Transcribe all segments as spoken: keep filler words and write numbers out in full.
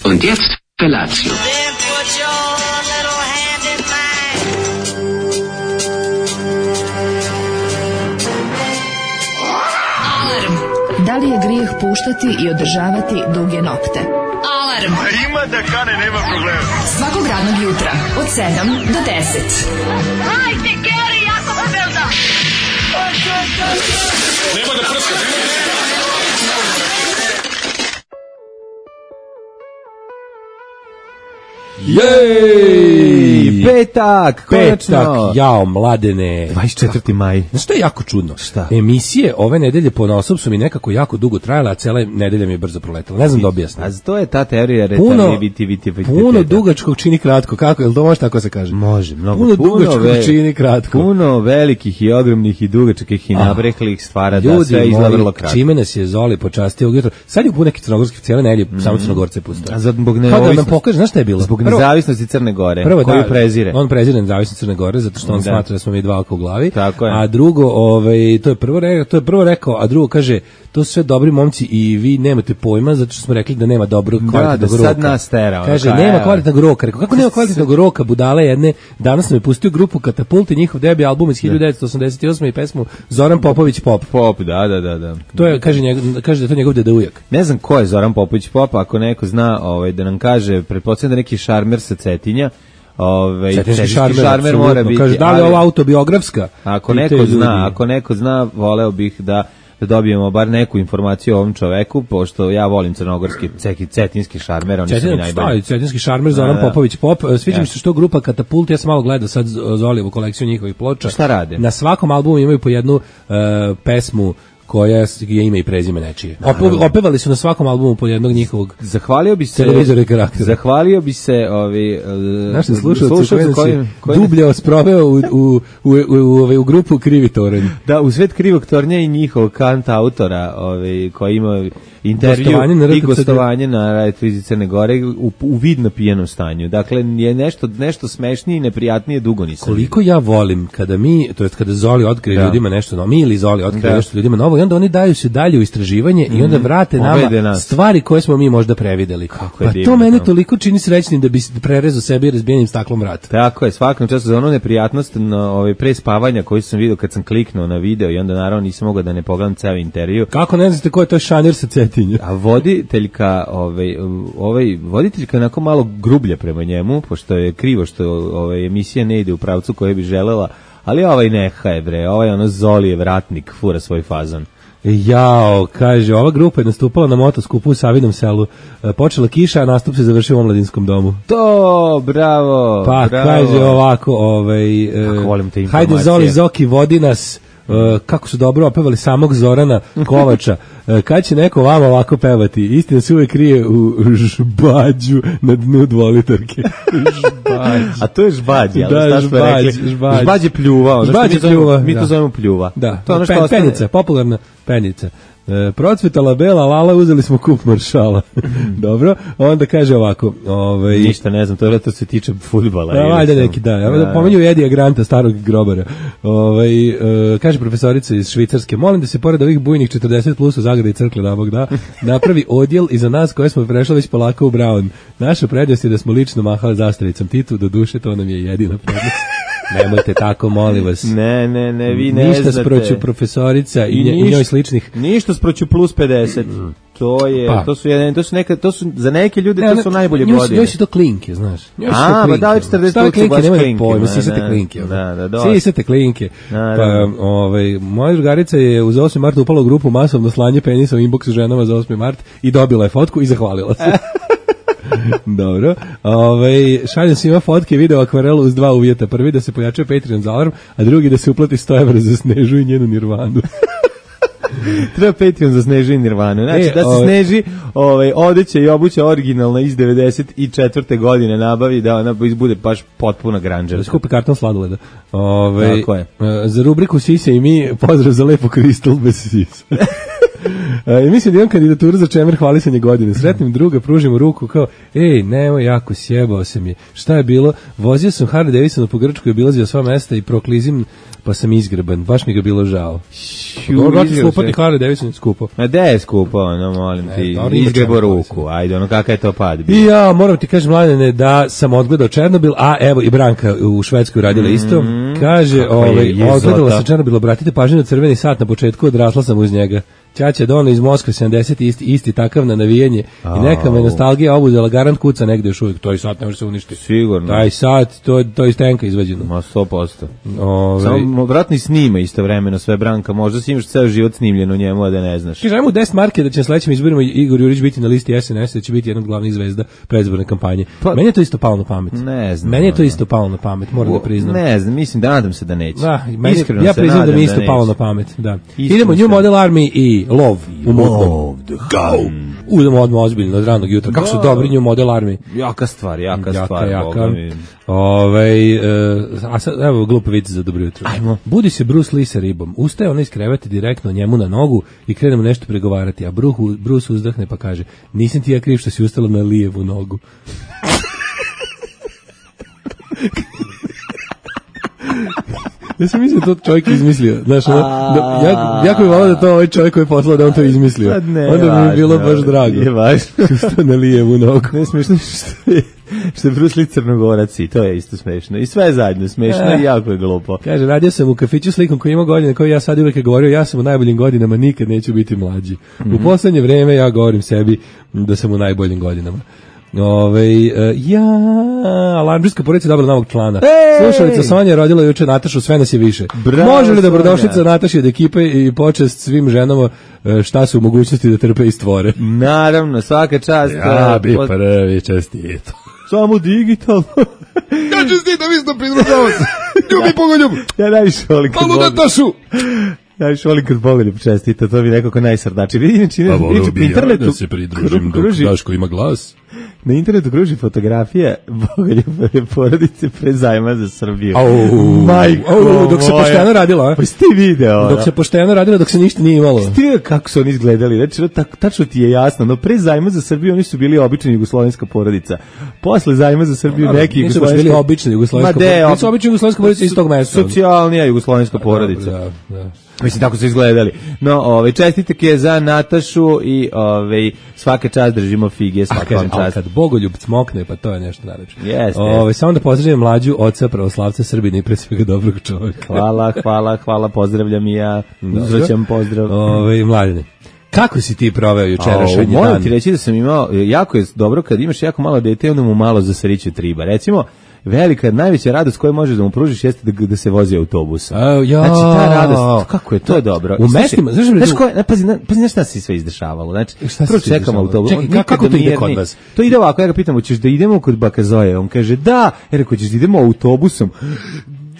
Und jetzt Felatio. Da li je grijeh puštati i održavati duge nokte? Alarm! Ima da kane, nema problema. Svakog radnog jutra, od sedam do deset. Hajde, Geri, jako se velda! Nema da prska, nema da prska. Jej! Petak, konačno! Petak, jao, mladene. dvadeset četvrti maj. Znaš što je jako čudno? Šta? Emisije ove nedelje ponosom su mi nekako jako dugo trajale, a cela nedelja mi je brzo proletala. Ne znam da objasnim. A to je ta teorija Puno, relativiteta. puno dugačkog čini kratko. Kako? Jel to može tako se kaže? Može, mnogo. Puno, Puno dugačkog ve, čini kratko. Puno velikih i ogromnih i dugačkih i nabreklih stvara da Ljudi sve izgleda vrlo moji, kratko. čime nas je Zoli počastio ujutro. Sad je u neki crnogorski cijele nedelje, mm. samo Crnogorce pustao. A zbog Kao da nezavisnosti. nam pokaže, znaš šta je bilo? Zbog Prvo- nezavisnosti Crne Gore, Prvo, koju da, prezire. On prezire nezavisnost Crne Gore zato što on Da. smatra da smo mi dva oko u glavi. Tako je. A drugo, ovaj to je prvo rekao, to je prvo rekao, a drugo kaže, to su sve dobri momci i vi nemate pojma zato što smo rekli da nema dobrog kvalitetnog da roka. sad nas tera, Kaže ono, nema evo. kvalitetnog roka. Rekao kako nema kvalitetnog roka, budale jedne. Danas nam je pustio grupu Katapult i njihov debi album iz hiljadu devetsto osamdeset osme i pesmu Zoran Popović Pop. Pop, da, da, da, da. To je kaže njegov, kaže da je to njegov deda ujak. Ne znam ko je Zoran Popović Pop, ako neko zna, ovaj da nam kaže, pretpostavljam da neki šarmer sa Cetinja. Ovaj Cetinski šarmer, šarmer mora apsolutno. biti. Kaže da li je ali ovo autobiografska? Ako Pitaju neko ljudi. zna, ako neko zna, voleo bih da da dobijemo bar neku informaciju o ovom čoveku, pošto ja volim crnogorski ceki cetinski šarmer, oni su mi Cetin, najbolji. šta, cetinski šarmer Zoran Da, da. Popović Pop. Sviđa mi Ja. se što grupa Katapult, ja sam malo gledao sad Zolijevu kolekciju njihovih ploča. Šta rade? Na svakom albumu imaju po jednu uh, pesmu koja je ime i prezime nečije. Ope, opevali su na svakom albumu po jednog njihovog Zahvalio bi se televizora i karaktera. Zahvalio bi se ovi Naš slušalci slušalci koji koji- koji dublje osproveo u, u, u, u, u, u, u grupu Krivi toranj. da u svet krivog tornja i njihovog kanta autora, ovaj koji ima intervju Gostovanje na i R T C D. gostovanje na Radio Crne Gore u, u vidno pijenom stanju. Dakle je nešto nešto smešnije i neprijatnije dugo nisam. Koliko ja volim kada mi, to jest kada Zoli otkrije Da. ljudima nešto novo, mi ili Zoli otkrije Da. nešto ljudima novo i onda oni daju se dalje u istraživanje i onda vrate Povede nama nas. stvari koje smo mi možda prevideli. Kako je Pa divno to mene to. toliko čini srećnim da bi se prerezao sebi razbijenim staklom vrat. Tako je, svakom času za onu neprijatnost na ovaj pre spavanja koju sam video kad sam kliknuo na video i onda naravno nisam mogao da ne pogledam ceo intervju. Kako ne znate ko je to šanjer sa Cetinja? A voditeljka, ovaj, ovaj, voditeljka je onako malo grublja prema njemu, pošto je krivo što ovaj, emisija ne ide u pravcu koje bi želela, ali ovaj neha je bre, ovaj ono Zolijev ratnik, fura svoj fazon. Jao, kaže, ova grupa je nastupala na motoskupu u Savinom selu. E, Počela kiša, a nastup se završio u omladinskom domu. To, bravo, Pa bravo. kaže ovako, ovaj, e, Kako volim te hajde informacije. Zoli Zoki, vodi nas, e, kako su dobro opevali samog Zorana Kovača. E, kad će neko vama ovako pevati? Istina se uvek krije u žbađu na dnu dvolitarke. Žbađ. A to je žbađ, jel? Da, Šta smo žbađ, rekli? žbađ. Žbađ je pljuva, ono što Žbađ mi je zovemo- pljuva, mi to da. zovemo pljuva. Da, To je ono što Pen- ostane- penica, popularna penica. E, procvetala bela lala, uzeli smo kup maršala. Dobro, onda kaže ovako, ovaj Ništa, ne znam, to je to se tiče fudbala. Da, ili valjda sam- neki, da. Ja Da, da da. pominju Edija Granta, starog grobara. Ovaj e, kaže profesorica iz Švicarske, molim da se pored ovih bujnih četrdeset plus u zagradi crkle da Bog da, napravi odjel i za nas koje smo prešli već polako u Brown. Naša prednost je da smo lično mahali zastavicom Titu, do duše to nam je jedina prednost. Nemojte tako, molim vas. Ne, ne, ne, vi ne Ništa znate. sproću profesorica i, I nje- i ništa- njoj sličnih. Ništa sproću plus pedeset. To je, Pa. to su jedan, to su neka, to su za neke ljude Ne, to ne, su najbolje njoj su- godine. Njoj su to klinke, znaš. Njoj su A, to pa klinke. da, četrdeset Stave plus su klinke, baš nemojte klinke, pojma, da, sisate da, klinke. da, da, dosta. Sisate klinke. Pa, Naravno. ovaj, moja drugarica je uz osmi mart upala u grupu masovno slanje penisa u inbox ženama za osmi mart i dobila je fotku i zahvalila se. Dobro. Ovaj šaljem svima fotke i video akvarelu uz dva uvjeta. Prvi da se pojača Patreon za alarm, a drugi da se uplati sto evra za Snežu i njenu Nirvanu. Treba Patreon za Sneži i Nirvanu. Znači, E, da se ovaj- Sneži ovaj, odeće i obuća originalna iz devedeset četvrte godine nabavi, da ona bude baš potpuna Da granđerka. skupi karton sladoleda. Ovaj Tako je. e, za rubriku Sise i mi pozdrav za lepo kristal bez sisa. E, mislim da imam kandidaturu za čemer hvalisanje godine. Sretnim druga, pružimo ruku kao, ej, nemoj, jako sjebao se mi. Šta je bilo? Vozio sam Harley Davidson po Grčkoj, obilazio sva mesta i proklizim pa sam izgreban, baš mi ga bilo žao. Ću, Dobro, izgreba skupo ti se. Harley Davidson skupo. Ma de je skupo, ono, molim E, ti, dobro, ima izgrebo čemu ruku, ajde, ono, kakav je to pad bio. I ja moram ti kažem, Mladene, da sam odgledao Černobil, a evo i Branka u Švedskoj radila isto. Kaže, Kakva je ovaj, jezota. odgledala sam Černobil, obratite pažnju na crveni sat na početku, odrasla sam uz njega. Ćaća Dono iz Moskve sedamdeset isti, isti takav na navijanje i neka me nostalgija obuzela, garant kuca negde još uvijek. To i sat ne može se uništiti. Sigurno. Taj sat, to, to je iz tenka izvađeno. Ma sto posto. Ove, Samo vratno i snima istovremeno sve Branka, možda si imaš ceo život snimljen u njemu, a da ne znaš. Kaže, ajmo u deset marke da će na sledećim izborima Igor Jurić biti na listi S N S, da će biti jedna od glavnih zvezda predizborne kampanje. Pa- Meni je to isto palo na pamet. Ne znam, Meni je to ono. isto palo na pamet, moram da priznam. Ne znam, mislim da nadam se da neće. Da, meni, Iskreno ja se priznam da nadam mi je isto neće. palo na pamet, da. Iskreno Idemo se- New Model Army i Love u mutnom. the gun. Udemo odmah ozbiljno od ranog jutra. Kako su Da. dobri New Model Army. Jaka stvar, jaka, Jaka, stvar. jaka. Boga mi. Ovaj, e, a sad, evo, glupa vic za dobro jutro. Ajmo. Budi se Bruce Lee sa ribom. Ustaje ona iz kreveta direktno njemu na nogu i krenemo nešto pregovarati, a Bruce, Bruce uzdahne pa kaže, nisam ti ja kriv što si ustala na lijevu nogu. Ja sam mislio da to čovjek izmislio. Znaš, ono, da, ja, jako bi volao da to ovaj čovjek koji je poslao da on to izmislio. Pa ne, Onda bi mi važno, bilo baš drago. je važno. Ustao na lijevu nogu. Ne smiješno što je, što je Bruce Lee Crnogorac i to je isto smešno. I sve je zajedno smešno Eh. i jako je glupo. Kaže, radio sam u kafiću s likom koji ima godine, koji ja sad uvijek je govorio, ja sam u najboljim godinama, nikad neću biti mlađi. U poslednje vreme ja govorim sebi da sam u najboljim godinama. Ove, ja, alarmdžijska porodica je dobila novog člana. Ej! Slušalica Sonja je rodila juče Natašu, sve nas je više. Bravo, Može li dobrodošlica Sonja. Nataši od ekipe i počest svim ženama e, šta su u mogućnosti da trpe i stvore? Naravno, svaka čast. Ja eh, bi od- prvi čestito. Samo digitalno. Ja čestitam isto pridružavam se. Ljubi Bogoljub. Ja najviše volim kad Malu Bogoljub- Natašu. najviše volim kad Bogoljub čestita, to mi nekako najsrdači. Vidi, inače, Pa inače, volio po bi ja internetu da se pridružim dok kruži- Daško ima glas. Na internetu kruži fotografija Bogoljubove porodice pre zajma za Srbiju. Au, Majko au, dok se moja. pošteno radila, a? Pa si ti video, Dok se pošteno radilo, dok se ništa nije imalo. Ti vidio kako su oni izgledali, znači, no, tak, tačno ti je jasno, no pre zajma za Srbiju oni su bili obična jugoslovenska porodica. Posle zajma za Srbiju neki Nisu baš bili obični jugoslovenska Ma de, porodica. ob- Nisu obični jugoslovenska porodica iz tog mesta. Socijalnija jugoslovenska porodica. Da, da. Mislim, tako su izgledali. No, ovaj, čestitak je za Natašu i ovaj, svaka čast držimo fige, A svaka kažem, vam ali čast. kad Bogoljub cmokne, pa to je nešto najlepše. Jeste, Ovaj, jeste. samo da pozdravim mlađu oca pravoslavca Srbina i pre svega dobrog čovjeka. Hvala, hvala, hvala, pozdravljam i ja. Uzvraćam pozdrav. Ovaj, Mladene, kako si ti proveo jučerašnji Moram dan? ti reći da sam imao, jako je dobro kad imaš jako malo dete, onda mu malo zasriće triba. Recimo, velika, najveća radost koju možeš da mu pružiš jeste da, da se vozi autobusom. A, ja. Znači, ta radost, kako je to dobro. U Slušaj, mestima, znaš da- znaš ko je, ne, pazi, ne, pazi, znaš šta se sve izdešavalo. Znači, Šta se prvo sve čekamo izdešavalo? autobus. Čekaj, On kako- kako nikada to ide nije- kod ne, vas? To ide ovako, ja ga pitam, hoćeš da idemo kod baka Zoje? On kaže, da. Ja rekao, hoćeš da idemo autobusom?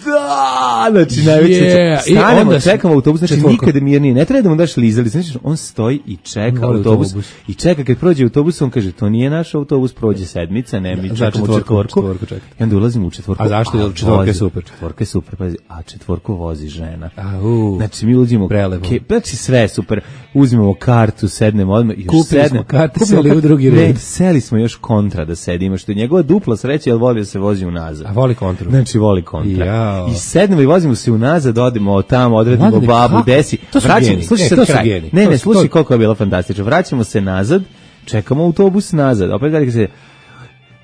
Da, znači najveće. Yeah. I Stanemo, onda se- čekamo autobus, znači četvorko. nikada mirnije. Ne treba da mu daš lizali, znači on stoji i čeka Voli autobus, autobus. i čeka kad prođe autobus, on kaže, to nije naš autobus, prođe sedmica, ne, mi Da, čekamo četvorku, četvorku. četvorku čekate. I onda ulazimo u četvorku. A zašto? Jer četvorka je vozi- super. Četvorka je super, pazi, a četvorku vozi žena. Au. Znači mi ulazimo, Prelepo. ke, znači sve je super, uzmemo kartu, sednemo odmah, još Kupili smo sednemo. karte, Kupimo seli u karte, drugi ne, red. seli smo još kontra da sedimo, što je njegova dupla sreća, jer voli da se vozi unazad. A voli kontru. Znači voli kontra. Jao. I sednemo i vozimo se unazad, odemo tamo, odredimo Mladene, babu, kako? desi. To su Vraćamo, geni. slušaj Ne, sad to su kraj. geni. Ne, To ne, su- slušaj to- koliko je bilo fantastično. Vraćamo se nazad, čekamo autobus nazad. Opet velika se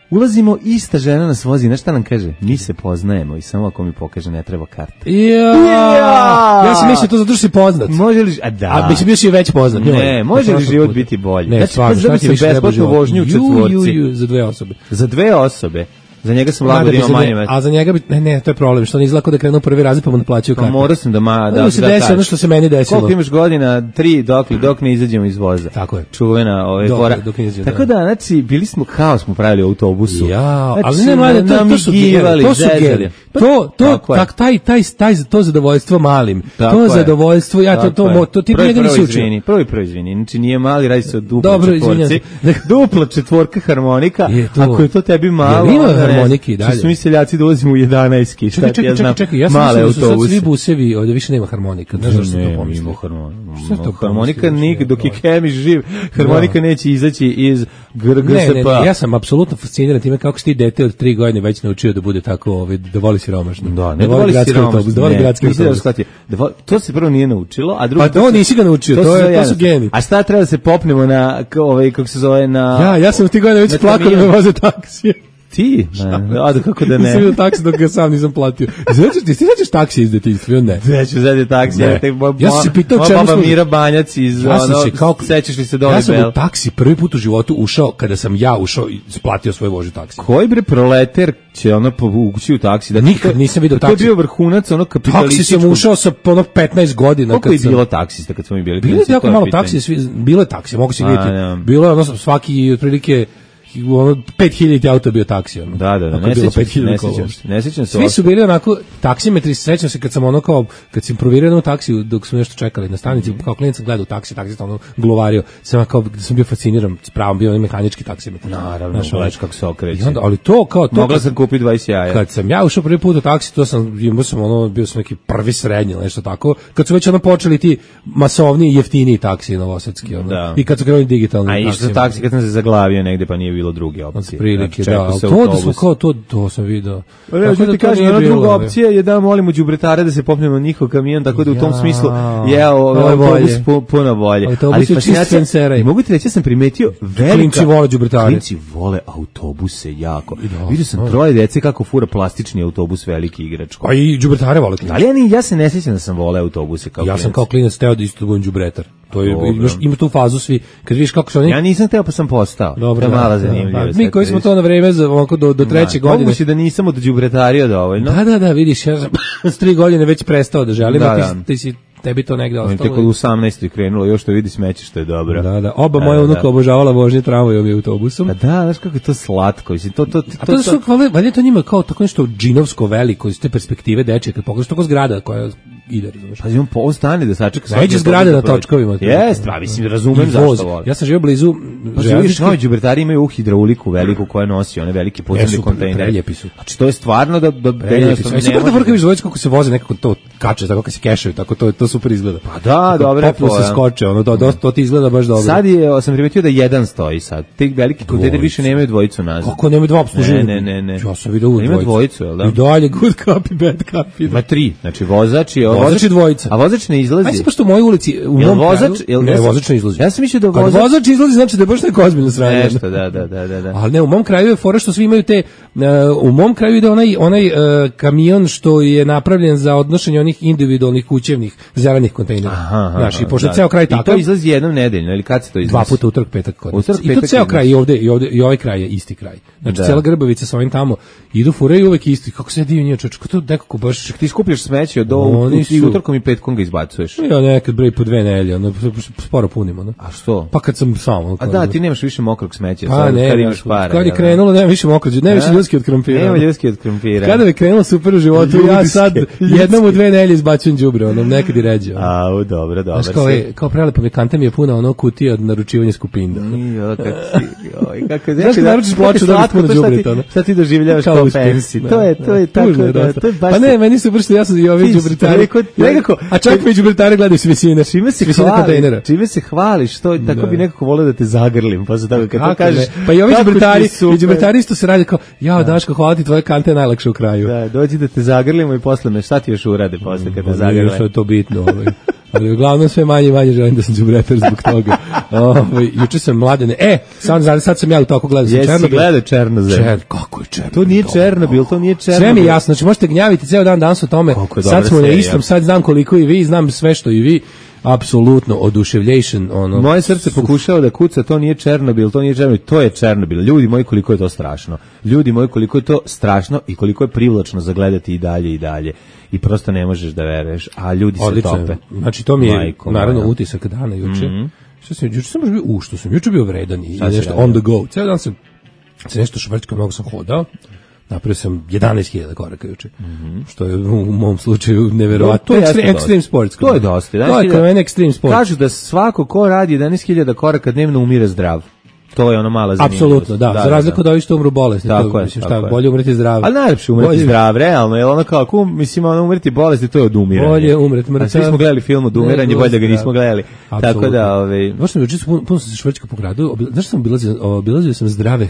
ulazimo, ista žena nas vozi, znaš šta nam kaže? Mi se poznajemo i samo ako mi pokaže ne treba karte. Ja. Ja. Ja sam mislio to zato što si poznat. Može li, a da. A mislim bio si već poznat. Ne, može li život biti bolji? Ne, Znači, stvarno, pa šta zabi ti se više treba besplatnu život? vožnju u Ju, četvorci. ju, ju, za dve osobe. Za dve osobe. Za njega sam Mada lago da bi ima za manje dve- metra. A za njega bi, ne, ne, to je problem, što on izlako da krenu u prvi razred pa mu naplaćaju Pa karte. morao sam da ma da Da se da desi kažem. ono što se meni desilo. Koliko imaš godina? Tri, dok li dok ne izađemo iz voza. Tako je. Čuvena ove Dok- fora. dok ne izađemo, Tako da, znači, bili smo haos smo pravili u autobusu. Ja, ali Znači, ne mlade, to, to su namigivali, geni, to su zezali. geni. To, to, Tako je. tak, taj, taj, taj, to zadovoljstvo malim, Tako to je. zadovoljstvo, ja to, Tako to, je. mo- to ti Prvi, njega nisi prvo učio. izvini, Prvi, prvo izvini. Znači, nije mali, radi se o dupla Dobro, četvorci. izvinjam se. Dupla četvorka harmonika, Je to- ako je to tebi malo, Jel ima onda harmonike i dalje. Što su mi seljaci dolazimo u jedanaestki, šta Čekaj, ti ja čekaj, znam, čekaj, čekaj, ja sam male mislio da su sad autobuse. svi busevi, ovdje više nema harmonika. Ne znam što Ne, to pomisli. ima harmonika. Šta to Harmonika pomisliš? nik, dok je Kemiš živ, harmonika neće izaći iz G R G Ne, S ne, P. ne, ja sam apsolutno fasciniran time kako si ti dete od tri godine već naučio da bude tako, ovaj, da voli siromašno. Da, ne da voli gradski siromašno, autobus, da voli ne, gradski nisi da autobus. shvatio. Da voli- to se prvo nije naučilo, a drugo... Pa to nisi ga naučio, to, su je, sve to su jednostavno. geni. A šta treba da se popnemo na, k- ovaj, kako se zove, na... Ja, ja sam u tih godina već na plakao da me kamion. voze taksije. Ti? Ne, a da kako da Nisam ne. vidio taksi dok ga sam nisam platio. Znači, ti ti sećaš taksi iz detinjstva, ili ne? Neću zadi taksi, Ne. ja, te, mo, Ja sam se pitao moja čemu baba služi. Mira Banjac iz, Ja sam ono, se kao sećaš li se Doli Ja sam Bell? u taksi prvi put u životu ušao kada sam ja ušao i splatio svoj vožnju taksi. Koji bre proleter će ono povući u taksi? Da Nikad nisam vidio To je taksi. bio vrhunac ono Taksi kapitalističkog. sam ušao sa ono petnaest godina. Koliko kad je sam- bilo taksista kad smo mi bili? Bilo je klinci, jako to malo pitanje. taksi, svi, bilo je taksi, mogu se A, vidjeti. ja. Bilo je ono svaki otprilike ono pet hiljada auto je bio taksi ono. Da, da, da, Ako je ne bilo sećam pet se, hiljada ne kola sećam uopšte. se, ne sećam se Svi uopšte. su bili onako taksimetri, sećam se kad sam ono kao kad sam proverio u taksiju dok smo nešto čekali na stanici, kao klinac sam gledao taksi, taksista ono glovario, sam kao da sam bio fasciniran, s pravom bio onaj mehanički taksimetar. Naravno, Znaš, ono. gledaš kako se okreće. I onda, ali to kao to Mogla kad- sam kupiti dvadeset jaja. Kad sam ja ušao prvi put u taksi, to sam, imao sam ono, bio sam neki prvi srednji ili nešto tako, kad su već ono počeli ti masovniji, jeftiniji taksi novosadski, ono, Da. i kad su krenuli digitalni A išao taksima. sam taksi kad sam se zaglavio negde pa nije bilo druge opcije. Prilike, Znači, da, čekao ali se to da autobus. smo kao to, to sam video. Pa ne, Tako ja ti to kažem, nije ona bilo, druga ovaj. opcija je da molimo đubretare da se popnemo na njihov kamion, tako da u tom Ja, smislu je ovo je autobus bolje. pu- puno bolje. Autobus Ali je čist fascinacija- senseraj. i mogu ti reći, ja sam primetio velika... Klinci vole đubretare. Klinci vole autobuse jako. Da, Vidio sam da. troje dece kako fura plastični autobus veliki igračko. A i đubretare vole klinci. Ali ja, ni, ja se ne sjećam da sam vole autobuse kao Ja sam klinac. kao klinac teo da isto budem đubretar. To je, Dobro. imaš, ima tu fazu svi, kad vidiš kako su oni... Ja nisam teo pa sam postao. Dobro, to je da, mala da, zanimljivost. da. Mi koji smo to na vreme za, onako, do, do treće Da, godine... moguće da nisam od đubretario dovoljno. Da, da, da, vidiš, ja sam s tri godine već prestao da želim, Da, a ti, da. ti si, tebi to negde On je ostalo. tek od osamnaeste krenulo, još to vidi smeće što je dobro. Da, da, oba Da, moja da, unuka da. obožavala vožnje tramvajom i autobusom. Pa da, znaš kako je to slatko. Mislim, to, to, to, A to su, valjda, valjda to njima kao tako nešto džinovsko veliko iz te perspektive dečje, kad pogledaš tako zgrada koja ide, razumeš? Pa on po stane da sačeka. Neđe svaki zgrade autobus na da prođe. točkovima. Jeste, pa mislim, razumem I voz. zašto vole. Ja sam živio blizu Pa živiš, železničke. novi đubretari imaju hidrauliku veliku koja nosi one velike podzemne Jesu, kontejnere. preljepi su. Znači, to je stvarno da... da, da Preljepi su. jednostavno I super ne da može- vrkaviš dvojicu kako se voze, nekako to kače, tako kako se kešaju, tako to, to super izgleda. Pa da, Tako dobra je popnu se fora. skoče, ono, to, to, to ti izgleda baš dobro. Sad je, sam primetio da jedan stoji sad. Te veliki kontejneri Dvojicu. više nemaju dvojicu nazad. Kako nema dva obsluživanja? Ne, ne, ne, ne. Ja sam vidio uvijek Ima dvojicu. dvojicu, jel da? I dalje good copy, bad copy. Ima tri, znači vozač i... Vozač i dvojica. A vozač ne izlazi. Ajde se pošto u mojoj ulici, u Jel mom vozač, kraju, jel ne, ja sam- vozač ne izlazi. Ja sam mislio da Kad vozač... vozač izlazi, znači da je baš neko ozbiljno sranje. Nešto, da, da, da, da. da. Ali ne, u mom kraju je fora što svi imaju te, uh, u mom kraju ide onaj, onaj uh, kamion što je napravljen za odnošenje onih individualnih kućevnih zelenih kontejnera. Aha, aha, Znaš, i pošto je da. ceo kraj I to takav, izlazi jednom nedeljno, ili kad se to izlazi? dva puta utorak, petak kod nas. Utorak, I to petak ceo kod kraj nas. i ovde i ovde i ovaj kraj je isti kraj. Znači Da. cela Grbavica sa ovim tamo idu furaju uvek isti. Kako se divnije čoveče, kako to nekako baš Ti skupljaš smeće od Oni ovog i su- utorkom i petkom ga izbacuješ. ja nekad bre po dve nedelje, ono sporo punimo, no. A što? Pa kad sam sam, ono, A kao, da, ono, ti nemaš više mokrog smeća, pa sad ne, kad imaš para. kad je jel da? krenulo, nema više mokrađe, nema više A? ljudski od krompira. Nema ono. ljudski od krompira. Kada bi krenulo super u životu, ja Ljudske, sad ljudske. jednom u dve nedelje izbacujem đubre, ono, nekad i ređe. ono. Au, dobro, dobro. Znaš, kao, je, kao prelepa mi kanta mi je puna ono kutija od naručivanja skupinda. Jo, kako si, joj, kako Znaš kad naručiš ploču, dobiš puno đubreta, ono. Šta ti doživljavaš Kao kao uspeh. fancy? Da, To je, da. to je tako, Tužno je da, dosta. to je baš... Pa ne, meni su bršto, ja sam i ovi Ti đubretari. rekao- Nekako, a čak mi đubretari gledaju s visine. Čime se s visine hvali, kontejnera. čime se hvališ, to tako Da. bi nekako voleo da te zagrlim, pa se tako kad to Kako kažeš. ne? Pa i ovi kako ti je đubretari, super. i đubretari isto se radi kao, ja, Daško, hvala ti, tvoje kante je najlakše u kraju. Da, dođi da te zagrlimo i posle me, šta ti još urade posle kad te Pa nije zagrle? što je to bitno, ovaj. Ali uglavnom sve manje i manje želim da sam đubretar zbog toga. Ovaj juče sam mladene. E, sad sad, sad sam ja u toku gledao sam Jesi Černobil. gledao Černozem? Čer, kako je Černobil? To nije Černobil, to nije Černobil. Sve mi je jasno, znači možete gnjaviti ceo dan danas o tome. Koliko je dobra Sad smo na serija. istom, sad znam koliko i vi, znam sve što i vi. Apsolutno oduševljation, ono. Moje srce pokušava da kuca, to nije Černobil, to nije Černobil, to je Černobil. Ljudi moji, koliko je to strašno. Ljudi moji, koliko je to strašno i koliko je privlačno zagledati i dalje i dalje. I prosto ne možeš da veruješ, a ljudi se Odlično. tope. Znači to mi je Majko naravno moja. utisak dana juče. Što sam juče sam baš bio, u što sam juče bio vredan i Šta si nešto radio? on the go. Ceo dan sam se nešto švrčkao, mnogo sam hodao. Napravio sam jedanaest hiljada koraka juče. Što je u, u mom slučaju neverovatno. To je Extreme, jeste extreme dosta. sports. To je dosta. To je kod mene extreme sport. Kažu da svako ko radi jedanaest hiljada koraka dnevno umire zdrav. To je ono mala zanimljivost. Apsolutno, da. da za razliku od ovih što umru bolesni. Tako to, je, mislim, tako šta, je. bolje umreti zdrav. Ali najlepše umreti bolje... zdrav, realno, jer ono kao, kum, mislim, ono umreti bolesti, to je odumiranje. Bolje umreti mrtav. A svi smo gledali film Odumiranje, bolje da ga nismo gledali. Apsolutno. Tako da, ovaj... Baš sam juče puno, puno sam se švrčka po gradu, znaš što sam obilazio, obilazio sam zdrave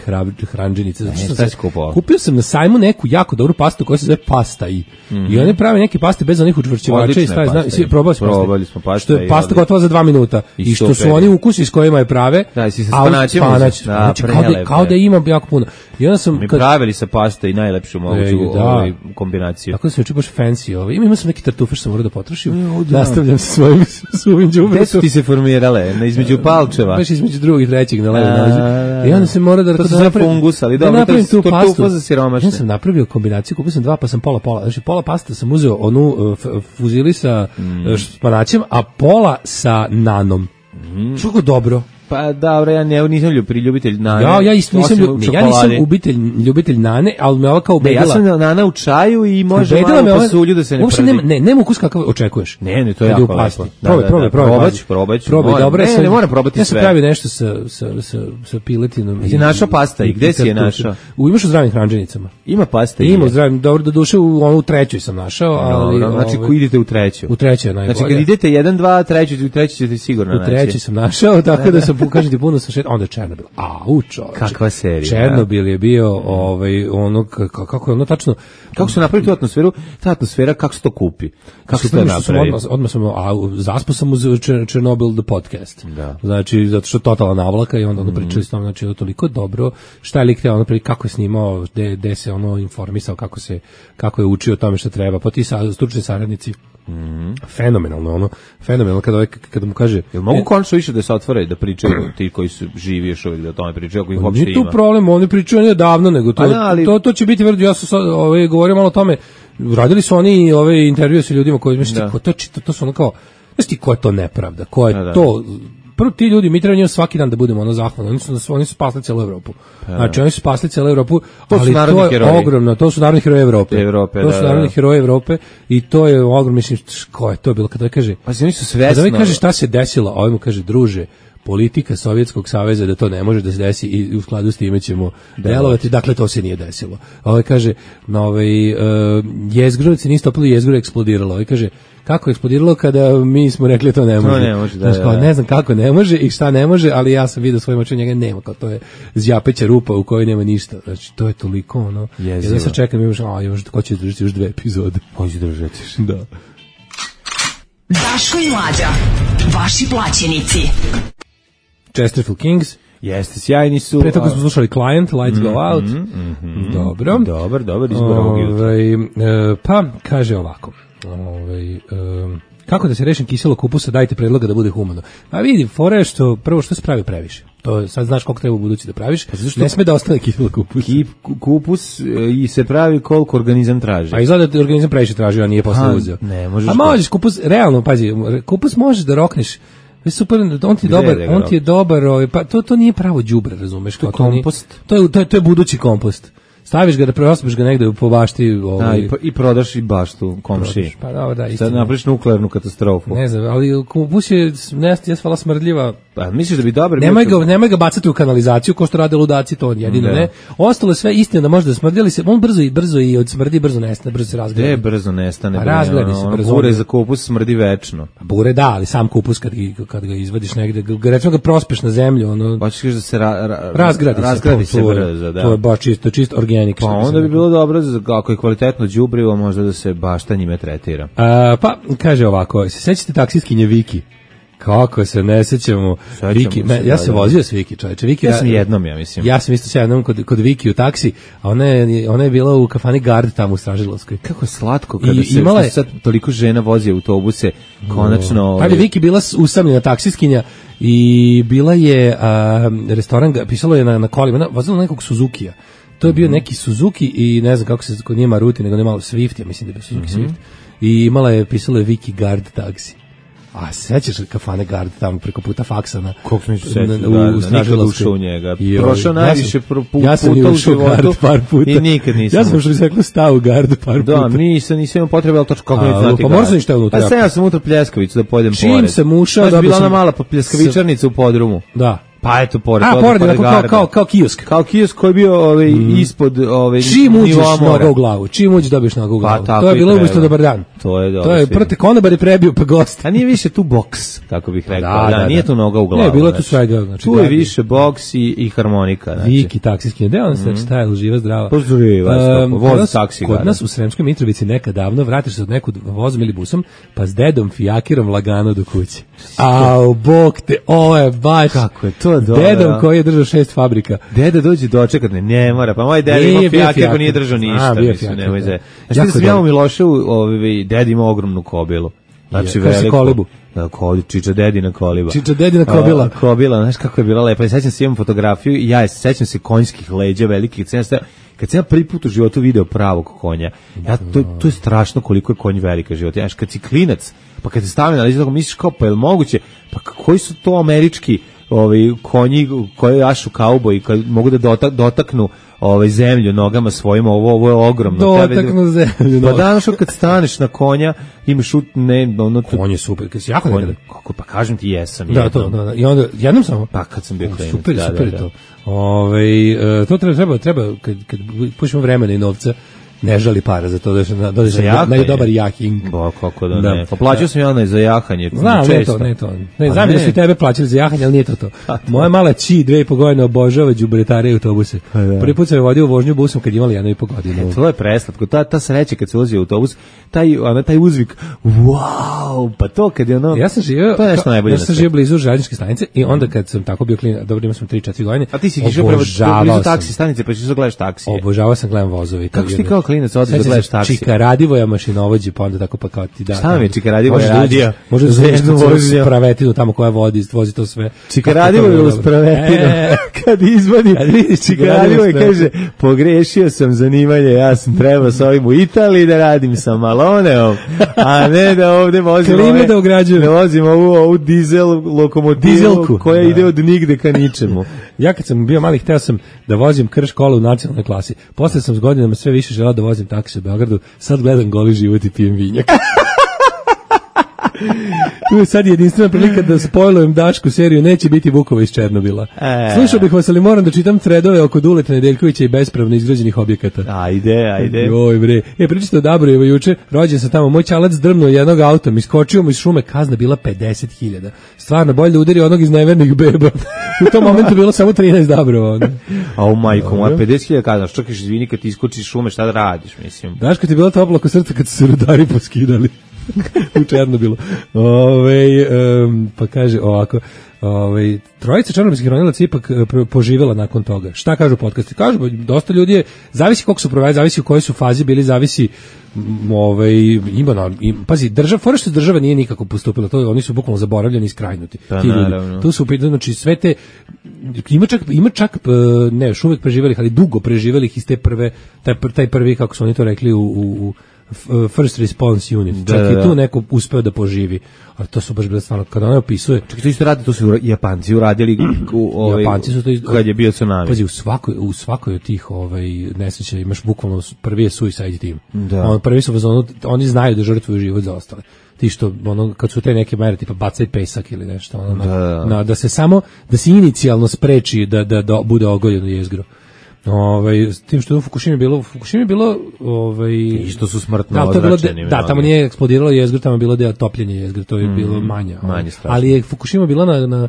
hranđenice. Ne, šta si kupovao? Kupio sam na sajmu neku jako dobru pastu koja se zove pasta i. Mm-hmm. I oni prave neke paste bez onih učvršćivača i šta znam, svi probali smo paste. Probali smo paste. Što je pasta gotova za dva minuta. I, I što super. su oni ukusi s kojima je prave. Da, si sa spanaćem. Spanać, znači, kao, da, kao da ima jako puno. I onda sam mi kad... pravili sa pasta i najlepšu moguću da. ovaj kombinaciju. Tako da se juče baš fancy ovaj. Ima, ima sam neki tartufe što sam morao da potrošim. Da. Nastavljam sa svojim suvim đubretom. Gde su ti se formirale? Na između palčeva? Baš između drugog i trećeg na levo nalazi. I onda sam morao da... To se zove fungus, ali dobro, to je tartufa za siromašne. Ja sam napravio kombinaciju, kupio sam dva, pa sam pola pola. Znači pola pasta sam uzeo onu uh, fuzili sa mm. španaćem, a pola sa nanom. Mm. Što dobro. Pa dobro, ja ne, nisam ljub, ljubitelj nane. Ja, ja isto nisam, ljub, ne, ja nisam ubitelj, ljubitelj nane, ali me ova kao ubedila. Ne, ja sam nana u čaju i može malo pasulju da se ne prdi. Ne, ne, nema ukus kakav očekuješ. Ne, ne, to je jako lepo. Probaj, probaj, probaj. Probać, probać. Probaj, dobro. Ne, ne moram probati sve. Ja sam pravio nešto sa, sa, sa, sa piletinom. Ti našao pasta i gde si je našao? U, imaš u zdravim hranđenicama. Ima pasta i ima u zdravim, dobro, do duše u onu trećoj sam našao, ali... Znači, ko idete u treću? U trećoj je najbolje. Znači, kad idete jedan, dva, treću, u treću ćete sigurno naći. U trećoj sam našao, tako da sam, kažem ti, puno sam onda je Černobil. Au, čoveče. Kakva serija. Černobil je bio ovaj ono kako je ono tačno kako su napravili tu atmosferu, ta atmosfera kako se to kupi. Kako se to napravi? Odmah, odmah sam a zaspo sam uz Černobil the podcast. Da. Znači zato što totalna navlaka i onda ono pričali s tom, znači je toliko dobro. Šta je lik hteo ono kako je snimao, gde se ono informisao, kako se kako je učio o tome šta treba. Pa ti sa stručni saradnici. Mm. Fenomenalno ono, fenomenalno kada ovaj, kada mu kaže jel mogu konačno više da se otvore da pričaju ti koji su živi još uvijek da o tome pričaju ako ih uopšte ima. Nije tu problem, oni pričaju ne davno nego to, da, ali... to, to će biti vrlo, ja sam ovaj, govorio malo o tome, radili su oni ove intervjue sa ljudima koji misli, ko to, to, to su ono kao, znaš ti ko je to nepravda, ko je da, da. to prvo ti ljudi, mi treba njima svaki dan da budemo ono zahvalni, oni su, oni su spasli cijelu Evropu. Pa, znači oni su spasli cijelu Evropu, to ali to je heroji. Ogromno, to su narodni heroji Evrope. Evrope to da, su narodni da. heroji Evrope i to je ogromno, mislim, ko je to bilo, kada kaže, pa oni su svesno. Kada ovaj kaže šta se desilo, a ovaj mu kaže, druže, politika Sovjetskog saveza da to ne može da se desi i u skladu s time ćemo delovati, dakle to se nije desilo. A ovaj kaže, na ovaj, uh, jezgro se nije stopilo, jezgro je eksplodiralo. Ovaj kaže, kako je eksplodiralo kada mi smo rekli to ne može. To ne može, da, znači, kao, ne znam kako ne može i šta ne može, ali ja sam vidio svojim očima, njega nema, kao to je zjapeća rupa u kojoj nema ništa. Znači, to je toliko ono. Ja sad čekam, još, a, još, ko će držati još dve epizode. Hoće držati. Da. Daško i Mlađa, vaši plaćenici. Chesterfield Kings. Jeste, sjajni su. Pre toga smo slušali Client, Lights mm, Go Out. Mm, mm, mm, dobro. Dobar, dobar izbor ovog jutra. E, pa, kaže ovako. Ove, e, kako da se rešim kiselog kupusa, dajte predloga da bude humano. A vidi, fora je što, prvo što se pravi previše. To sad znaš koliko treba u budući da praviš. Pa ne sme da ostane kiselog kupusa. Kip, kupus i se pravi koliko organizam traži. A izgleda da organizam previše traži, a nije posle uzeo. Ne, možeš. A možeš, kupus, realno, pazi, kupus možeš da rokneš. Super, on ti je dobar, on ti je dobar, pa to to nije pravo đubre, razumeš, to je kompost. To je to je to je budući kompost. Staviš ga da preosmeš ga negde po bašti, ovaj da, i, i prodaš i baštu komšiji. Pa dobro, da, sad napraviš nuklearnu katastrofu. Ne znam, ali kupus je ne svala smrdljiva. Pa misliš da bi dobro nemoj ga, nemoj ga bacati u kanalizaciju kao što rade ludaci, to jedino ne. ne. Ostalo sve istina da može da smrdi, se on brzo i brzo i od smrdi brzo nestane, brzo se razgradi. Gde brzo nestane? Pa razgradi se brzo. Bure za kupus smrdi večno. Pa bure da, ali sam kupus kad kad ga izvadiš negde, ga recimo ga prospeš na zemlju, ono. Hoćeš da se ra, ra, razgradi, razgradi se, se brzo, da. To je baš čisto, čisto organic. Pa onda bi bilo dobro ako je kvalitetno đubrivo, možda da se bašta njime tretira. A, pa kaže ovako, se sećate taksiskinje Viki? Kako se ne sećamo Viki, ne, ja se vozio s Viki, čoveče. Viki, ja sam jednom, ja mislim. Ja sam isto se jednom kod kod Viki u taksi, a ona je ona je bila u kafani Gard tamo u Stražilovskoj. Kako je slatko kada I, se imala je, sad toliko žena vozi autobuse, konačno. Pa je Viki bila usamljena taksiskinja i bila je a, restoran, pisalo je na na kolima, vozila nekog Suzukija. To je bio neki Suzuki i ne znam kako se kod nije Maruti, nego nema Swift, ja mislim da je bio Suzuki mm-hmm. Swift. I imala je, pisalo je Viki Gard taksi. A sećaš kafane Gard tamo preko puta faksa na koliko smo se sećali da nikad ušao u njega. Prošao najviše puta ja sam u životu par puta i nikad nisam. Ja sam ušao rekao stao u Gardu par puta. Da, nisam nisam imao potrebe, al tačno kako ne znati. Pa možda ništa unutra. Pa sam ja sam unutra pljeskavicu da pojedem pored. Čim sam ušao, da bila ona mala pljeskavičarnica u podrumu. Da. Pa eto, pored A, toga, pored, pored kao, garda. kao, kao kiosk. Kao kiosk koji je bio ovaj, mm. ispod ovaj, Čim uđeš nivoa mora. noga u glavu, čim uđeš dobiješ noga u Pa, glavu. tako To je i bilo treba. umesto dobar dan. To je dobro. To je prvo te konobar je prebio pa gost. A nije više tu boks, kako bih rekao. Da, Da, da, nije da. tu noga u glavu. Ne, bilo je tu znači. svega. Znači, Tu je gledaj. više boks i, i harmonika. Znači. Viki, taksijski. Gde on sex style, živa, zdrava. Pozdrava, Um, vozi kod nas- taksi, Kod gara. nas u Sremskoj Mitrovici nekad davno vratiš se od nekud vozom ili busom, pa s dedom fijakirom lagano do kuće. Au, bog te, ovo je baš... Kako je to dobro. Dedom koji je držao šest fabrika. Deda dođe dočekat, ne, ne mora, pa moj deda Nije ima bio fijaker, fijaker. pa nije držao ništa, A, bio mislim, fijaker, nemoj da. za. Znači Jako da sam je ja u dobro. Miloševu, ovaj, deda ima ogromnu kobilu. Znači, Je, kaže se veliku. kolibu. Da, koli, čiča dedina koliba. Čiča dedina kobila. A, kobila, znaš kako je bila lepa. I sećam se, imam fotografiju i ja je, sećam se konjskih leđa velikih. Kad sam ja, kad sam ja prvi put u životu video pravog konja, ja, to, to je strašno koliko je konj velika život. Ja, kad si klinac, pa kad se stavi na leđa, tako misliš kao, pa je li moguće? Pa koji su to američki ovaj, konji koji jašu kauboj, kad mogu da dotak, dotaknu ovaj zemlju nogama svojim, ovo ovo je ogromno. Dotaknu zemlju. Pa danas kad staneš na konja, imaš ut, ne, ono tu, Konj je super, kad si jako konj, nekada. kako, pa kažem ti jesam. Da, jednom. to, da, da. I onda, jednom samo? Pa kad sam bio klinac. Super, da, super da, je da. to. Ove, e, to treba, treba, treba kad, kad pušimo vremena i novca, ne žali para za to da se na, dođeš Za na, jahanje? na dobar jahing. Ba, kako da, Da. ne. Pa plaćao sam ja onaj za jahanje. Znam, ne često. to, ne to. Ne, Pa znam da ne. su i tebe plaćali za jahanje, ali nije to to. Moja mala ći, dve i po godine, obožava đubretare i autobuse. da. Prvi put sam je vodio u vožnju busom kad imali jedno i po godine. To je preslatko. Ta, ta sreća kad se ulazi u autobus, taj, ona, taj uzvik, wow, pa to kad je ono... Ja sam živio, To je nešto najbolje ja na sam svetu. živio blizu željezničke stanice i onda kad sam tako bio klinac, dobro imao sam tri četiri godine. A ti si išao prema obožavao blizu sam. taksi stanice, pa ćeš da gledaš taksije. Obožavao sam gledam vozove. i to Kako si ti jedno- kao klinac odeš da Sećam se gledaš taksi? Čika Radivoja mašinovođe, pa onda tako pa kao ti da. Šta vam je Čika Radivoje Možeš da uđeš- radio? Možeš da Za uđeš jednu u svoju vožnju. spravetinu tamo koja vodi, vozi to sve. Čika Kako to Radivo je bilo bilo dobro. spravetino. E, Kad izvadi, Kad vidiš Čika Čika Radivo Radivo kaže, pogrešio sam zanimanje, ja sam trebao s ovim u Italiji da radim sa Maloneom, a ne da ovde vozim Klime ove, da ugrađujem. da vozim ovu, ovu dizel lokomotivu Dizelku. koja Da. ide od nigde ka ničemu. Ja kad sam bio mali hteo sam da vozim krš kola u nacionalnoj klasi. Posle sam s godinama sve više želeo da vozim taksi u Beogradu. Sad gledam Goli život i pijem vinjak. Tu je sad jedinstvena prilika da spojlujem Dašku seriju Neće biti Vukova iz Černobila. E. Slušao bih vas, ali moram da čitam threadove oko Duleta Nedeljkovića i bespravno izgrađenih objekata. Ajde, ajde. Joj bre. E, pričate o Dabrojevo juče, rođen sam tamo, moj čalac drmnuo jednog autom, iskočio mu iz šume, kazna bila pedeset hiljada. Stvarno, bolje da udari onog iz nevernih beba. U tom momentu bilo samo trinaest Dabrova. ono. A u majku, moja pedeset hiljada kazaš, čekaš, izvini, kad ti iskočiš iz šume, šta da radiš, mislim. Znaš kad ti je bilo toplo oko srca kad su se rudari poskidali u Černobilu. Ove, um, pa kaže ovako, ove, trojica černobilskih ronilaca ipak e, pro- poživjela nakon toga. Šta kažu podcasti? Kažu, ba, dosta ljudi je, zavisi koliko su provali, zavisi u kojoj su fazi bili, zavisi m, ovaj ima na im, pazi, država, fora što država nije nikako postupila, to oni su bukvalno zaboravljeni i skrajnuti. Pa, ti ljudi. naravno. Tu su u pitanju, znači sve te ima čak ima čak e, ne, još uvek preživelih, ali dugo preživelih iz te prve taj, pr- taj prvi, kako su oni to rekli, u, u, u First Response Unit. Da, Čak da, i da. tu neko uspeo da poživi. Ali to su baš bile stvarno, kada ona opisuje, Čekaj, to isto radi, to su Japanci uradili u, ovaj, Japanci su to iz- kad je bio tsunami. pazi, u svakoj, u svakoj od tih ovaj, nesreća imaš bukvalno, prvi je suicide team. Da. On, prvi su, ono, oni znaju da žrtvuju život za ostale. Ti što, ono, kad su te neke mere, tipa bacaj pesak ili nešto, ono, na, Da, da. na- da se samo, da se inicijalno spreči da, da, da bude ogoljeno jezgro. Ovaj, s tim što je u Fukushimi bilo, u Fukushimi bilo, ovaj, I što su smrtno da, to je bilo de- ozračeni da, tamo mnogi. nije eksplodiralo jezgro, tamo je bilo deo topljenje jezgro, to je bilo manje. ovaj. manje strašno. Ali je Fukushima bila na, na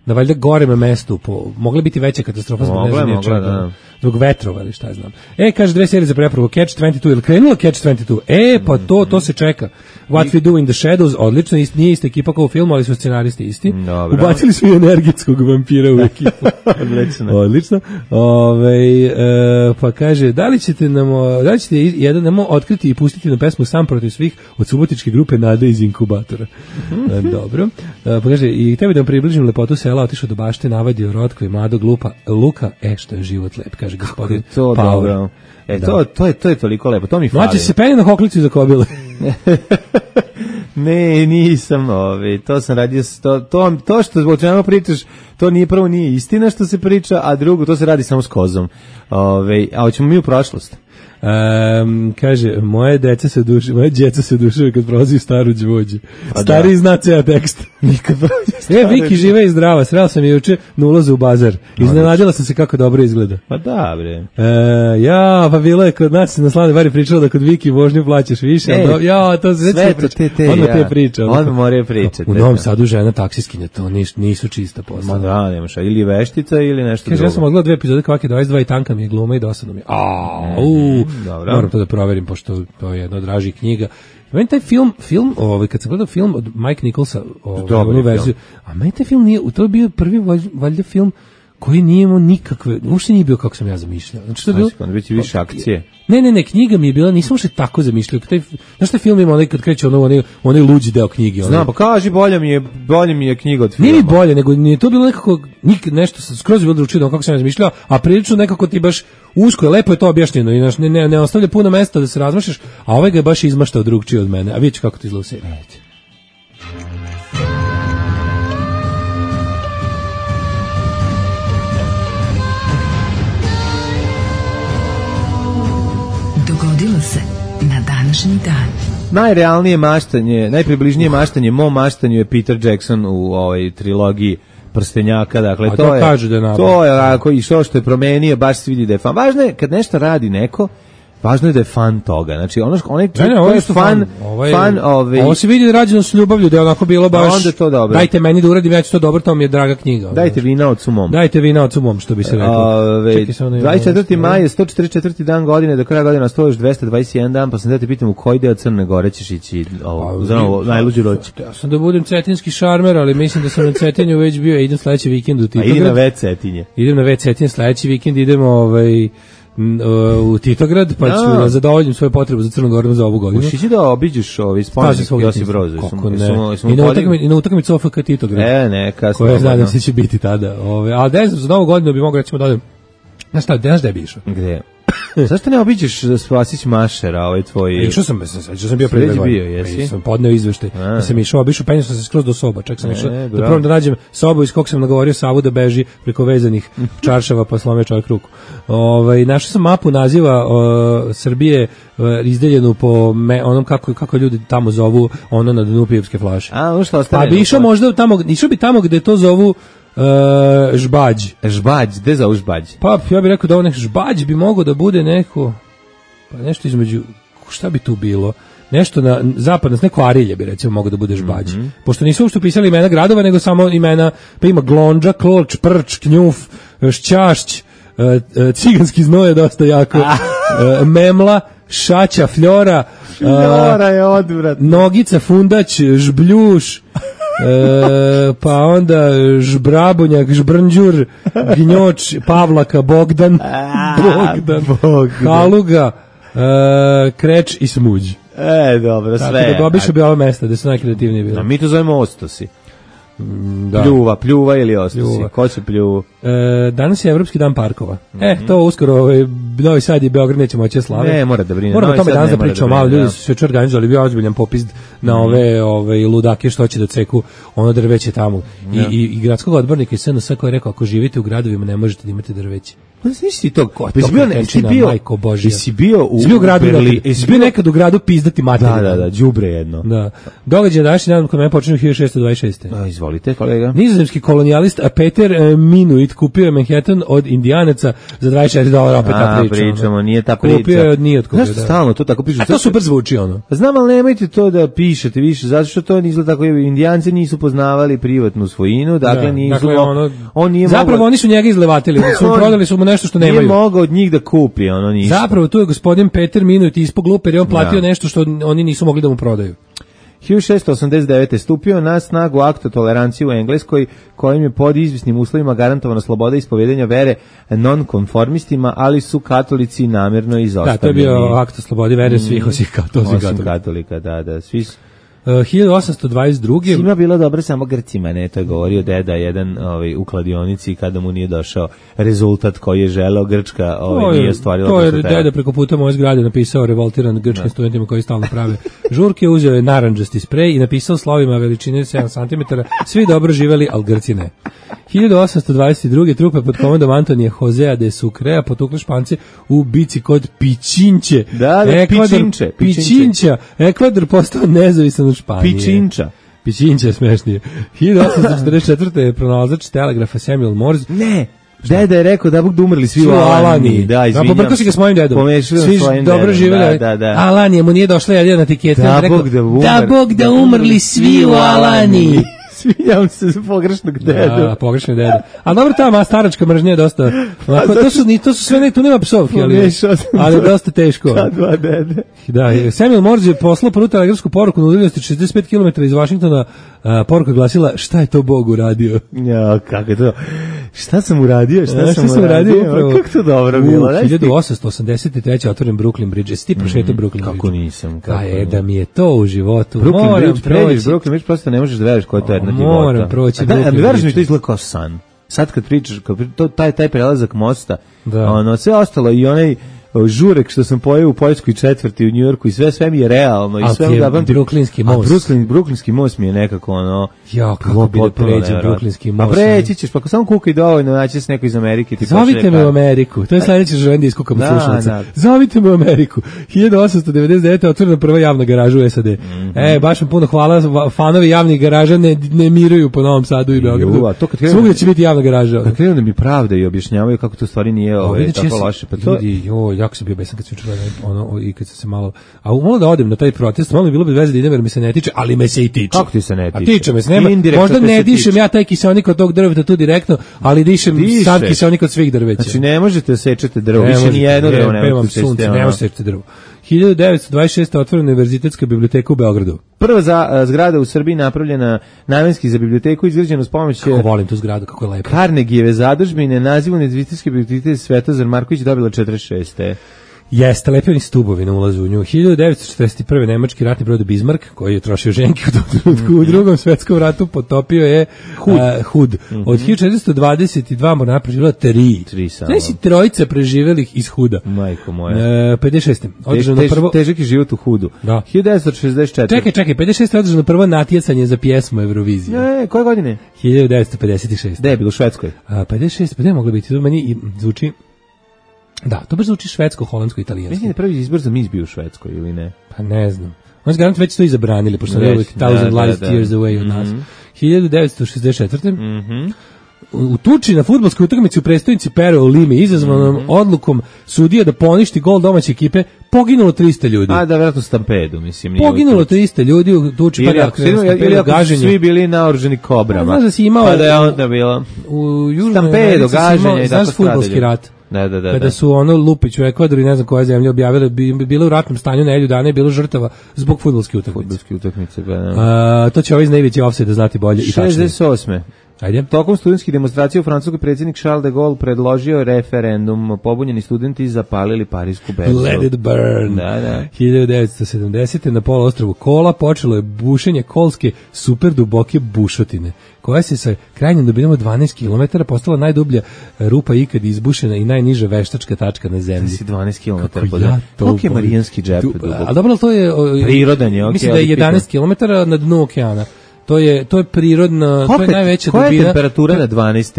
na valjda gorem mestu, po, mogla biti veća katastrofa zbog ne Mogla je, znam nije mogla, čega, da. zbog vetrova ili šta ja znam. E, kaže dve serije za prepravu, Catch dvadeset dva, ili krenula Catch dvadeset dva? E, pa to, to se čeka. What We Do in the Shadows, odlično, ist, nije ista ekipa kao u filmu, ali su scenaristi isti. Dobro. Ubacili su i energetskog vampira u ekipu. Odlično. Odlično. Ove, e, pa kaže, da li ćete nam, o, da li ćete jedan nemo otkriti i pustiti na pesmu Sam protiv svih od subotičke grupe Nade iz inkubatora? E, dobro. E, pa kaže, i tebi da vam približim lepotu sela, otišao do bašte, navadio Rotko i mladog lupa, Luka, e, što je život lep, kaže gospodin To Paul. dobro. E, Da. to, to, je, to je toliko lepo, to mi fali. Mlađe se penje na hoklicu za kobile. Ne, nisam, ovaj, to sam radio, s- to, to, to što o čemu pričaš, to nije prvo nije istina što se priča, a drugo, to se radi samo s kozom. Ovaj, a hoćemo mi u prošlost. Um, kaže, moje deca se duše, moje djeca se duše kad prolazi staru đvođu. Stari da. zna ceo tekst. Nikad E, Viki žive i zdrava, srela sam je juče na ulazu u bazar. Iznenadila sam se kako dobro izgleda. Pa da, bre. E, ja, pa bilo je kod nas na Slavnoj Vari pričala da kod Viki vožnju plaćaš više. E, do, ja, to se sve to te, te, odmah ja. te priča. Odmah moraju pričati. U Novom Sadu žena taksiskinja, to niš, nisu čista posla. Ma da, nemaš, ili veštica ili nešto Kaže, drugo. ja sam odgledao dve epizode Kvake dvadeset dva i tanka mi je gluma i dosadno mi je. A, u, dobro. moram to da proverim, pošto to je jedna od dražih knjiga. Meni taj film, film, ovaj, kad sam gledao film od Mike Nicholsa, ovaj, Dobar onu verziju, a meni taj film nije, to je bio prvi valjda, valjda film koji nije imao nikakve, uopšte nije bio kako sam ja zamišljao. Znači, to je bilo, Znači, biti više akcije. Ne, ne, ne, knjiga mi je bila, nisam uopšte tako zamišljao. Taj, znaš taj film ima onaj kad kreće ono, onaj, onaj luđi deo knjige. Znam, pa kaži, bolje mi je, bolje mi je knjiga od filma. Nije mi bolje, nego nije to bilo nekako, nik, nešto, skroz je bilo drugačije kako sam ja zamišljao, a prilično nekako ti baš usko je, lepo je to objašnjeno i ne, ne, ne ostavlja puno mesta da se razmašaš, a ovaj ga je baš izmaštao drugčije od mene. A vidjet ću kako ti izgleda u seriji. Dogodilo se na današnji dan. Najrealnije maštanje, najpribližnije maštanje mom maštanju je Peter Jackson u ovoj trilogiji Prstenjaka, dakle A to, to je kaže da je napravio. to je ako i što što je promenio, baš se vidi da je fan. Važno je kad nešto radi neko, važno je da je fan toga. Znači ono što onaj Ne, ne, ovo ko je je što fan, fan, ovo je- fan ove Ovo se vidi da je rađeno s ljubavlju, da je onako bilo baš. A onda je to dobro. Dajte meni da uradim, ja ću to dobro, to mi je draga knjiga. ono. dajte vina od sumom. Dajte vina od sumom, što bi se reklo. Ove, Čekaj, samo da imam dvadeset četvrti ovo. maj je sto četrdeset četvrti dan godine, do kraja godine ostalo još dvesta dvadeset jedan dan, pa sam da te pitam u koji deo Crne Gore ćeš ići ovo, Pa, za novo, najluđu noć. Ja sam da budem cetinski šarmer, ali mislim da sam na Cetinju već bio, idem sledeći vikend u A Titograd. idi na već Cetinje. Idem na već Cetinje, sledeći vikend idemo ovaj, n- u Titograd, pa Ja. ću da zadovoljim svoje potrebe za Crnogorom za ovu godinu. Ušići da obiđeš ovaj Pazi spomenik svog Josip detinjstva. Broz. Kako ne. I na utakmici i na utakmici O F K Titograd. E, neka, Koja slobodno. nadam se će biti tada. Ove, a ne znam, za novu godinu bi mogao recimo da odem. Znaš šta, znaš gde bi išao? Gde? Zašto ne obiđeš Spasić Mašera, ovaj tvoj... E, Išao sam, sam, sam bio Si pre već dve godine. bio, jesi? E, Sam podneo izveštaj. A. Da sam išao, obišao, penio sam se skroz do soba. Čak sam E, išao da bravo. probam da nađem sobu iz kog sam nagovorio Savu da beži preko vezanih čaršava pa slome čovjek ruku. Ovaj našao sam mapu naziva o, Srbije o, izdeljenu po me, onom kako kako ljudi tamo zovu ono na dnu pivske flaše. A, ono što Pa ostane... bi išao možda tamo, išao bi tamo gde to zovu e, žbađ. Žbađ, gde za žbađ? Pa ja bih rekao da ovo nek žbađ bi mogao da bude neko, pa nešto između, šta bi tu bilo? Nešto na zapadno, neko Arilje bi recimo mogao da bude žbađ. Mhm. Pošto nisu uopšte pisali imena gradova, nego samo imena, pa ima Glonđa, Kloč, Prč, Knjuf, Šćašć, e, e, ciganski znoj je dosta jako, e, Memla, Šaća, Fljora, e, Flora je odvratna. Nogica, Fundać, Žbljuš, e, pa onda Žbrabonjak, Žbrnđur, Gnjoč, Pavlaka, Bogdan, Bogdan, Bogdan. Haluga, e, Kreč i Smuđ. E, dobro, sve. Tako da bi obišao bi ova mesta da su najkreativnije A bile. mi to zovemo ostosi. Da. Pljuva, pljuva ili ostosi. Pljuva. Ko se pljuvu? E, danas je Evropski dan parkova. E, to uskoro ovaj, Novi Sad i Beograd neće moći da slave. Ne, mora da brine. Moramo o Novi tome Sad danas ne da mora da pričamo, brine, malo ljudi da. su se juče organizovali, bio ozbiljan popis na ove, ove ludake što će da ceku ono drveće tamo. I, i, i gradskog odbornika iz S N S koji je rekao, ako živite u gradovima ne možete da imate drveće. Pa znaš ti to? Ko je Jesi to bio, jesi kretenčina, bio, majko Božja? jesi bio u, Jesi bio u gradu, Berlinu? nekad, jesi bio nekad u gradu pizdati materiju. Da, da, da, đubre jedno. Da. Događaj današnji dan kod mene počinju hiljadu šessto dvadeset šeste. A, izvolite, kolega. Nizozemski kolonijalist Peter e, Minuit kupio je Manhattan od Indijanaca za dvadeset četiri dolara, opet ta A, priča. pričamo, ono. nije ta priča. Kupio je od nije otkupio, Znaš, da. stalno to tako pišu. A to super zvuči ono. Znam, ali nemojte to da pišete više, zato što to ne izgleda tako. Indijanci nisu poznavali privatnu svojinu, dakle Da, nisu... dakle, mo- ono, on nije zapravo mogao, oni su njega izlevatili, su mu On prodali su mu nešto što nemaju. nije mogao od njih da kupi, ono ništa. Zapravo tu je gospodin Peter Minuit ispod gluper jer on platio Da. nešto što oni nisu mogli da mu prodaju. hiljadu šessto osamdeset devete. stupio na snagu akt o toleranciji u Engleskoj, kojim je pod izvisnim uslovima garantovana sloboda ispovedanja vere nonkonformistima, ali su katolici namjerno Da, izostavljeni. to je bio akt o slobodi vere svih osim katolika. Osim katolika, da, da, svi su... Uh, hiljadu osamsto dvadeset druge Svima bilo dobro, samo Grcima, ne, to je govorio deda jedan ovaj, u kladionici kada mu nije došao rezultat koji je želeo, Grčka ovaj, nije ostvarila. To je deda preko puta moje zgrade napisao revoltiran grčkim studentima koji stalno prave žurke, uzeo je narandžasti sprej i napisao slovima veličine sedam centimetara, svi dobro živeli, al Grci ne. hiljadu osamsto dvadeset druge trupe pod komandom Antonija Josea de Sucrea potukle Špance u bici kod Pičinče. Da, da, Ekvador, Pičinče. Pičinča. Ekvador postao nezavisan od Španije. Pičinča. Pičinča je smešnije. hiljadu osamsto četrdeset četvrte je pronalazač telegrafa Samuel Morse. Ne, deda je rekao da Bog da umrli svi u Alaniji. Da, izvinjam. Pobrkao si ga s mojim dedom. Pomešao Svi svojim dobro dedom. živjeli. Da, da, da. Alanije, mu nije došla jedna etiketa. Da, rekao, Bog da umr. da Bog da umrli svi u Alaniji. Svinjam se za pogrešnog dedu. Da, pogrešni deda. A dobro, ta staračka mržnja je dosta. Onako, to su ni to su sve ne, tu nema psovki, ali ali je dosta teško. Ta dva dede. Da, Samuel Morse je poslao prvu telegrafsku poruku na udaljenosti šezdeset pet kilometara iz Vašingtona. A, poruka je glasila: šta je to Bog uradio? Ja, kako je to? Šta sam uradio? Šta, A, šta sam, sam uradio? Upravo. Kako to dobro bilo? U hiljadu osamsto osamdeset treće otvoren Brooklyn Bridge. Jesi ti prošetao Brooklyn Bridge? Kako nisam? Kako je da mi je to u životu. Brooklyn Moram Bridge, pređeš proći. Brooklyn Bridge, prosto ne možeš da veriš koja je to jedna divota. Moram proći A da, a Brooklyn mi veriš mi Bridge. to izgleda kao san. Sad kad pričaš, kad pri- to, taj, taj prelazak mosta, Da. ono, sve ostalo i onaj o, žurek što sam pojeo u poljskoj četvrti u Njujorku i sve sve mi je realno i Ali sve ti je da pamtim. Brooklynski most. A Brooklyn, Brooklynski most mi je nekako ono Ja, kako bilo bi da potpuno pređem nevjerojatno. Brooklynski most. A preći ćeš, pa ako samo kukaj dovoljno, naći se neko iz Amerike. Ti Zovite pošalje me u kartu. Ameriku. To je sledeće želim da iskukam Da, slušalica. da. Zovite me u Ameriku. hiljadu osamsto devedeset devete otvorena prva javna garaža u S A D. Mhm. E, baš vam puno hvala. Va- Fanovi javnih garaža ne, ne miruju po Novom Sadu i Beogradu. Ju, a to kad krenu- Svugdje će biti javna garaža. Kad krenu da mi pravda i objašnjavaju kako to stvari nije O, ovaj, vidjet ću, tako ja sam- loše. Pa to, Ljudi, joj, jako sam bio besan kad sam čuo ono, i kad sam se malo... A malo da odem na taj protest, malo mi bilo bi veze da idem jer mi se ne tiče, ali me se i tiče. Kako ti se ne A tiče? tiče me se, nema, Indirektno možda te ne se dišem tiče. ja taj kiseonik od tog drveta tu direktno, ali dišem Dišeš. sad kiseonik od svih drveća. znači ne možete da sečete drvo, Ne više možete, ni jedno je, drvo ne pevam možete sunce, sečete. ne ono. možete sečete drvo. hiljadu devetsto dvadeset šeste otvorena univerzitetska biblioteka u Beogradu. Prva za, a, zgrada u Srbiji napravljena namenski za biblioteku, izgrađena uz pomoć Kako volim tu zgradu, kako je lepo. Carnegijeve zadužbine, naziv univerzitetske biblioteke Svetozar Marković dobila četrdeset šeste. Jeste, lepi oni stubovi na ulazu u nju. hiljadu devetsto četrdeset prve nemački ratni brod Bismarck, koji je trošio ženke u tom trenutku u drugom svetskom ratu, potopio je Hud. Uh, Hud. Od hiljadu četiristo dvadeset dva mornara preživjela tri. Tri samo. Znači trojica preživelih iz Huda. Majko moja. E, pedeset šeste Tež, održano tež, prvo... težak je život u Hudu. Da. hiljadu devetsto šezdeset četvrte. Čekaj, čekaj, pedeset šeste održano prvo natjecanje za pjesmu Eurovizije. Ne, koje godine? hiljadu devetsto pedeset šeste Gde je bilo u Švedskoj? A, pedeset šest, pa ne moglo biti, to meni i zvuči... Da, to baš zvuči švedsko, holandsko, italijansko. Mislim da je prvi izbor za mis bio u Švedskoj ili ne? Pa ne znam. Oni su garant već to i zabranili, pošto Već, je uvijek da, thousand da, light da. years away od nas. Mhm. hiljadu devetsto šezdeset četvrte Mhm. U, u tuči na fudbalskoj utakmici u prestonici Pero u Limi, izazvanom Mhm. odlukom sudija da poništi gol domaće ekipe, poginulo trista ljudi. A da, vjerojatno stampedu, mislim. nije Poginulo u tuči. trista ljudi u tuči, pa Ili da, ako, ili, ili ako su gaženje. svi bili naoruženi kobrama. Pa, znaš da si imao- Pa da je onda bilo U Južnoj stampedo, Americi si imao, gaženje i znaš tako fudbalski stradanje. rat. Da, da, da. Kada da. su ono Lupić u Ekvadoru i ne znam koja zemlja objavile, bi, bi bilo u ratnom stanju nedelju dana i bilo žrtava zbog fudbalske utakmice. Fudbalske utakmice, pa da. A, to će ovaj iz najveći offside znati bolje i tačnije. šezdeset osme. Ajde. Tokom studentskih demonstracija u Francuskoj predsjednik Charles de Gaulle predložio referendum. Pobunjeni studenti zapalili Parisku berzu. Let it burn. Da, da. hiljadu devetsto sedamdesete na poluostrvu Kola počelo je bušenje kolske super duboke bušotine, koja se sa krajnjom dubinom od dvanaest kilometara postala najdublja rupa ikad izbušena i najniža veštačka tačka na zemlji. Si dvanaest kilometara Kako pod. ja to Koliko je volim. Marijanski džep Du- dubok? A dobro, ali to je... o, Prirodan je, okej, Mislim da je ali jedanaest kilometara na dnu okeana. To je, to je prirodna, to je Kolika- najveća koja je dubina. temperatura na dvanaest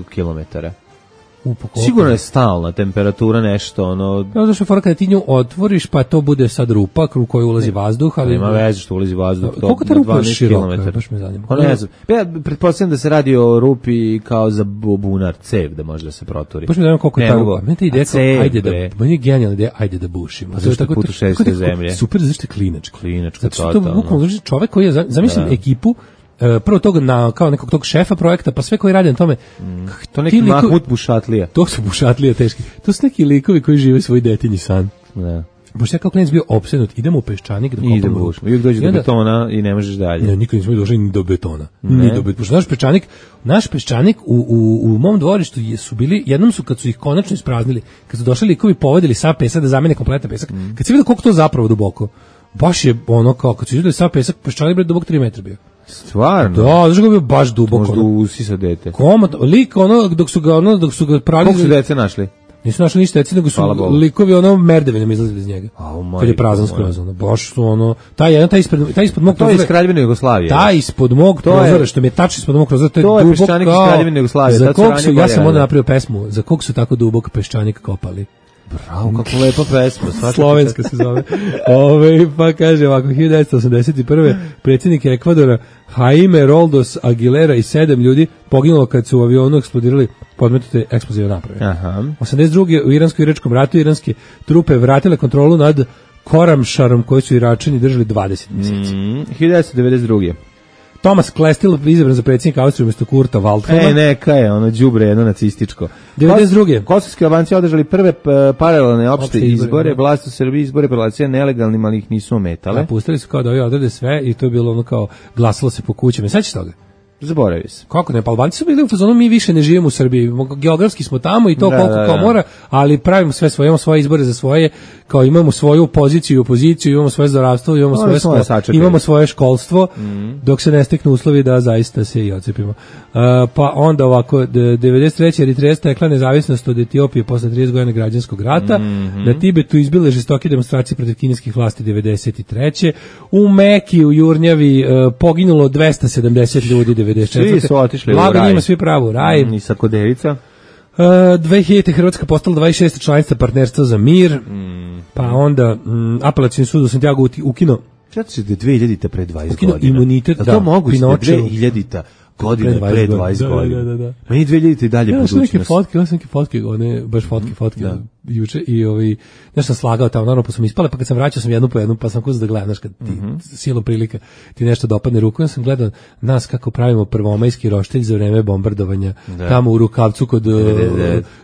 kilometara? U, pa koliko? Sigurno je stalna temperatura nešto, ono, Ja, zašto je fora kada ti nju otvoriš, pa to bude sad rupa u koju ulazi vazduh, ali... nema veze što ulazi vazduh. to Koliko ta na rupa je dvanaest široka? kilometara. Baš me zanima. Pa ne znam. Ja pretpostavljam da se radi o rupi kao za bu- bunar, cev da može da se proturi. Baš mi zanima koliko je Ne ta mogu. rupa. Meni ta ideja A kao, cev, ajde da, bre. meni je genijalna ideja, ajde da bušimo. Pa zašto putu šest tako- zemlje? Super, zašto je klinačko. Klinačko, Zato što to totalno. bukvalno znači čovek koji je, za- zamislim Da. ekipu, e, prvo tog na, kao nekog tog šefa projekta, pa sve koji rade na tome. k- To ti neki likovi- Mahmut Bušatlija. To su bušatlije teški. To su neki likovi koji žive svoj detinji san. Da. Pošto ja kao klinac bio opsednut, idemo u Peščanik da I ide kopamo rupu. bušno. Uvijek dođe I do onda- betona i ne možeš dalje. Ne, nikad nismo došli ni do betona. Ne. Ni do betona. Pošto naš peščanik, naš peščanik u, u, u mom dvorištu je- su bili, jednom su kad su ih konačno ispraznili, kad su došli likovi povadili sa pesak da zamene kompletan pesak, kad se vidi koliko to zapravo duboko. baš je ono kao, kad su izgledali sav pesak, peščanik bre dubok tri metra bio. Stvarno? Da, znaš kako je bio baš duboko. Možda ono. usisa dete. Komot, lik ono, dok su ga, ono, dok su ga pravili... Koliko su dece našli? Nisu našli ništa dece, nego su likovi ono merdevinom izlazili iz njega. Oh, kad je prazan skroz, ono, baš su ono... Taj jedan, taj ispred, taj ispod mog prozora... To je iz Kraljevine Jugoslavije. Taj ispod mog prozora, što mi je tačno ispod mog prozora, to je, to je dubok peščanik iz Kraljevine Jugoslavije. Za kog su, ja sam onda napravio pesmu, za kog su tako dubok peščanik kopali. Bravo, kako lepa pesma. Slovenska se zove. Ove, pa kaže ovako, hiljadu devetsto osamdeset prve predsjednik Ekvadora Jaime Roldos Aguilera i sedam ljudi poginulo kad su u avionu eksplodirali podmetnute eksplozive naprave. Aha. osamdeset druge u iransko-iračkom ratu iranske trupe vratile kontrolu nad Koramšarom koji su Iračani držali dvadeset mjeseci. Mm, hiljadu devetsto devedeset druge Thomas Klestil izabran za predsjednika Austrije umjesto Kurta Waldheima. E, neka je, ono đubre jedno nacističko. devedeset druge Kosovski Albanci održali prve paralelne opšte Opšte izbore, izbore, vlast u Srbiji izbore proglasila nelegalnim, ali ih nisu ometale. Da, pustili su kao da ovi odrede sve i to je bilo ono kao glasalo se po kućama. Sećaš toga? Zaboravi se. Kako ne, pa Albanci su bili u fazonu, mi više ne živimo u Srbiji, geografski smo tamo i to da, koliko da, kao da. mora, ali pravimo sve svoje, imamo svoje izbore za svoje, kao imamo svoju poziciju i opoziciju, imamo svoje zdravstvo, imamo, svoje, svoje sko- imamo svoje školstvo, mm. dok se ne steknu uslovi da zaista se i ocepimo. Uh, pa onda ovako, devedeset treće Eritreja stekla nezavisnost od Etiopije posle trideset godina građanskog rata, mm-hmm. na Tibetu izbile žestoke demonstracije protiv kineskih vlasti devedeset treće U Meki, u Jurnjavi, uh, poginulo dvesta sedamdeset ljudi devedeset četvrte Svi su otišli u Blago raj. njima svi pravo u raj. Mm, I Sakodevica. Uh, dve hiljadite Hrvatska postala dvadeset šesta članica partnerstva za mir, mm. pa onda mm, apelacioni sud u Santiago ukino Četo se da dve hiljadite pre dvadeset ukino godina. imunitet, da, da, to moguće da Pinočevu. dve hiljadite godine pre dvadeset godina. Da, da, da. Meni dve hiljadite i dalje ja, budućnost. Neke fotke, ja sam neke fotke, one, baš fotke, fotke, da. Juče i ovi, nešto sam slagao tamo, naravno pa sam ispale, pa kad sam vraćao sam jednu po jednu, pa sam kuzao da gledam, znaš, kad ti mm-hmm. silom prilika ti nešto dopadne ruku, ja sam gledao nas kako pravimo prvomajski roštilj za vreme bombardovanja, da. Tamo u Rukavcu kod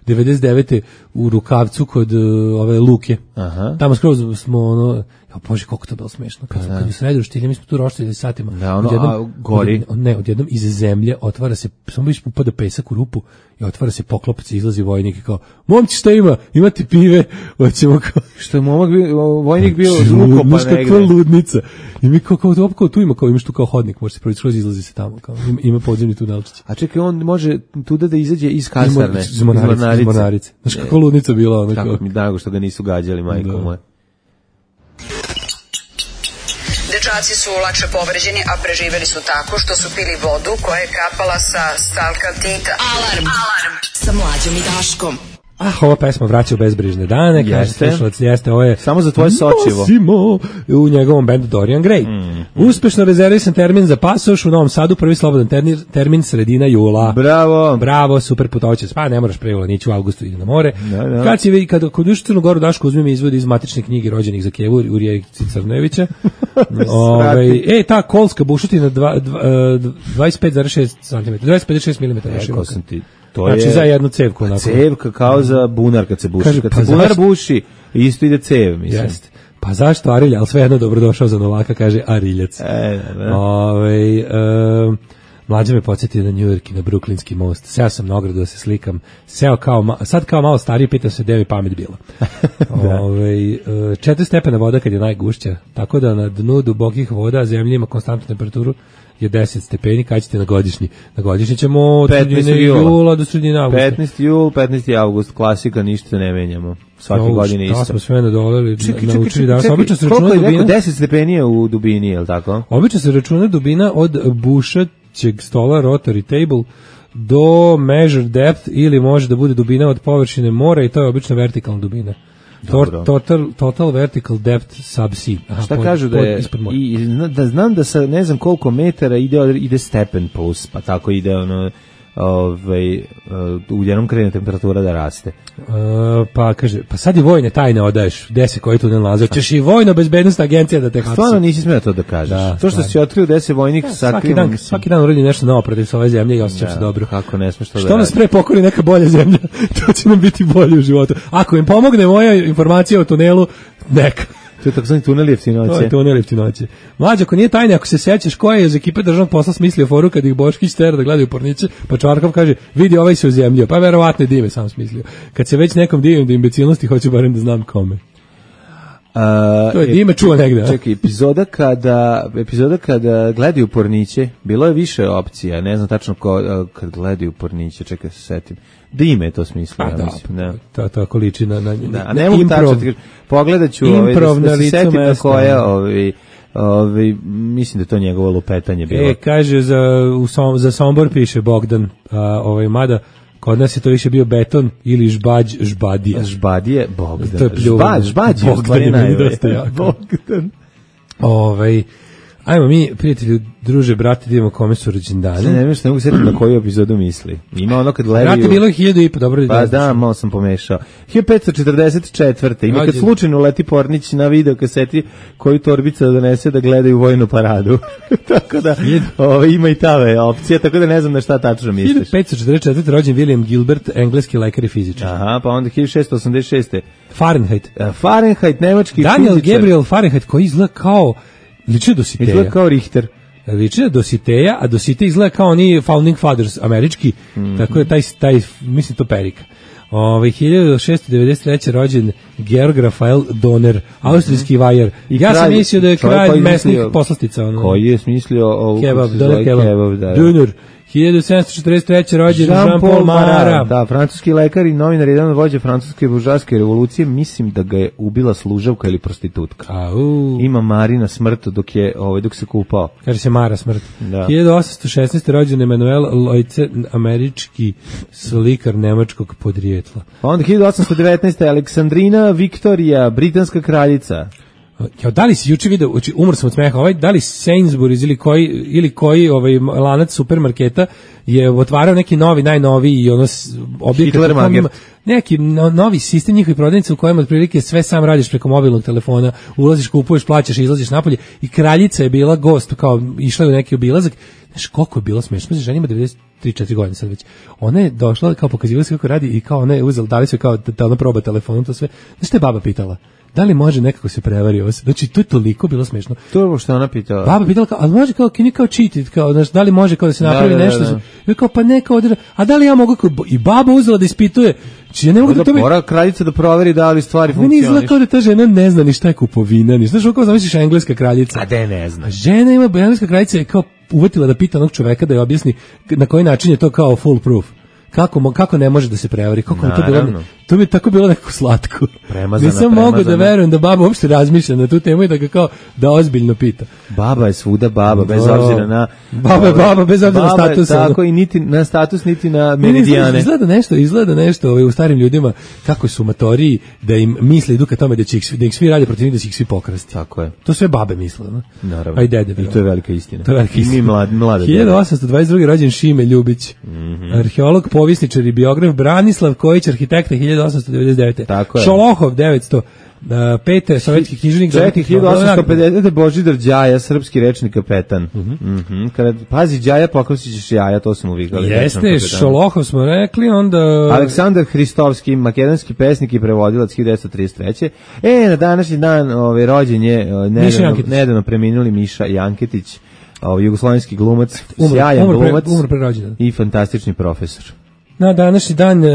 devedeset devete u Rukavcu kod ove Luke. Aha. Tamo skroz smo ono, ja bože koliko to bilo smešno, kad, kad u sredu roštilja, mi smo tu roštilji satima. Da, ono, odjednom, a, gori. Od, ne, odjednom iz zemlje otvara se, samo viš upada pesak u rupu i otvara se poklopac i izlazi vojnik i kao, momci šta ima? Imate pive? Hoćemo kao... Što je momak bio, vojnik bio ukopan negde. negde. Kakva ludnica. I mi kao, kao, kao, tu ima, kao imaš tu kao hodnik, može se proći skroz izlazi se tamo, kao, ima, ima podzemni tunelčić. A čekaj, on može tuda da izađe iz kasarne. Iz Mornarice. Iz Mornarice. Znaš kakva ludnica bila ona. Kako mi drago što ga nisu gađali, majko moje. Dečaci su lakše povređeni, a preživeli su tako što su pili vodu koja je kapala sa stalkaltita. Alarm. Alarm. Sa Mlađom i Daškom. Ah, ova pesma vraća u bezbrižne dane, kaže slušalac, jeste, ovo je samo za tvoje sočivo. Nosimo u njegovom bendu Dorian Gray. Mm. Uspešno rezervisan termin za pasoš u Novom Sadu, prvi slobodan termin, termin sredina jula. Bravo. Bravo, super putoće. Pa ne moraš pre jula, nići u avgustu, ide na more. Da, da. Kad si, kad kod uši Crnu Goru Daško uzmi mi izvodi iz matične knjige rođenih za Kevu u Rijekici Crnevića. Ove, e, ta kolska bušotina dva, dva, dvadeset pet zarez šest centimetara, dvadeset pet zarez šest milimetara. Rekao sam ti. To znači je za jednu cevku. Pa cevka kao za bunar kad se buši. Kaže, kad pa se bunar zašto? buši, isto ide cev, mislim. Jeste. Pa zašto Arilja, ali svejedno dobrodošao za Novaka, kaže Ariljac. E, da, da. Ove, e, mlađa me podsjetio na New York i na Brooklynski most. Seo sam na ogradu da se slikam. Seo kao, sad kao malo stariji, pitam se gde mi pamet bila. Ove, četiri stepena voda kad je najgušća, tako da na dnu dubokih voda zemlja ima konstantnu temperaturu je deset stepeni, kad ćete na godišnji? Na godišnji ćemo od sredine jula do sredine avgusta. petnaesti jul, petnaesti avgust, klasika, ništa ne menjamo. Svake no, godine isto. Da smo sve nadoleli, čekaj, naučili čekaj, danas. čekaj, Obično se koliko računa je dubina. rekao, deset stepeni je u dubini, je li tako? Obično se računa dubina od bušaćeg stola, rotary table, do measure depth, ili može da bude dubina od površine mora i to je obično vertikalna dubina. Tor, total, total vertical depth subsea. Aha, šta pod, kažu da je, i, da znam da sa ne znam koliko metara ide, ide stepen plus, pa tako ide ono, ovaj, u jednom krene temperatura da raste. Uh, pa kaže, pa sad i vojne tajne odaješ, gde se koji tu ne nalaze, ćeš i vojno bezbednostna agencija da te hapsi. Stvarno nisi smeo to da kažeš. Da, to što si otkrio gde se vojnik ja, svaki dan, svaki dan uradi nešto novo protiv ove zemlje i osjećam da, se dobro. Kako ne smeš to da što nas pre pokori neka bolja zemlja, to će nam biti bolje u životu. Ako im pomogne moja informacija o tunelu, neka. To je takozvani tunel jeftinoće. To je tunel jeftinoće. Mlađe, ako nije tajne, ako se sećaš ko je iz ekipe državnog posla smislio foru kad ih Boškić tera da gledaju porniće, pa Čvarkov kaže, vidi ovaj se uzemljio, pa verovatno dime sam smislio. Kad se već nekom divim do imbecilnosti, hoću barem da znam kome. Uh, To je ime čuo negde. Čekaj, epizoda kada, epizoda kada gledaju porniće, bilo je više opcija, ne znam tačno ko, kad gledaju porniće, čekaj se setim. Dime je to smislio, ja da, mislim. Da, to tako liči na, na, da, a na ne mogu improv. tačno, pogledat ću ovaj, da, da se setim na koja, ovaj, ovaj, mislim da je to njegovo lupetanje bilo. E, kaže, za, u Som, za Sombor piše Bogdan, a, ovaj, mada, kod nas je to više bio beton ili žbađ, žbadija. Žbadije, Bogdan. To je pljuvan. Žbađ, žbađ je u stvari Bogdan je najbolje. dosta jako. Bogdan. Ovaj, ajmo mi, prijatelju, druže, brate, da idemo kome su rođendane. Ne, ne, ne, ne mogu setiti na koju epizodu misli. Ima ono kad gledaju... Brate, bilo je hiljadu i po, dobro. Pa da, malo sam pomešao. hiljadu petsto četrdeset četvrte Ima kad slučajno leti Pornić na video kaseti koju torbica donese da gledaju vojnu paradu. Tako da, ovo, ima i ta opcija, tako da ne znam na šta tačno misliš. hiljadu petsto četrdeset četvrte rođen William Gilbert, engleski lekar i fizičar. Aha, pa onda hiljadu šessto osamdeset šeste Fahrenheit. Fahrenheit, nemački Daniel fizičar. Gabriel Fahrenheit, koji izgleda kao liči Dositeja. Izgleda kao Richter. Liči na Dositeja, a Dositej izgleda kao oni Founding Fathers američki, mm-hmm. tako je taj, taj, mislim to perika. Ove, hiljadu šessto devedeset treće rođen Georg Rafael Donner, austrijski mm-hmm. vajar. I ja kralj, sam mislio da je kralj mesnih poslastica. Ono. Koji je smislio ovu kebab, Donner kebab. kebab da, Donner. hiljadu sedamsto četrdeset treće rođen Jean-Paul Marat. Da, francuski lekar i novinar, jedan od vođa francuske buržoaske revolucije, mislim da ga je ubila služavka ili prostitutka. Au. Ima Marina smrt dok je ovaj dok se kupao. Kaže se Mara smrt. Da. hiljadu osamsto šesnaeste rođen Emanuel Leutze, američki slikar nemačkog podrijetla. Pa onda hiljadu osamsto devetnaeste Aleksandrina Viktorija, britanska kraljica. Ja, da li si juče video, umor sam od smeha, ovaj, da li Sainsbury's ili koji, ili koji ovaj, lanac supermarketa je otvarao neki novi, najnoviji i ono objekat, neki no, novi sistem njihovih prodavnica u kojem otprilike sve sam radiš preko mobilnog telefona, ulaziš, kupuješ, plaćaš, izlaziš napolje i kraljica je bila gost, kao išla u neki obilazak. Znaš koliko je bilo smešno, žena ima devedeset tri četiri godine sad već. Ona je došla, kao pokazivala se kako radi i kao ona je uzela, dali su kao da ona proba telefonom, to sve. Znaš što je baba pitala? Da li može nekako se prevari ovo? Znači, to je toliko bilo smešno. To je što ona pitala. Baba pitala, kao, ali može kao, kini kao cheated, kao, znaš, da li može kao da se napravi da, da, nešto? Da, da. I kao, pa neka odre, a da li ja mogu, kao, i baba uzela da ispituje, či ja ne mogu da to... Mora kraljica da proveri da li stvari funkcioniš. Meni izgleda kao da ta žena ne zna ni šta je kupovina, ni znaš, kao zamisliš engleska kraljica. A de ne zna. Žena ima, engleska kraljica je kao uvetila da pita onog čoveka da je objasni na koji način je to kao full proof. Kako, kako ne može da se prevari, kako mi to bilo, to bi tako bilo nekako slatko. Premazana, nisam mogu da verujem da baba uopšte razmišlja na tu temu i da ga kao da ozbiljno pita. Baba je svuda baba, bez Do. obzira na... Baba je baba, bez obzira na status. Tako, i niti na status, niti na meridijane. Izgleda nešto, izgleda nešto ovaj, u starim ljudima, kako su matoriji, da im misle idu ka tome da će ih, da ih svi rade protiv njih, da će ih svi pokrasti. Tako je. To sve babe misle, no? Naravno. A i dede. I to je velika istina. To je velika istina. I mi mlad, mlade. hiljadu osamsto dvadeset druge rođen Šime Ljubić. Mm-hmm. Arheolog, povjesničar i biograf, Branislav Kojić, arhitekta hiljadu osamsto devedeset devete. Tako je. Šolohov devetsto pete sovjetski književnik. Čekaj, hiljadu osamsto pedesete Božidar Đaja, srpski rečni kapetan. Mm-hmm. Mm-hmm. Kada pazi Đaja, pokosit jaja, to smo uvikali. Jeste, Šolohov smo rekli, onda... Aleksandar Hristovski, makedonski pesnik i prevodilac hiljadu devetsto trideset treće E, na današnji dan ove, rođen je nedavno, nedavno preminuli Miša Janketić, ovaj jugoslovenski glumac, umr, sjajan umr pre, glumac umr pre i fantastični profesor. Na današnji dan uh,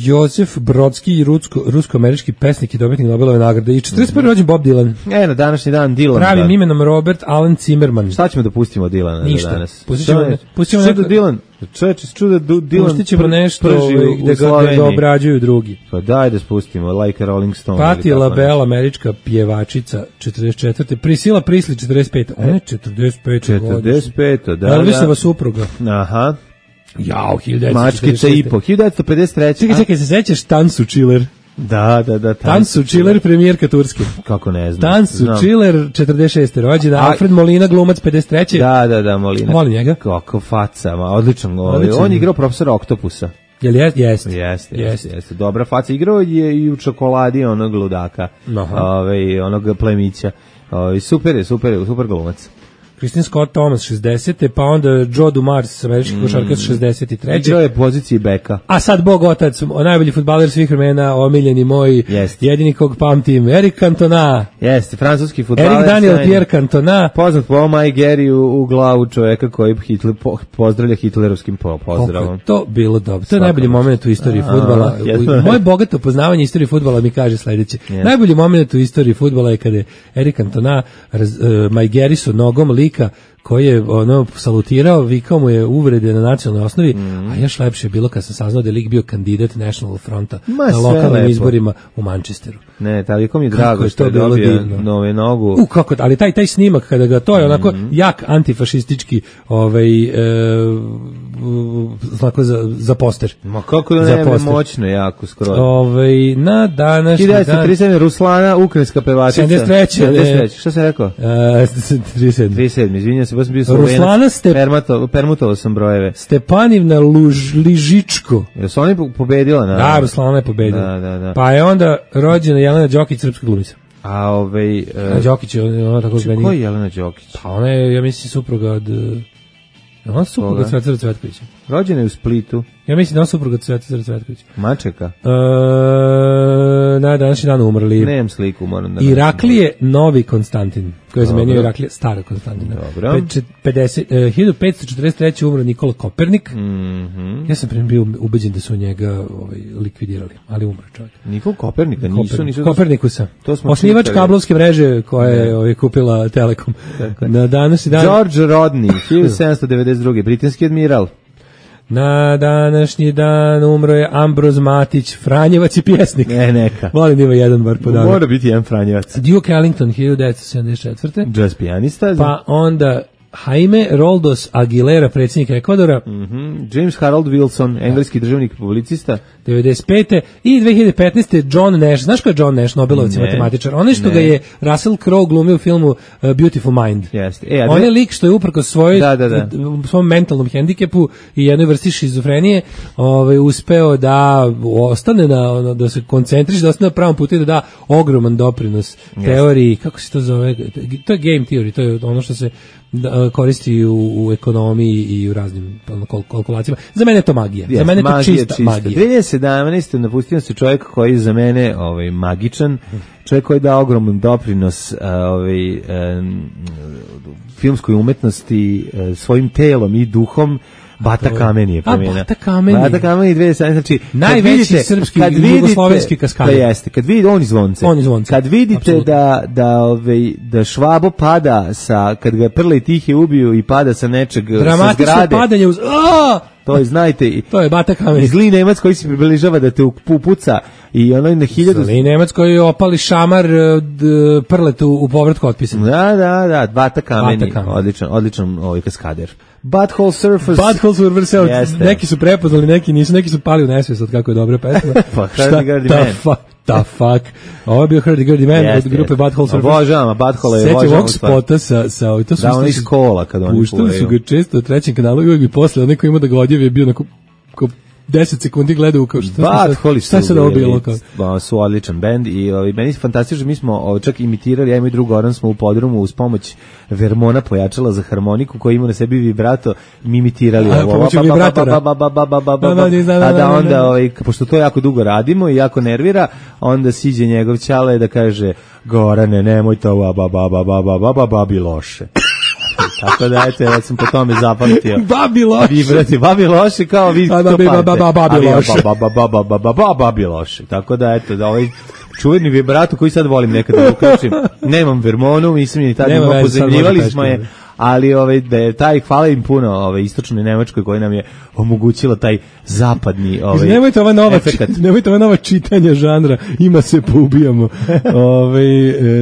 Josef Brodski, rusko, rusko-američki pesnik i dobitnik Nobelove nagrade. I četrdeset prvi rođen Bob Dylan. E, na današnji dan Dylan. Pravim da. imenom Robert Alan Zimmerman. Šta ćemo da pustimo Dylana Ništa. danas? Pustit ćemo, pustit ćemo nešto... Dylan, čeče, čuda Dylan pustit ćemo nešto gde ga, da ga obrađuju drugi. Pa daj da spustimo, like a Rolling Stone. Patti LaBelle, američka pjevačica, četrdeset četvrte Priscilla Presley, četrdeset pete Ona je četrdeset pete četrdeset pete da, Elvisova supruga. Aha. Jao, hiljadu devetsto četrdeset šeste Mačkica i po, hiljadu devetsto pedeset treće Čekaj, čekaj, se sećaš Tansu Chiller? Da, da, da. Tansu Chiller, premijerka Turske. Kako ne znam. Tansu Chiller, četrdeset šeste rođena, A... Alfred Molina, glumac, pedeset treće Da, da, da, Molina. Volim njega. Kako faca, ma, odličan. On je igrao profesora Oktopusa. Jel jest? Jeste, jeste, jeste. Jeste. Dobra faca. Igrao je i u Čokoladi onog ludaka, ovaj, onog plemića. Ovaj, super je, super je, super glumac. Christine Scott Thomas šezdesete pa onda Joe Dumars, američki košarkaš šezdeset treće Igrao je poziciji beka. A sad Bog otac, najbolji fudbaler svih vremena, omiljeni moj, Jest. jedini kog pamtim, Eric Cantona. Jeste, francuski fudbaler. Eric Daniel Pierre Cantona. Poznat po Mike Gary u, u glavu čoveka koji Hitler, po, pozdravlja hitlerovskim po, pozdravom. Koliko je to bilo dobro. To je najbolji moment u istoriji fudbala. Moje bogato poznavanje istorije fudbala mi kaže sledeće. Yes. Najbolji moment u istoriji fudbala je kada je Eric Cantona raz, uh, Mike Gary su nogom lika koji je ono salutirao, vikao mu je uvrede na nacionalnoj osnovi, mm. a još lepše je bilo kad sam saznao da je lik bio kandidat National Fronta Ma, na lokalnim lepo. izborima u Manchesteru. Ne, toliko mi je drago što je dobio nove nogu. U, kako, ali taj taj snimak kada ga to je onako mm. jak antifašistički ovaj e, znako za, za poster. Ma kako da ne moćno jako skoro. Ovaj na današnji dan hiljadu devetsto trideset sedam Ruslana, ukrajinska pevačica. sedamdeset treće sedamdeset treće Šta sam rekao? Uh, trideset sedam trideset sedam Izvinjavam se, baš sam bio Ruslana ste permutovao permutovao sam brojeve. Stepanivna Luž, Ližičko. Jesu oni pobedila na? Da, Ruslana je pobedila. Da, da, da. Pa je onda rođena Jelena Đokić, srpska glumica. A ovaj uh, Đokić je ona tako zbeni. Ko je Jelena Đokić? Pa ona je, ja mislim, supruga od ona je supruga od Cvetara Cvetkovića. Rođena je u Splitu. Ja mislim da je supruga od Cvetara Cvetkovića. Mačeka? E, na današnji dan umrli. Nemam sliku, moram da... Iraklije Novi Konstantin, koji je zamenio Iraklije Stara Konstantina. Dobro. pedeset, hiljadu petsto četrdeset treće umro Nikola Kopernik. Mm -hmm. Ja sam prema bio ubeđen da su njega ovaj, likvidirali, ali umro čovjek. Nikola Kopernika nisu... Kopernik. nisu Kopernikusa. To smo osnivač čitali. Kablovske mreže koja je ovaj, kupila Telekom. Tako. Na današnji dan... George Rodney, hiljadu sedamsto devedeset druge britanski admiral. Na današnji dan umro je Ambroz Matić, Franjevac i pjesnik. Ne, neka. Volim ima jedan bar podatak. Mora biti jedan Franjevac. Duke Ellington, hiljadu devetsto sedamdeset četvrte Jazz pijanista. Pa onda Jaime Roldos Aguilera, predsjednik Ekvadora. Mm-hmm. James Harold Wilson, engleski državnik i publicista. devedeset pete I dve hiljade petnaeste John Nash. Znaš ko je John Nash, Nobelovac matematičar? On je što ne. ga je Russell Crowe glumio u filmu uh, Beautiful Mind. Jeste. E, on je lik što je uprkos svojoj da, da, da. svom mentalnom hendikepu i jednoj vrsti šizofrenije ovaj, uspeo da ostane na, da se koncentriše, da ostane na pravom putu i da da ogroman doprinos yes. teoriji, kako se to zove? To je game theory, to je ono što se da, koristi u, u ekonomiji i u raznim kalkulacijama. Za mene je to magija. Yes, za mene je to magija, čista, čista magija. dve hiljade sedamnaeste napustio se čovjek koji je za mene ovaj, magičan, čovjek koji da ogroman doprinos ovaj, um, filmskoj umetnosti svojim telom i duhom. Bata Kamen je pomena. A, Bata Kamen je. Bata Kamen je dve hiljade sedamnaeste Znači, najveći vidite, srpski kad vidite, jugoslovenski kaskader. Da jeste, kad vidite, on iz Zvonce. On iz Zvonce. Kad vidite Absolutno. da, da, ove, da Švabo pada sa, kad ga Prle i Tihe ubiju i pada sa nečeg, sa zgrade. Dramatično padanje uz... A! To je, znajte, to je Bata Kamen. I zli Nemac koji se približava da te upuca i ono na hiljadu... Zli Nemac koji opali šamar d, Prletu u povratku otpisan. Da, da, da, Bata Kamen, odličan, odličan ovaj kaskader. Butthole Surfers. Butthole Surfers, neki su prepoznali, neki nisu, neki su pali u nesvijest od kako je dobra pesma. Pa, Hurdy-Gurdy Man. Fa, ta fuck. Ovo je bio Hurdy-Gurdy Man yes, od grupe yes. Butthole Surfers. Obožavam, a Butthole je obožavam. Sećam ovog spota sa... sa to su da, oni iz kola kad oni puštali su ga često u trećem kanalu i uvijek bi posle, onaj ko ima da ga odjevi je bio onako ko deset sekundi gledaju kao šta, šta se da ovo bilo kao. Su odličan bend i ovaj, meni je fantastično, mi smo ovaj, čak imitirali, ja i moj drug Goran smo u podrumu uz pomoć Vermona pojačala za harmoniku koji ima na sebi vibrato, mi imitirali a, ovo. A da onda, ovaj, pošto to jako dugo radimo i jako nervira, onda siđe njegov ćale da kaže Gorane, nemoj to, ba, ba, ba, ba, ba, ba, ba, babi loše. Tako da, eto, ja sam po tome zapamtio. Babi loše. Vibrati, babi loše, kao vi to pamte. Babi loše. Babi loše. Tako da, eto, da ovaj čuveni vibrato koji sad volim nekada da uključim. Nemam Vermonu, mislim ni tad imamo, pozemljivali smo je, ali ovaj, da je taj, hvala im puno ovaj, istočnoj Nemačkoj koji nam je omogućila taj zapadni ovaj, nemojte ova nova, nemojte ova nova čitanja žanra, ima se poubijamo. Ovaj,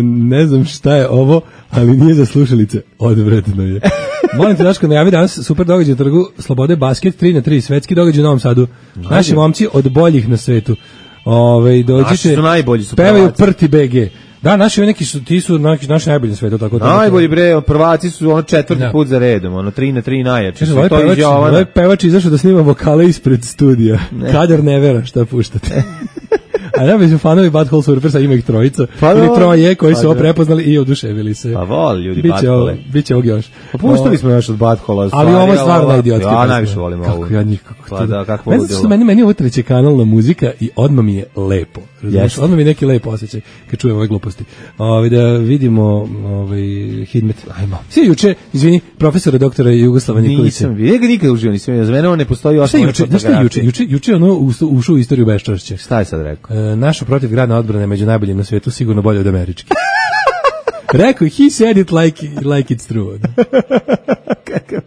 ne znam šta je ovo, ali nije za slušalice, odvratno je. Molim te, Daško, najavi danas super događaj u Trgu Slobode, basket tri na tri, svetski događaj u Novom Sadu. Naši momci od boljih na svetu. Ove, dođite, su najbolji su pevaju Prti B G. Da, naši neki su, ti su naši, naši najbolji na svetu. Tako najbolji bre, prvaci su ono četvrti put za redom, ono tri na tri najjači. Ovaj pevač, ovaj pevač izašao da snima vokale ispred studija. Ne. Kadar ne vera šta puštate. A ja mislim fanovi Butthole Surfersa, ima ih trojica, pa ili troje koji pa su ovo da. prepoznali i oduševili se. Pa voli ljudi biće Butthole. ovo, biće ovog još. Pa puštali smo još od Butthole. Ali ovo je stvarno najidiotka. Ja najviše volim ovo. Kako ja njih, kako pa to da, kako meni, ludilo. meni, meni je ovo treće kanalna muzika i odmah mi je lepo. Razumiješ? Yes. Odmah mi je neki lep osjećaj kad čujem ove gluposti. Ove, da vidimo ovaj, Hidmet. Ajmo. Svi juče, izvini, profesora doktora Jugoslava Nikolića. Nisam vidio, ga nikad uživo nisam vidio. Za mene on ne postoji osnovna juče, znaš šta je juče? Juče, juče ono ušao u istoriju beščašća. Šta je sad rekao? E, naša protivgradna odbrana je među najboljim na svijetu, sigurno bolje od američke. Rekao, he said it like, like it's true. Kakav?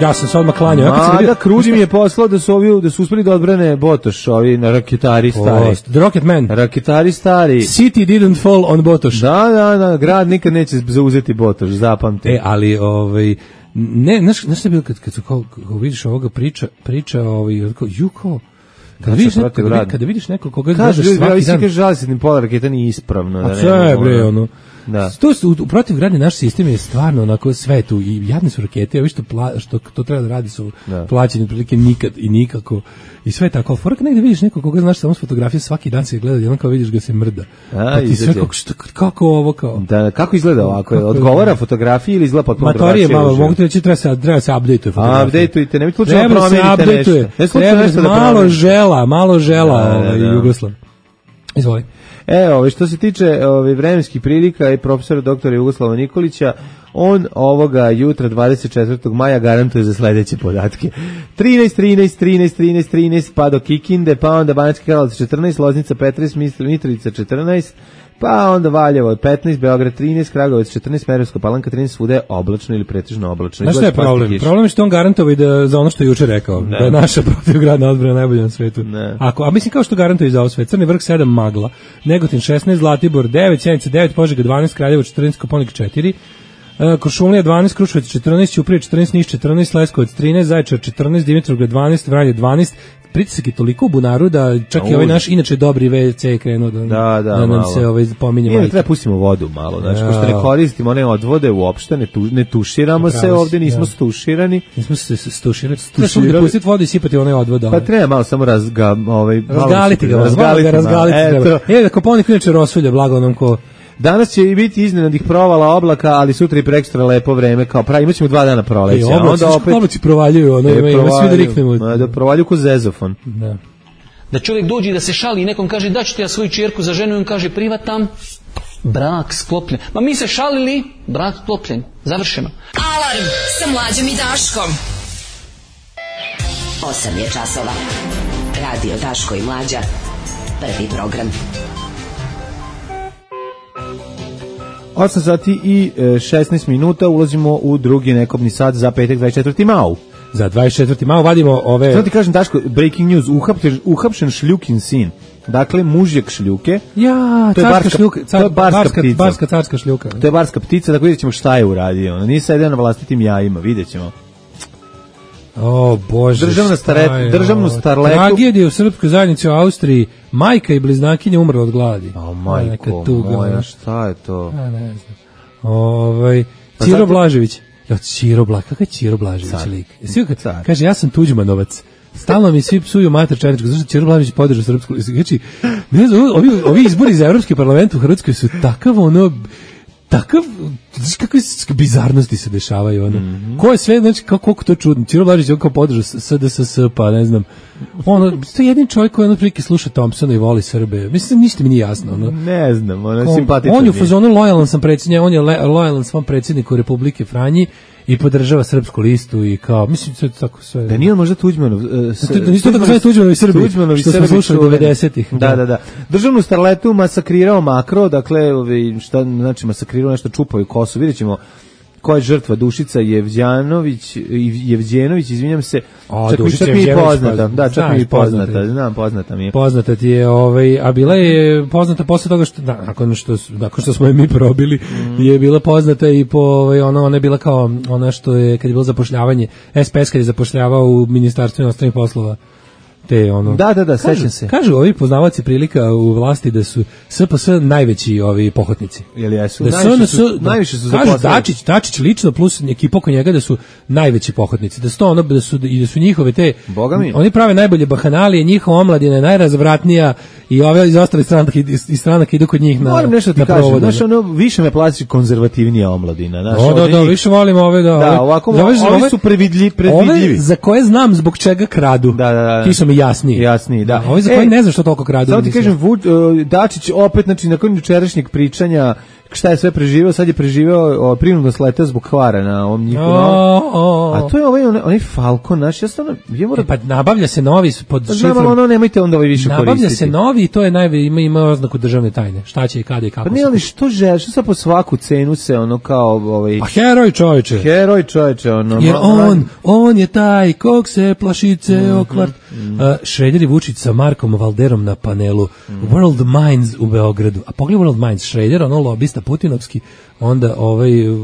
Ja sam se odmah klanjao. Ma da, Kruđi mi je poslao da su, ovi, da su uspeli da odbrane Botoš, ovi na raketari stari. Oh, the Rocket Man. Raketari stari. City didn't fall on Botoš. Da, da, da, grad nikad neće zauzeti Botoš, zapamti. E, ali, ovaj, ne, znaš, znaš šta je bilo kad, kad, kao, kao vidiš ovoga priča, priča, ovaj, kao, ju, kao, kada vidiš, neko, kada, kada vidiš neko koga kaže, gledaš svaki ljudi, dan. Kaže, žali se, ni pola raketa nije ispravno. A da sve, bre, ono. Da. To su, u protivgradni naš sistem je stvarno onako sve tu i jadne su rakete, a vi što, pla, što to treba da radi su da. Plaćeni otprilike nikad i nikako i sve tako. Forak negde vidiš nekog koga znaš samo s fotografije, svaki dan se gleda i onda kao vidiš ga se mrda. A, pa ti sve kako, što, kako ovo kao? Da, kako izgleda ovako? Odgovara fotografiji ili izgleda potpuno drugačije? Matorije malo, mogu ti reći treba se, treba se update-uje fotografiju. Update-ujte, nemojte slučajno promenite nešto. Ne slučajno nešto da promenite. Malo žela, malo žela da, da, ovaj, da. Jugoslav. Izvoli. E, ove, što se tiče ove, vremenskih prilika i profesora doktora Jugoslava Nikolića, on ovoga jutra dvadeset četvrtog maja garantuje za sledeće podatke. trinaest, trinaest, trinaest, trinaest, trinaest, pa do Kikinde, pa onda Banatski Karlovac četrnaest, Loznica petnaest, Mitrovica četrnaest, pa onda Valjevo petnaest, Beograd trinaest, Kragujevac četrnaest, Smederevska Palanka trinaest, svuda je oblačno ili pretežno oblačno. Znaš šta je problem? Problem je što on garantuje da za ono što je juče rekao, ne. Da je naša protivgradna odbrana najbolja na svetu. Ako, a mislim kao što garantuje i za ovo sve. Crni vrh sedam, Magla, Negotin šesnaest, Zlatibor devet, Sjenica devet, Požega dvanaest, Kraljevo četrnaest, Koponik četiri, Kuršumlija dvanaest, Kruševac četrnaest, Ćuprija četrnaest, Niš četrnaest, Leskovac trinaest, Zaječar četrnaest, Dimitrovgrad dvanaest, Vranje dvanaest. Pritisak je toliko u bunaru da čak i ovaj naš inače dobri ve ce je krenuo da, da, da, da nam se ovaj pominje majke. Treba pustimo vodu malo, znači, ja. Pošto ne koristimo one odvode uopšte, ne, tu, ne tuširamo se ovde, nismo ja. stuširani. Nismo se stuširani. Treba da pustiti vodu i sipati onaj odvod. Pa treba malo samo razga, ovaj, razgaliti ga, razgaliti, razgaliti treba. E, da Koponik inače rosulje, blago onom ko... Danas će i biti iznenadnih provala oblaka, ali sutra i prekstra lepo vreme, kao pravi, imaćemo dva dana proleća. E, oblaci, onda opet oblaci provaljuju, ono, e, ima, ima svi da riknemo. Da provaljuju ko zezofon. Da. Da čovjek dođe da se šali i nekom kaže, da ću ti ja svoju čerku za ženu, i on kaže, privatam, brak sklopljen. Ma mi se šalili, brak sklopljen. Završeno. Alarm sa Mlađom i Daškom. osam je časova. Radio Daško i Mlađa. Prvi program. osam sati i šesnaest minuta, ulazimo u drugi nekobni sat za petak dvadeset četvrti mau. Za dvadeset četvrti mau vadimo ove... Sada ti kažem, Daško, breaking news, uhapšen, uhapšen Šljukin sin. Dakle, mužjak Šljuke. Ja, to je carska barska, šljuka, car, to je barska, barska ptica. Barska carska šljuka. To je barska ptica, tako vidjet ćemo šta je uradio. Nije sedeo na vlastitim jajima, vidjet ćemo. O Bože, Državna staret, državnu starletu. Tragedija u srpskoj zajednici u Austriji. Majka i bliznakinja umrla od gladi. O majko moja, šta je to? Ja ne znam. Ovaj Ciro pa Blažević. Ja, Ciro Blažević, kakav je Ciro Blažević lik? Kaže, ja sam Tuđmanovac. Stalno mi svi psuju mater Černičku, zašto Ciro Blažević podržao srpsku. Znači, ne znam, ovi, ovi izbori za Evropski parlament u Hrvatskoj su takav ono... Takav, znaš kakve bizarnosti se dešavaju, ono. Mm -hmm. Ko je sve, znači, kako, koliko to čudno. Ciro Blažević, on kao podržao S D S S, pa ne znam. Ono, to je jedin čovjek koji ono prilike sluša Thompsona i voli Srbe. Mislim, ništa mi nije jasno, ono. Ne znam, ono je simpatično. On je u fazonu lojalan sam predsjednik, on je lojalan svom predsjedniku Republike Franji i podržava srpsku listu i kao, mislim, sve tako sve. Da nije on možda Tuđmanov... Uh, s, da nisu tako sve Tuđmanovi Srbi, Tuđmanovi što smo slušali devedesetih. Da, da, da. Državnu starletu masakrirao Makro, dakle, ovi, šta znači masakrirao, nešto čupaju kosu, vidjet ćemo koja je žrtva, Dušica Jevđanović, Jevđenović, izvinjam se, o, čak, Dušica čak mi je poznata, da, čak mi je poznata, poznata, znam, poznata mi je. Poznata ti je, ovaj, a bila je poznata posle toga što, da, nakon što, nakon što smo je mi probili, mm. je bila poznata i po, ovaj, ono, ona je bila kao, ona što je, kad je bilo zapošljavanje, S P S kad je zapošljavao u Ministarstvu inostranih poslova, te ono. Da, da, da, kažu, sećam se. Kažu ovi poznavaoci prilika u vlasti da su S P S najveći ovi pohotnici. Jel jesu? Da su, najviše su, su, najviše su kažu zaposlili. Dačić, Dačić lično plus ekipa oko njega da su najveći pohotnici. Da su to ono da su i da su njihove te Boga mi. Oni prave najbolje bahanalije, njihova omladina je najrazvratnija i ove iz ostalih stranaka iz stranaka idu kod njih na. Moram nešto ti na kažem, provode. znaš, ono, više me plaći konzervativnija omladina. Znaš, O, da, ovdje da, njih- više volim ove da. Da, ove- ovako, ove- ovi ove- su previdlji, predvidljivi. Ove za koje znam zbog čega kradu. Da, da, da. Ti su mi jasniji. Jasniji, da. Ovi za E, koje ne znam što toliko kradu. Samo ti mislim. kažem, Vud, uh, Dačić opet, znači, nakon jučerašnjeg pričanja, šta je sve preživeo, sad je preživeo o, prinudno sletao zbog hvara na ovom njihovom. O, o, o. A to je ovaj, onaj, onaj Falcon, naš, ja stvarno, ja moram... E, pa nabavlja se novi pod Pa znam, ali šifrom. ono, nemojte onda ovaj više Nabavlja koristiti. se novi i to je najve ima ima oznaku državne tajne. Šta će i kada i kako. Pa ne, se- ali što želiš, što sad po svaku cenu se, ono, kao, ovaj... A heroj čoveče. Heroj čoveče, ono... Jer ma- on, on je taj kog se plašice okvart. Uh, Šreder i Vučić sa Markom Valderom na panelu World Minds u Beogradu. A pogledaj World Minds, Šreder, ono lobista putinovski, onda ovaj uh,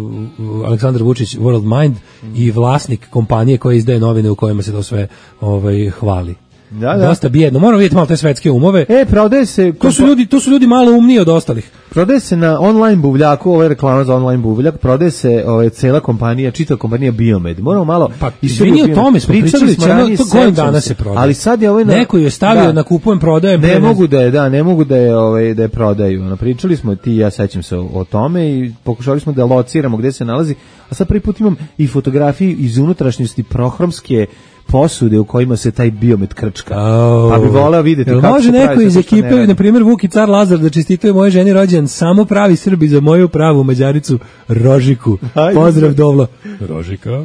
Aleksandar Vučić World Mind i vlasnik kompanije koja izdaje novine u kojima se to sve ovaj hvali. Da, da. Dosta bijedno. Moramo vidjeti malo te svetske umove. E, prodaje se... To su ljudi, to su ljudi malo umniji od ostalih. Prodaje se na online buvljaku, ovo je reklama za online buvljak, prodaje se ovaj, cela kompanija, čitava kompanija Biomed. Moramo malo... Pa, istoriju izvini, o Biomed. tome smo pričali, smo ono, ranije, to godin sećam dana se. se prodaje. Ali sad je ovaj... Na, Neko je stavio na kupujem, prodajem. Ne pre- mogu da je, da, ne mogu da je, ovaj, da je prodaju. Ono, pričali smo, ti i ja sećam se o, o tome i pokušali smo da lociramo gde se nalazi, a sad prvi put imam i fotografiju iz unutrašnjosti prohromske posude u kojima se taj Biomed krčka. Au. Pa bi voleo vidjeti Jel kako može se pravi neko iz sve što ne ekipe, radi. na primjer Vuki Car Lazar, da čestituje moje ženi rođendan, samo pravi Srbi za moju pravu Mađaricu Rožiku. Ajde. Pozdrav Dovlo. Rožika,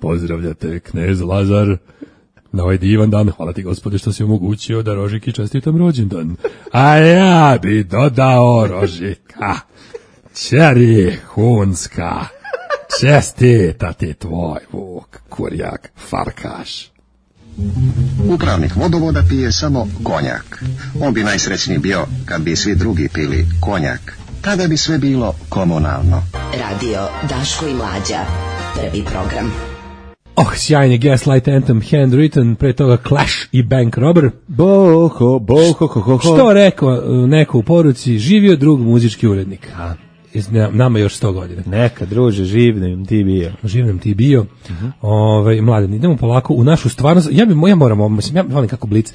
pozdravljate knez Lazar na ovaj divan dan. Hvala ti, Gospode, što si omogućio da Rožiki čestitam rođendan. A ja bi dodao Rožika, ćeri Hunska, čestita ti tvoj Vuk, kurjak, farkaš. Upravnik vodovoda pije samo konjak. On bi najsrećniji bio kad bi svi drugi pili konjak. Tada bi sve bilo komunalno. Radio Daško i Mlađa. Prvi program. Oh, sjajni Gaslight Anthem, Handwritten, pre toga Clash i Bank Robber. Boho, boho, ho, ho, ho. Što rekao neko u poruci, živio drug muzički urednik. A, iz- nama još sto godina. Neka, druže, živnem ti bio. Živ nam ti bio. Ovaj, mladen, idemo polako u našu stvarnost. Ja bi ja moram, mislim, ja volim kako Blic.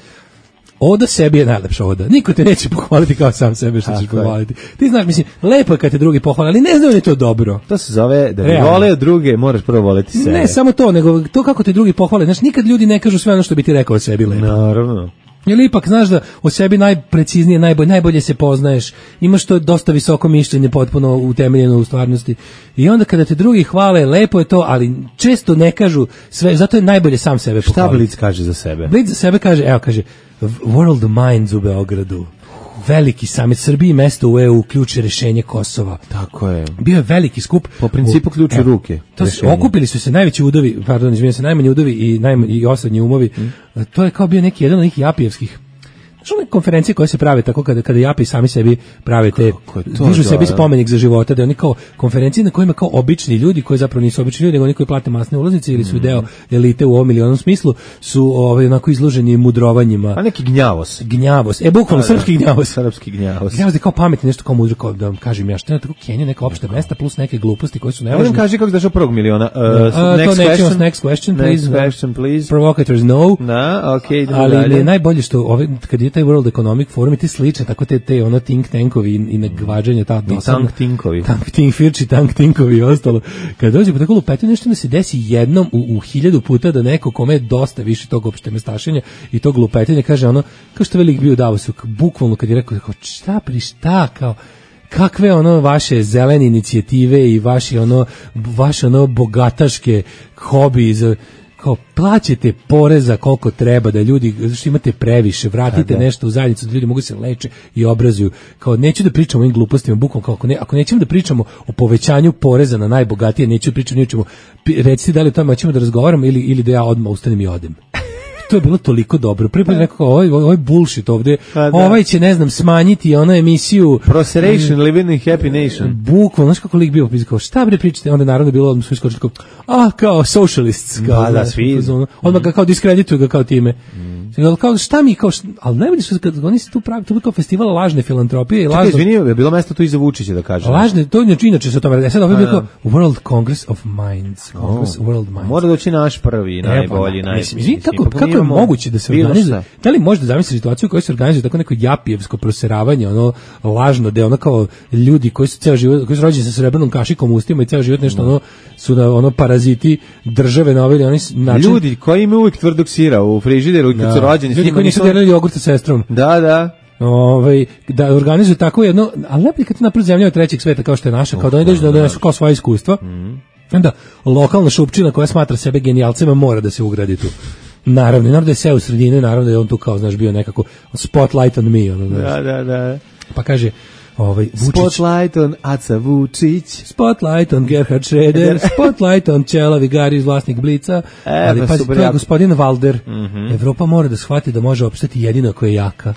Oda sebi je najlepša oda. Niko te neće pohvaliti kao sam sebe što ćeš Tako je. pohvaliti. Ti znaš, mislim, lepo je kad te drugi pohvale, ali ne znam da je to dobro. To se zove da bi Realno. voleo druge, moraš prvo voleti sebe. Ne samo to, nego to kako te drugi pohvale. Znaš, nikad ljudi ne kažu sve ono što bi ti rekao o sebi lepo. Naravno. Jer ipak znaš da o sebi najpreciznije, najbolje, najbolje se poznaješ, imaš to dosta visoko mišljenje, potpuno utemeljeno u stvarnosti. I onda kada te drugi hvale, lepo je to, ali često ne kažu sve, zato je najbolje sam sebe Šta pohvaliti. Blic kaže za sebe? Blic za sebe kaže, evo kaže, World Minds u Beogradu, veliki samit Srbiji, mesto u E U, ključ je rešenje Kosova. Tako je. Bio je veliki skup. Po principu ključ u Evo, ruke, To su, rešenje. okupili su se najveći udovi, pardon, izvinjam se, najmanji udovi i, najmanji, i osrednji umovi. To je kao bio neki jedan od njih Japijevskih. Znaš one konferencije koje se prave tako kada, kada Japi sami sebi prave te, Kako je to, dižu da, sebi da. spomenik za života, da oni kao konferencije na kojima kao obični ljudi, koji zapravo nisu obični ljudi, nego oni koji plate masne ulaznice ili su deo elite u ovom ili onom smislu, su ovaj, onako izloženi mudrovanjima. A neki gnjavos. Gnjavos, e bukvalno srpski gnjavos. Srpski gnjavos. Gnjavos je kao pametni, nešto kao mudro, kao da vam kažem ja, što je tako Kenija, neka opšta mesta plus neke gluposti koje su Evo nam nevažne. kaži kako došao prvog miliona. Uh, A, to next nećemo, question. next question, please. Next question, please. Provocators no. Da, okej, idemo Ali mi dalje. je najbolje što ove, kad je taj World Economic Forum i ti slične, tako te, te ono think tankovi i, i nagvađanje ta I tank tinkovi. tank tink firči, tank tinkovi i ostalo. Kad dođe po tako lupetu nešto da se desi jednom u, u hiljadu puta da neko kome je dosta više tog opšte mestašenja i tog lupetenja kaže ono, kao što velik bio u Davosu, bukvalno kad je rekao, kao, šta pri šta, kao, kakve ono vaše zelene inicijative i vaši ono, vaše ono bogataške hobi za kao plaćate poreza koliko treba da ljudi, zato što imate previše, vratite da. nešto u zajednicu da ljudi mogu se leče i obrazuju. Kao neću da pričamo o ovim glupostima, bukvalno kao ako, ne, ako nećemo da pričamo o povećanju poreza na najbogatije, neću da pričamo, nećemo, recite da li o tome ćemo da razgovaramo ili, ili da ja odmah ustanem i odem. To je bilo toliko dobro. Prvi put rekao, ovaj, ovaj bullshit ovde, Pa da. ovaj će, ne znam, smanjiti ono emisiju. Proseration, living in happy nation. Bukvalno, znaš kako lik bio, kao, šta bre pričate, onda naravno je bilo, odmah su iskočili kao, a, kao socialists, kao, Da, da, znaš, svi. u fazonu. Odmah ga kao diskredituju ga kao time. Mm. Kao, šta mi, kao, šta, ali najbolje su, kad oni se tu pravi, to je kao festival lažne filantropije i lažno... Čekaj, izvini, je bilo mesto tu i za Vučića da kažem. Lažne, to je inače se o tome, sad ovo je bilo World Congress of Minds, Congress oh. World Minds. Mora doći naš prvi, najbolji, najbolji. Izvini, kako, kako je moguće da se organizuje? Da li možete zamisliti situaciju u kojoj se organizuje tako neko japijevsko proseravanje, ono lažno, da je ono kao ljudi koji su ceo život, koji su rođeni sa srebrnom kašikom u ustima i ceo život nešto ono su na ono paraziti države na ovaj oni način. Ljudi koji imaju uvijek tvrdog sira u frižideru kad da. su rođeni, ljudi koji nisu delili jogurt sa sestrom. Da, da. Ovaj da organizuju tako jedno, ali lepo kad napravi zemlja trećeg sveta kao što je naša, kao da oni dođu da donesu kao svoje iskustva. Mm. Onda lokalna šupčina koja smatra sebe genijalcima mora da se ugradi tu. Naravno, naravno da je sve u sredini, naravno da je on tu kao, znaš, bio nekako spotlight on me. Ono, da, da, da. Pa kaže, ovaj, Vučić. Spotlight on Aca Vučić. Spotlight on Gerhard Schröder. Spotlight on Čelavi Gari, vlasnik Blica. E, ali pa pazi, super, to je jako. gospodin Valder. Mm-hmm. Evropa mora da shvati da može opstati jedino ako je jaka.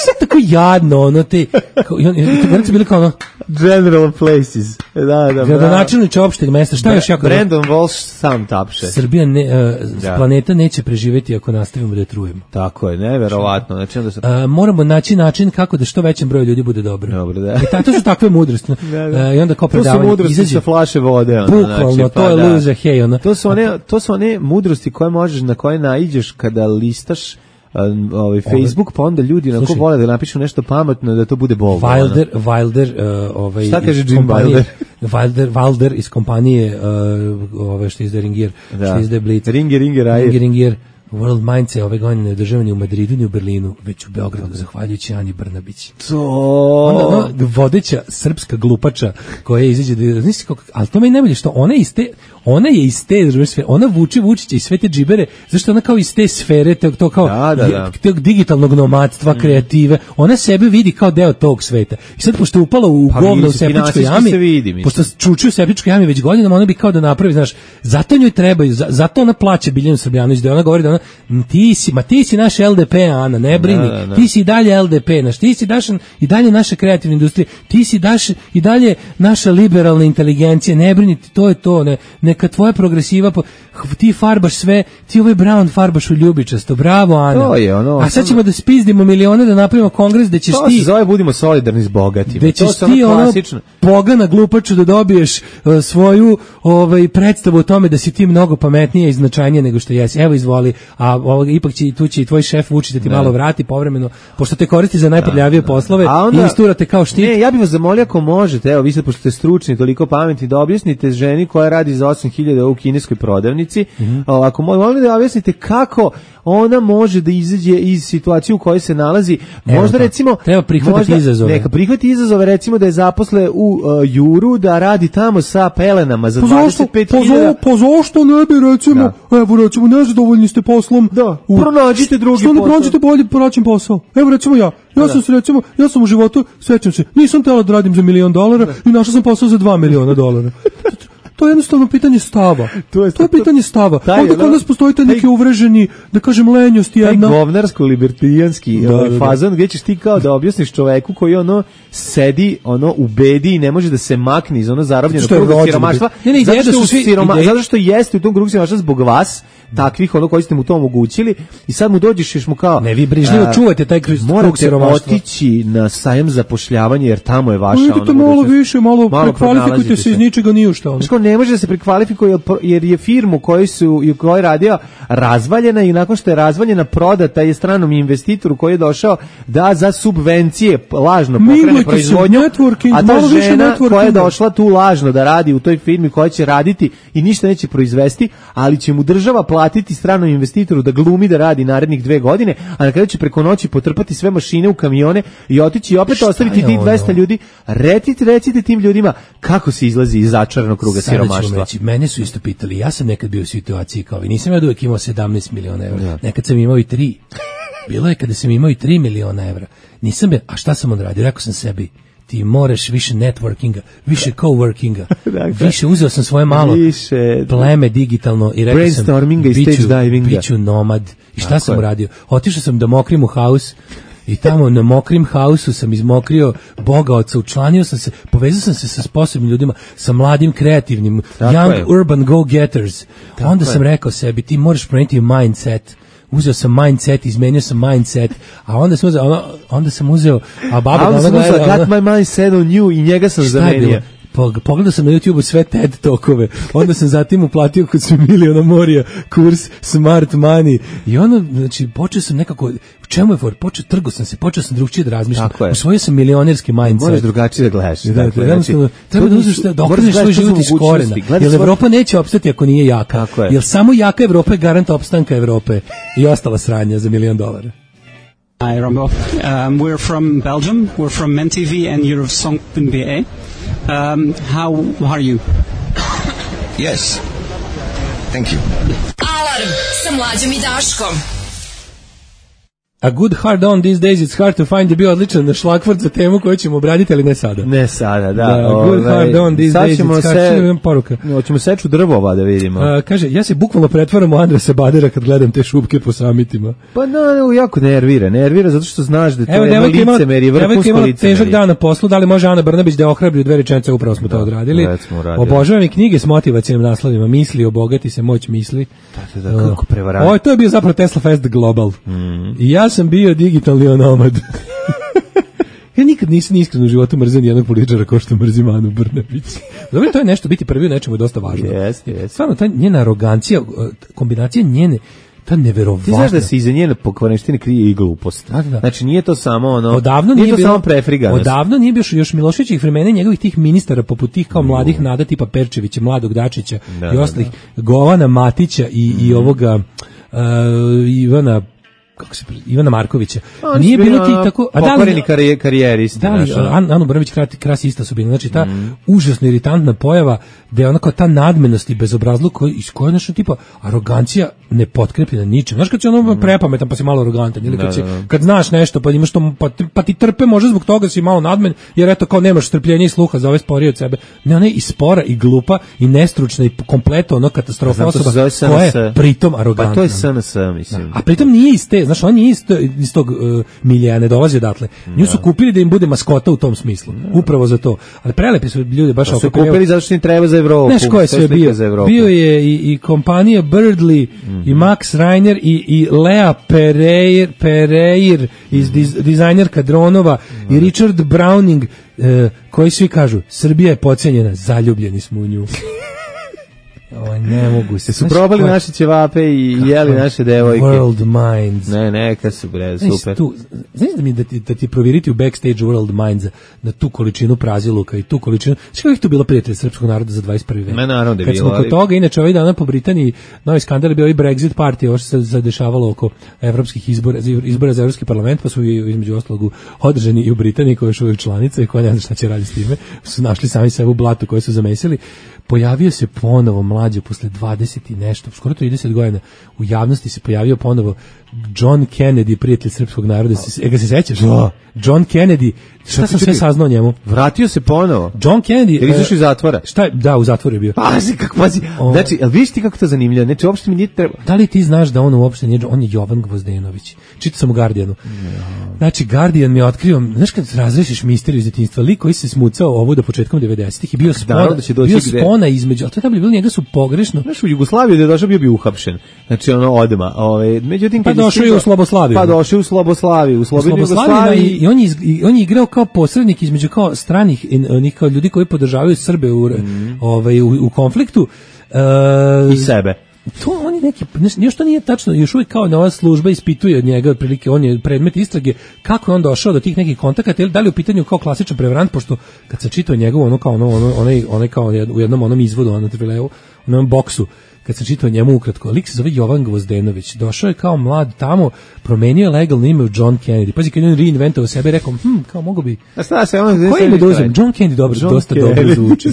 Šta tako jadno, ono, te... Kao, i on, i to bili kao ono... General Places. Da, da, gradonačelniče opšteg mesta. Šta Bre, još jako... Brandon Walsh sam tapše. Srbija, ne, uh, da. planeta neće preživjeti ako nastavimo da je trujemo. Tako je, neverovatno. Znači, onda se... uh, moramo naći način kako da što većem broju ljudi bude dobro. Dobro, da. I ta, to su takve mudrosti. Da, da. Uh, I onda kao predavanje... To su mudrosti izađe, sa flaše vode. Ono, bukvalno, znači, pa, to je da. luze, hej. Ono. To su one, to su one mudrosti koje možeš, na koje naiđeš kada listaš ovaj Facebook, pa onda ljudi onako vole da napišu nešto pametno da to bude bolno. Wilder, Wilder, uh, ovaj šta kaže Jim Wilder? Wilder, Wilder iz kompanije uh, ove što izdaje Ringier, da. što izdaje Blitz. Ringier, Ringier, Ringier, Ringier. World Minds je ove godine ne održava ni u Madridu, ni u Berlinu, već u Beogradu, zahvaljujući Ani Brnabić. To... Onda, ona, vodeća srpska glupača koja izađe da... Znaš kako, ali to meni najbolje što ona, iz te, ona je iz te sfere, ona vuče Vučića i sve te džibere, zašto ona kao iz te sfere, to, to kao da, da, da. tog digitalnog nomadstva, mm. kreative, ona sebe vidi kao deo tog sveta. I sad, pošto je upala u pa, govno u septičkoj jami, vidi, pošto čuči u septičkoj jami već godinama, ona bi kao da napravi, znaš, zato njoj trebaju, zato ona plaća Biljanu Srbljanović, da ona govori da ona ti si, ma ti si naš L D P, Ana, ne brini, da, da, da. Ti si i dalje L D P, naš, ti si daš i dalje naša kreativna industrija, ti si daš i dalje naša liberalna inteligencija, ne brini, to je to, ne, neka tvoja progresiva, po, ti farbaš sve, ti ovaj Brown farbaš u ljubičasto, bravo Ana. To je ono, a sad ćemo da spizdimo milione da napravimo kongres da ćeš to ti... To se zove budimo solidarni s bogatima. Da ćeš ti ono, ono pogana glupaču da dobiješ uh, svoju ovaj, predstavu o tome da si ti mnogo pametnije i značajnije nego što jesi. Evo izvoli, a ovog, ipak će, tu će i tvoj šef Vučić da ti ne. malo vrati povremeno, pošto te koristi za najprljavije poslove onda, i isturate kao štit. Ne, ja bih vas zamolio ako možete, evo vi ste, pošto ste stručni, toliko pametni, da objasnite ženi koja radi za osam hiljada u kineskoj prodavnici, mm-hmm. ako molim da objasnite kako ona može da izađe iz situacije u kojoj se nalazi, možda evo, recimo treba prihvatiti izazove. Neka prihvati izazove, recimo da je zaposle u uh, Juru, da radi tamo sa pelenama za dvadeset pet hiljada. Pa zašto ne bi recimo, da. evo recimo nezadovoljni ste poslom. Da, u, pronađite drugi posao. Što ne pronađite bolji praćen posao? Evo recimo ja, ja da. sam se recimo, ja sam u životu, sećam se, nisam tela da radim za milion dolara da. i našao sam posao za dva miliona dolara. To je jednostavno pitanje stava. To je, to je pitanje stava. Onda kod nas postoji taj neki uvreženi, da kažem, lenjost jedna. Taj govnarsko-libertijanski da, ovaj, da, da. fazon gdje ćeš ti kao da objasniš čoveku koji ono sedi ono u bedi i ne može da se makne iz ono zarobljenog kruga siromaštva. Ne, ne, zato, što svi, siroma, zato što jeste u tom krugu siromaštva zbog vas, takvih ono koji ste mu to omogućili i sad mu dođeš još mu kao... Ne, vi brižljivo a, čuvate taj krug siromaštva. Morate otići na sajem zapošljavanja jer tamo je vaša... Idete ono, malo više, malo, malo prekvalifikujte se iz ničega ni u šta. Ono. Ne može da se prekvalifikuje jer je firmu koju su i koju je radio razvaljena i nakon što je razvaljena prodata je stranom investitoru koji je došao da za subvencije lažno pokrene proizvodnju, a ta žena koja je došla tu lažno da radi u toj firmi koja će raditi i ništa neće proizvesti, ali će mu država platiti stranom investitoru da glumi da radi narednih dve godine, a na kraju će preko noći potrpati sve mašine u kamione i otići i opet ostaviti tih dvesta ljudi. Recite, recite tim ljudima kako se izlazi iz začaranog kruga siromaštva. Mene su isto pitali, ja sam nekad bio u situaciji kao vi, nisam ja uvijek imao sedamnaest miliona evra, ja. Nekad sam imao i tri. Bilo je kada sam imao i tri miliona evra. Nisam be, a šta sam odradio? Rekao sam sebi, ti moraš više networkinga, više coworkinga, više uzeo sam svoje malo više, pleme digitalno i rekao sam, biću, biću nomad. I šta tako sam uradio? Otišao sam do Mokrimu house i tamo na Mokrim hausu sam izmokrio bogaoca, učlanio sam se, povezao sam se sa sposobnim ljudima, sa mladim, kreativnim, tako young je. Urban go-getters. Tako onda je. sam rekao sebi, ti moraš promeniti mindset, uzeo sam mindset, izmenio sam mindset, a onda sam uzeo, ono, onda sam uzeo, a baba... A onda sam uzeo, got my mindset on you i njega sam zamenio. Pogledao sam na YouTubeu sve TED tokove, onda sam zatim uplatio kod su miliona morija kurs Smart Money i ono, znači, počeo sam nekako, u čemu je for, počeo, trgo sam se, počeo sam drugčije da razmišljam, usvojio sam milionerski mindset. Moraš drugačije da gledaš. Da, dakle, da, znači, treba da uzmeš da okreneš svoj život iz korena, jer Evropa neće opstati ako nije jaka, jer samo jaka Evropa je garant opstanka Evrope i ostala sranja za milion dolara. Hi, Rambo. Um, we're from Belgium. We're from MenTV and you're Song P B A. Um, how are you? Yes. Thank you. Alarm sa Mlađom i Daškom. A good hard on these days, it's hard to find, je bio odličan šlagvort za temu koju ćemo obraditi, ali ne sada. Ne sada, da. da good ove, hard on these days, it's hard, se, poruka. Hoćemo seču drvova da vidimo. A, kaže, ja se bukvalno pretvaram u Andresa Badera kad gledam te šupke po samitima. Pa no, jako nervira, nervira zato što znaš da to Evo, je jedno licemerje, vrhunsko licemerje. Težak dan na poslu, da li može Ana Brnabić da ohrabri u dve rečenice, upravo smo da, to odradili. Obožavam i knjige s motivacijnim naslovima, misli, obogati se, moć misli. Da, da, kako prevarant. Ovo, to je bio zapravo Tesla Fest Global. Mm. I ja sam bio digitalni onomad. Ja nikad nisam iskreno u životu mrzio jednog političara kao što mrzim Anu Brnabić. Dobro, to je nešto, biti prvi u nečemu je dosta važno. Jeste, jeste. Stvarno, ta njena arogancija, kombinacija njene, ta neverovatna. Ti znaš da se iza njene pokvareštine krije i glupost. Da, da. Znači nije to samo ono, odavno nije, nije to bilo, samo prefriganost. Odavno nije bio još Miloševićih vremena njegovih tih ministara poput tih kao mladih Nada tipa Perčevića, Mladog Dačića da, i ostalih, da. Govana Matića i, mm. i ovoga uh, Ivana kako se Ivana Markovića. On nije bilo ti tako, a pokvareni da karijeristi. Da li An, Anu Brnabić krasi ista sudbina. Znači ta mm. užasno iritantna pojava da je ona kao ta nadmenost i bezobrazluk koji iz koje nešto tipa arogancija ne potkrepljena ničim. Znaš kad si ono mm. prepametan pa si malo arogantan ili kad, da, si, da, da. kad znaš nešto pa imaš to pa, pa ti trpe može zbog toga si malo nadmen jer eto kao nemaš strpljenja i sluha za ove sporije od sebe. Ne, ona je i spora i glupa i nestručna i kompletno ono katastrofa osoba koja je pritom arogantna. Pa to je S N S, mislim. Da. A pritom nije iz te, znaš, on nije iz, iz tog uh, milija, ne dolazi odatle. Nju su kupili da im bude maskota u tom smislu. Da. Upravo za to. Ali prelepi su ljudi baš oko. Su kupili zato što im treba za Evropu. Znaš ko je sve bio? Bio je i, i kompanija Birdly, mm-hmm. i Max Reiner i, i Lea Pereir, Pereir iz diz, dizajnerka dronova mm-hmm. i Richard Browning uh, koji svi kažu Srbija je podcenjena, zaljubljeni smo u nju. O, ne mogu se. Su probali koja... naše ćevape i jeli naše devojke. World Minds. Ne, neka su bre, super. Tu, znaš da mi da ti, da ti provjeriti u backstage World Minds na tu količinu praziluka i tu količinu. Znaš kako ih tu bilo prijatelj srpskog naroda za dvadeset prvi vek? Me naravno da je bilo. Kad smo ali... kod toga, inače ovaj dana po Britaniji, novi skandal je bio i Brexit party, ovo što se zadešavalo oko evropskih izbora, izbora za evropski parlament, pa su između ostalog održani i u Britaniji koja je još uvijek članica i koja ne zna šta će raditi s time. Su našli sami sebe u blatu koje su zamesili. Pojavio se ponovo mlađe posle dvadeset i nešto, skoro trideset godina, u javnosti se pojavio ponovo John Kennedy, prijatelj srpskog naroda. E, ga se sećaš? Oh. John Kennedy, šta sam sve saznao o njemu? Vratio se ponovo. John Kennedy. Jer izašao iz zatvora. Šta je? Da, u zatvoru je bio. Pazi, kako pazi. Oh. Znači, jel vidiš ti kako to zanimljivo? Znači, uopšte mi nije treba. Da li ti znaš da on uopšte nije, on je Jovan Gvozdenović. Čitao sam u Guardianu. No. Znači, Guardian mi je otkrio, znaš kad razrešiš misteriju iz detinjstva, lik koji se smucao ovu do početkom devedesetih i bio spona, da bio spona između, a to je da bi bilo njega su pogrešno. Znaš, u Jugoslaviji da je došao bio bi uhapšen. Znači, ono odma. Ove, međutim, pa došao je u Sloboslaviju. Pa došao u Sloboslaviju, u Slobodnoj Jugoslaviji. I, i on je i on je igrao kao posrednik između kao stranih onih kao ljudi koji podržavaju Srbe u mm. ovaj u, u konfliktu uh, i sebe. To on je neki, još to nije tačno, još uvijek kao nova služba ispituje od njega, otprilike on je predmet istrage, kako je on došao do tih nekih kontakata, ili da li u pitanju kao klasičan prevarant, pošto kad se čitao njegov ono kao ono, ono, onaj, onaj kao u jednom onom izvodu, ono trvileu, u onom boksu, kad sam čitao njemu ukratko, lik se zove Jovan Gvozdenović, došao je kao mlad tamo, promenio je legalno ime u John Kennedy, pazi kad je on reinventovao sebe, rekao, hm, kao mogu bi, a šta se on, koji ime da uzem, John Kennedy dobro, John dosta Kennedy. Dobro zvuči,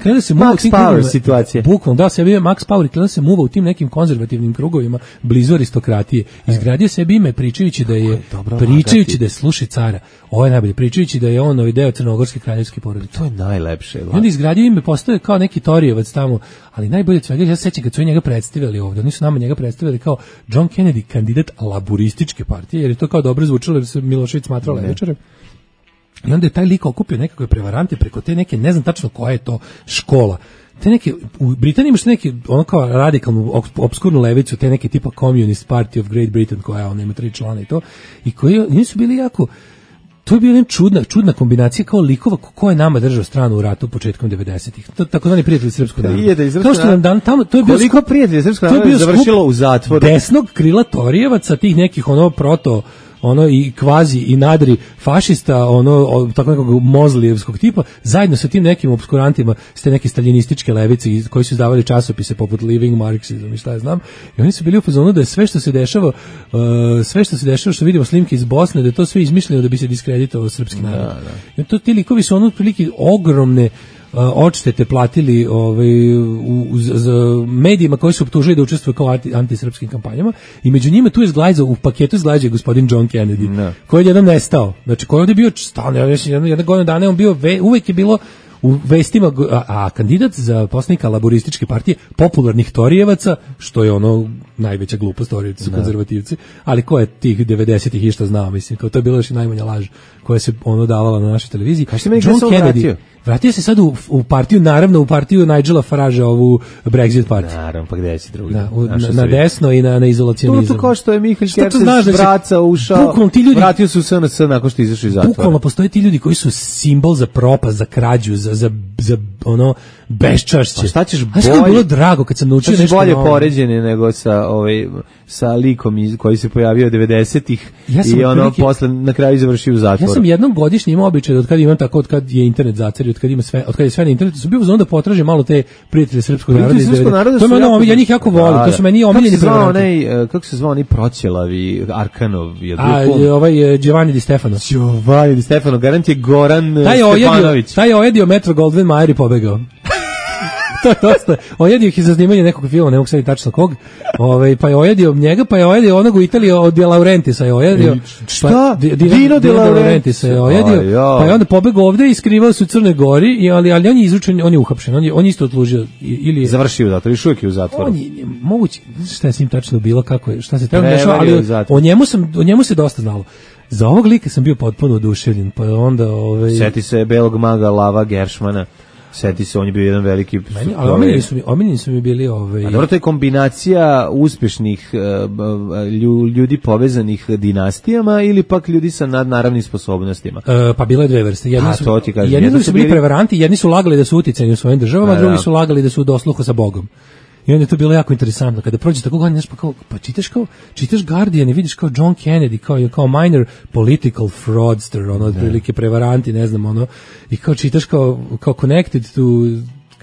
kada se muva Max Power situacija, bukvalno, da, sebi je Max Power i kada se muva u tim nekim konzervativnim krugovima, blizu aristokratije, izgradio sebi ime pričajući da je, pričajući da je sluši cara, ovo je najbolje, pričajući da je on ovaj deo crnogorske kraljevske porodice, to je najlepše, i onda izgradio ime, postoje kao neki Torijevac tamo, ali najbolje od svega, ja se sećam kad su njega predstavili ovdje, oni su nama njega predstavili kao John Kennedy, kandidat laburističke partije, jer je to kao dobro zvučalo, jer se Milošević smatrao levičarem. I onda je taj lik okupio nekakve prevarante preko te neke, ne znam tačno koja je to škola. Te neke, u Britaniji imaš neke, ono kao radikalnu, obskurnu levicu, te neke tipa Communist Party of Great Britain, koja ona ima tri člana i to, i koji nisu bili jako, to je bila jedna čudna, čudna kombinacija kao likova ko je nama držao stranu u ratu početkom devedesetih. To tako zvani prijatelji srpskog naroda. Kao što nam dan tamo, to je bio koliko prijatelji srpskog naroda je završilo u zatvoru. Desnog krila Torijevaca, tih nekih ono proto ono i kvazi i nadri fašista, ono tako nekog mozlijevskog tipa, zajedno sa tim nekim obskurantima, s te neke staljinističke levice koji su izdavali časopise poput Living Marxism i šta ja znam, i oni su bili u fazonu da je sve što se dešava, uh, sve što se dešava, što vidimo slimke iz Bosne, da je to sve izmišljeno da bi se diskreditovao srpski narod. Da, da. I to ti likovi su ono otprilike ogromne Uh, odštete platili ovaj, u, u, za medijima koji su optužili da učestvuju kao anti, antisrpskim kampanjama i među njima tu je zglajzao, u paketu zglajzao gospodin John Kennedy, no. koji je jedan nestao. Znači, koji je ovdje bio stalno, ja jedna, jedna godina dana on bio, ve, uvijek je bilo u vestima, a, a kandidat za poslanika laborističke partije popularnih Torijevaca, što je ono najveća glupost, Torijevci su konzervativci, ali ko je tih devedesetih i šta znao, mislim, kao to je bilo još i najmanja laž koja se ono davala na našoj televiziji. John Kennedy vratio? Vratio se sad u, u partiju, naravno u partiju Nigela Faragea, ovu Brexit partiju. Naravno, pa gde si drugi? Da, u, na, na desno i na, na izolacionizam. To, to kao što je Mihael Kertes vraca, ušao, ljudi, vratio se u S N S nakon što izašao iz zatvora. Bukvalno postoje ti ljudi koji su simbol za propast, za krađu, za, za, za ono beščašće. Pa šta ćeš bolje? A bilo drago kad sam naučio nešto bolje novo. Poređene nego sa, ovaj, sa likom iz, koji se pojavio devedesetih ja i ono prilike, posle na kraju završio u zatvoru. Ja sam jednom godišnje imao običaj da od kad imam tako, od kad je internet zacario, od kad ima sve, od kad je sve na internetu, su bio da potražim malo te prijatelje srpskog naroda iz devedesetih. To je ono, ja njih jako volim, da, to su meni omiljeni prevaranti. Kako se zvao onaj Proćelavi, Arkanov? Je A, ovaj Giovanni Di Stefano. Giovanni Di Stefano, garant je Goran taj Stefanović. Taj je ojedio Metro Goldwyn Mayer i pobegao. To je dosta. Ojedio ih za snimanje nekog filma, ne mogu sad tačno kog. Ovaj pa je ojedio njega, pa je ojedio onog u Italiji od De Laurentisa je ojedio. Šta? Pa, Dino De Laurentisa je ojedio. Pa je onda pobegao ovde i skrivao se u Crnoj Gori, i ali ali on je izručen, on je uhapšen, on je on isto odslužio ili je završio u zatvoru, još uvijek je u zatvoru. On je moguće, šta je s njim tačno bilo, kako je, šta se tamo dešava, ali o njemu sam o njemu se dosta znalo. Za ovog lika sam bio potpuno oduševljen, pa onda ovaj seti se belog maga Lava Geršmana. Seti se, on je bio jedan veliki... Meni, ali omiljeni su mi, omiljeni su mi bili... Ovaj... A dobro, to je kombinacija uspješnih uh, ljudi povezanih dinastijama ili pak ljudi sa nadnaravnim sposobnostima? E, pa bilo je dve vrste. Jedni A, su, to ti kažem. Jedni, jedni su bili prevaranti, jedni su lagali da su uticajni u svojim državama, a drugi su lagali da su u dosluhu sa Bogom. I onda je to bilo jako interesantno. Kada prođe tako godin, pa, kao, pa čitaš kao, čitaš Guardian i vidiš kao John Kennedy, kao, kao minor political fraudster, ono, otprilike prevaranti, ne znam, ono, i kao čitaš kao, kao connected to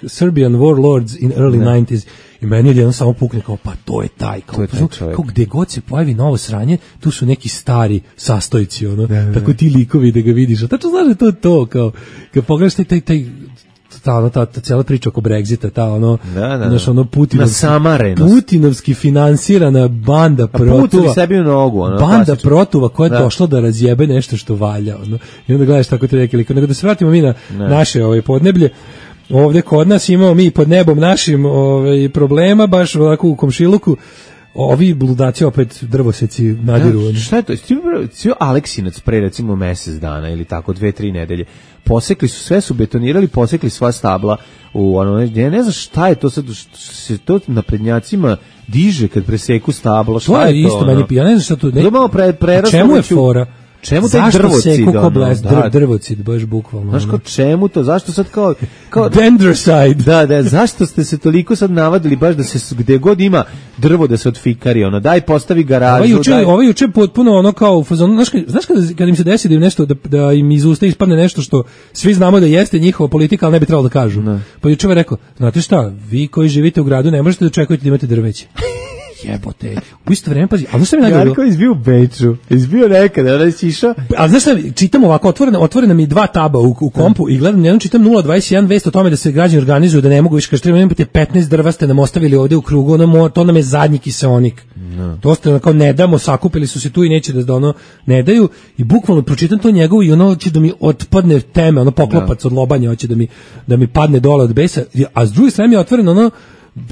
Serbian warlords in early ne. nineties. I meni je jedan samo pukne kao, pa to je taj, kao, je taj kao gde god se pojavi novo sranje, tu su neki stari sastojci, ono, ne, ne, tako ti likovi da ga vidiš, a tačno znaš da je to to, kao, kad pogledaš taj, taj, taj ta ono ta, ta cijela priča oko Brexita, ta ono da, da, naš ono Putinovski, Putinovski finansirana banda protuva. Putovi sebi u nogu, ono. Banda klasično. Protuva koja je da. došla da razjebe nešto što valja, ono. I onda gledaš tako te neke like, nego da se vratimo mi na ne. naše ovaj podneblje. Ovde kod nas imamo mi pod nebom našim ovaj problema baš ovako u komšiluku. Ovi bludaci opet drvoseci nadiru. Ja, šta je to? Svi Aleksinac pre recimo mesec dana ili tako dve, tri nedelje. Posekli su, sve su betonirali, posekli sva stabla u ono, ja ne znam šta je to sad, se to naprednjacima diže kad preseku stablo, šta to je, je to? Isto ono? meni, ja ne znam šta to... Ne, malo pre, čemu je fora? Čemu taj drvocid? Zašto seku ko bles, da, drvocid, baš bukvalno. Znaš kao čemu to? Zašto sad kao... kao Dendrocide. Da, da, zašto ste se toliko sad navadili baš da se gde god ima drvo da se odfikari, ono, daj postavi garažu. Ovo juče, daj... ovo juče potpuno ono kao, znaš, znaš kada, kada im se desi da im nešto, da, da im iz usta ispadne nešto što svi znamo da jeste njihova politika, ali ne bi trebalo da kažu. Ne. Pa juče je rekao, znate šta, vi koji živite u gradu ne možete da očekujete da imate drveće. Jebote. U isto vreme, pazi, ali znaš šta mi najgore? Jarko izbio u Beču, izbio nekada, onda si išao. Ali znaš šta, čitam ovako, otvorena, otvorena mi dva taba u, u kompu i gledam, jednom čitam nula dvadeset jedan vest o tome da se građani organizuju, da ne mogu više, kaže, treba imate petnaest drva ste nam ostavili ovde u krugu, ono, to nam je zadnji kiseonik. No. To ste kao ne damo, sakupili su se tu i neće da ono ne daju i bukvalno pročitam to njegovo i ono će da mi otpadne teme, ono poklopac no. od lobanja, hoće da mi, da mi padne dole od besa, a s druge strane je otvoreno ono,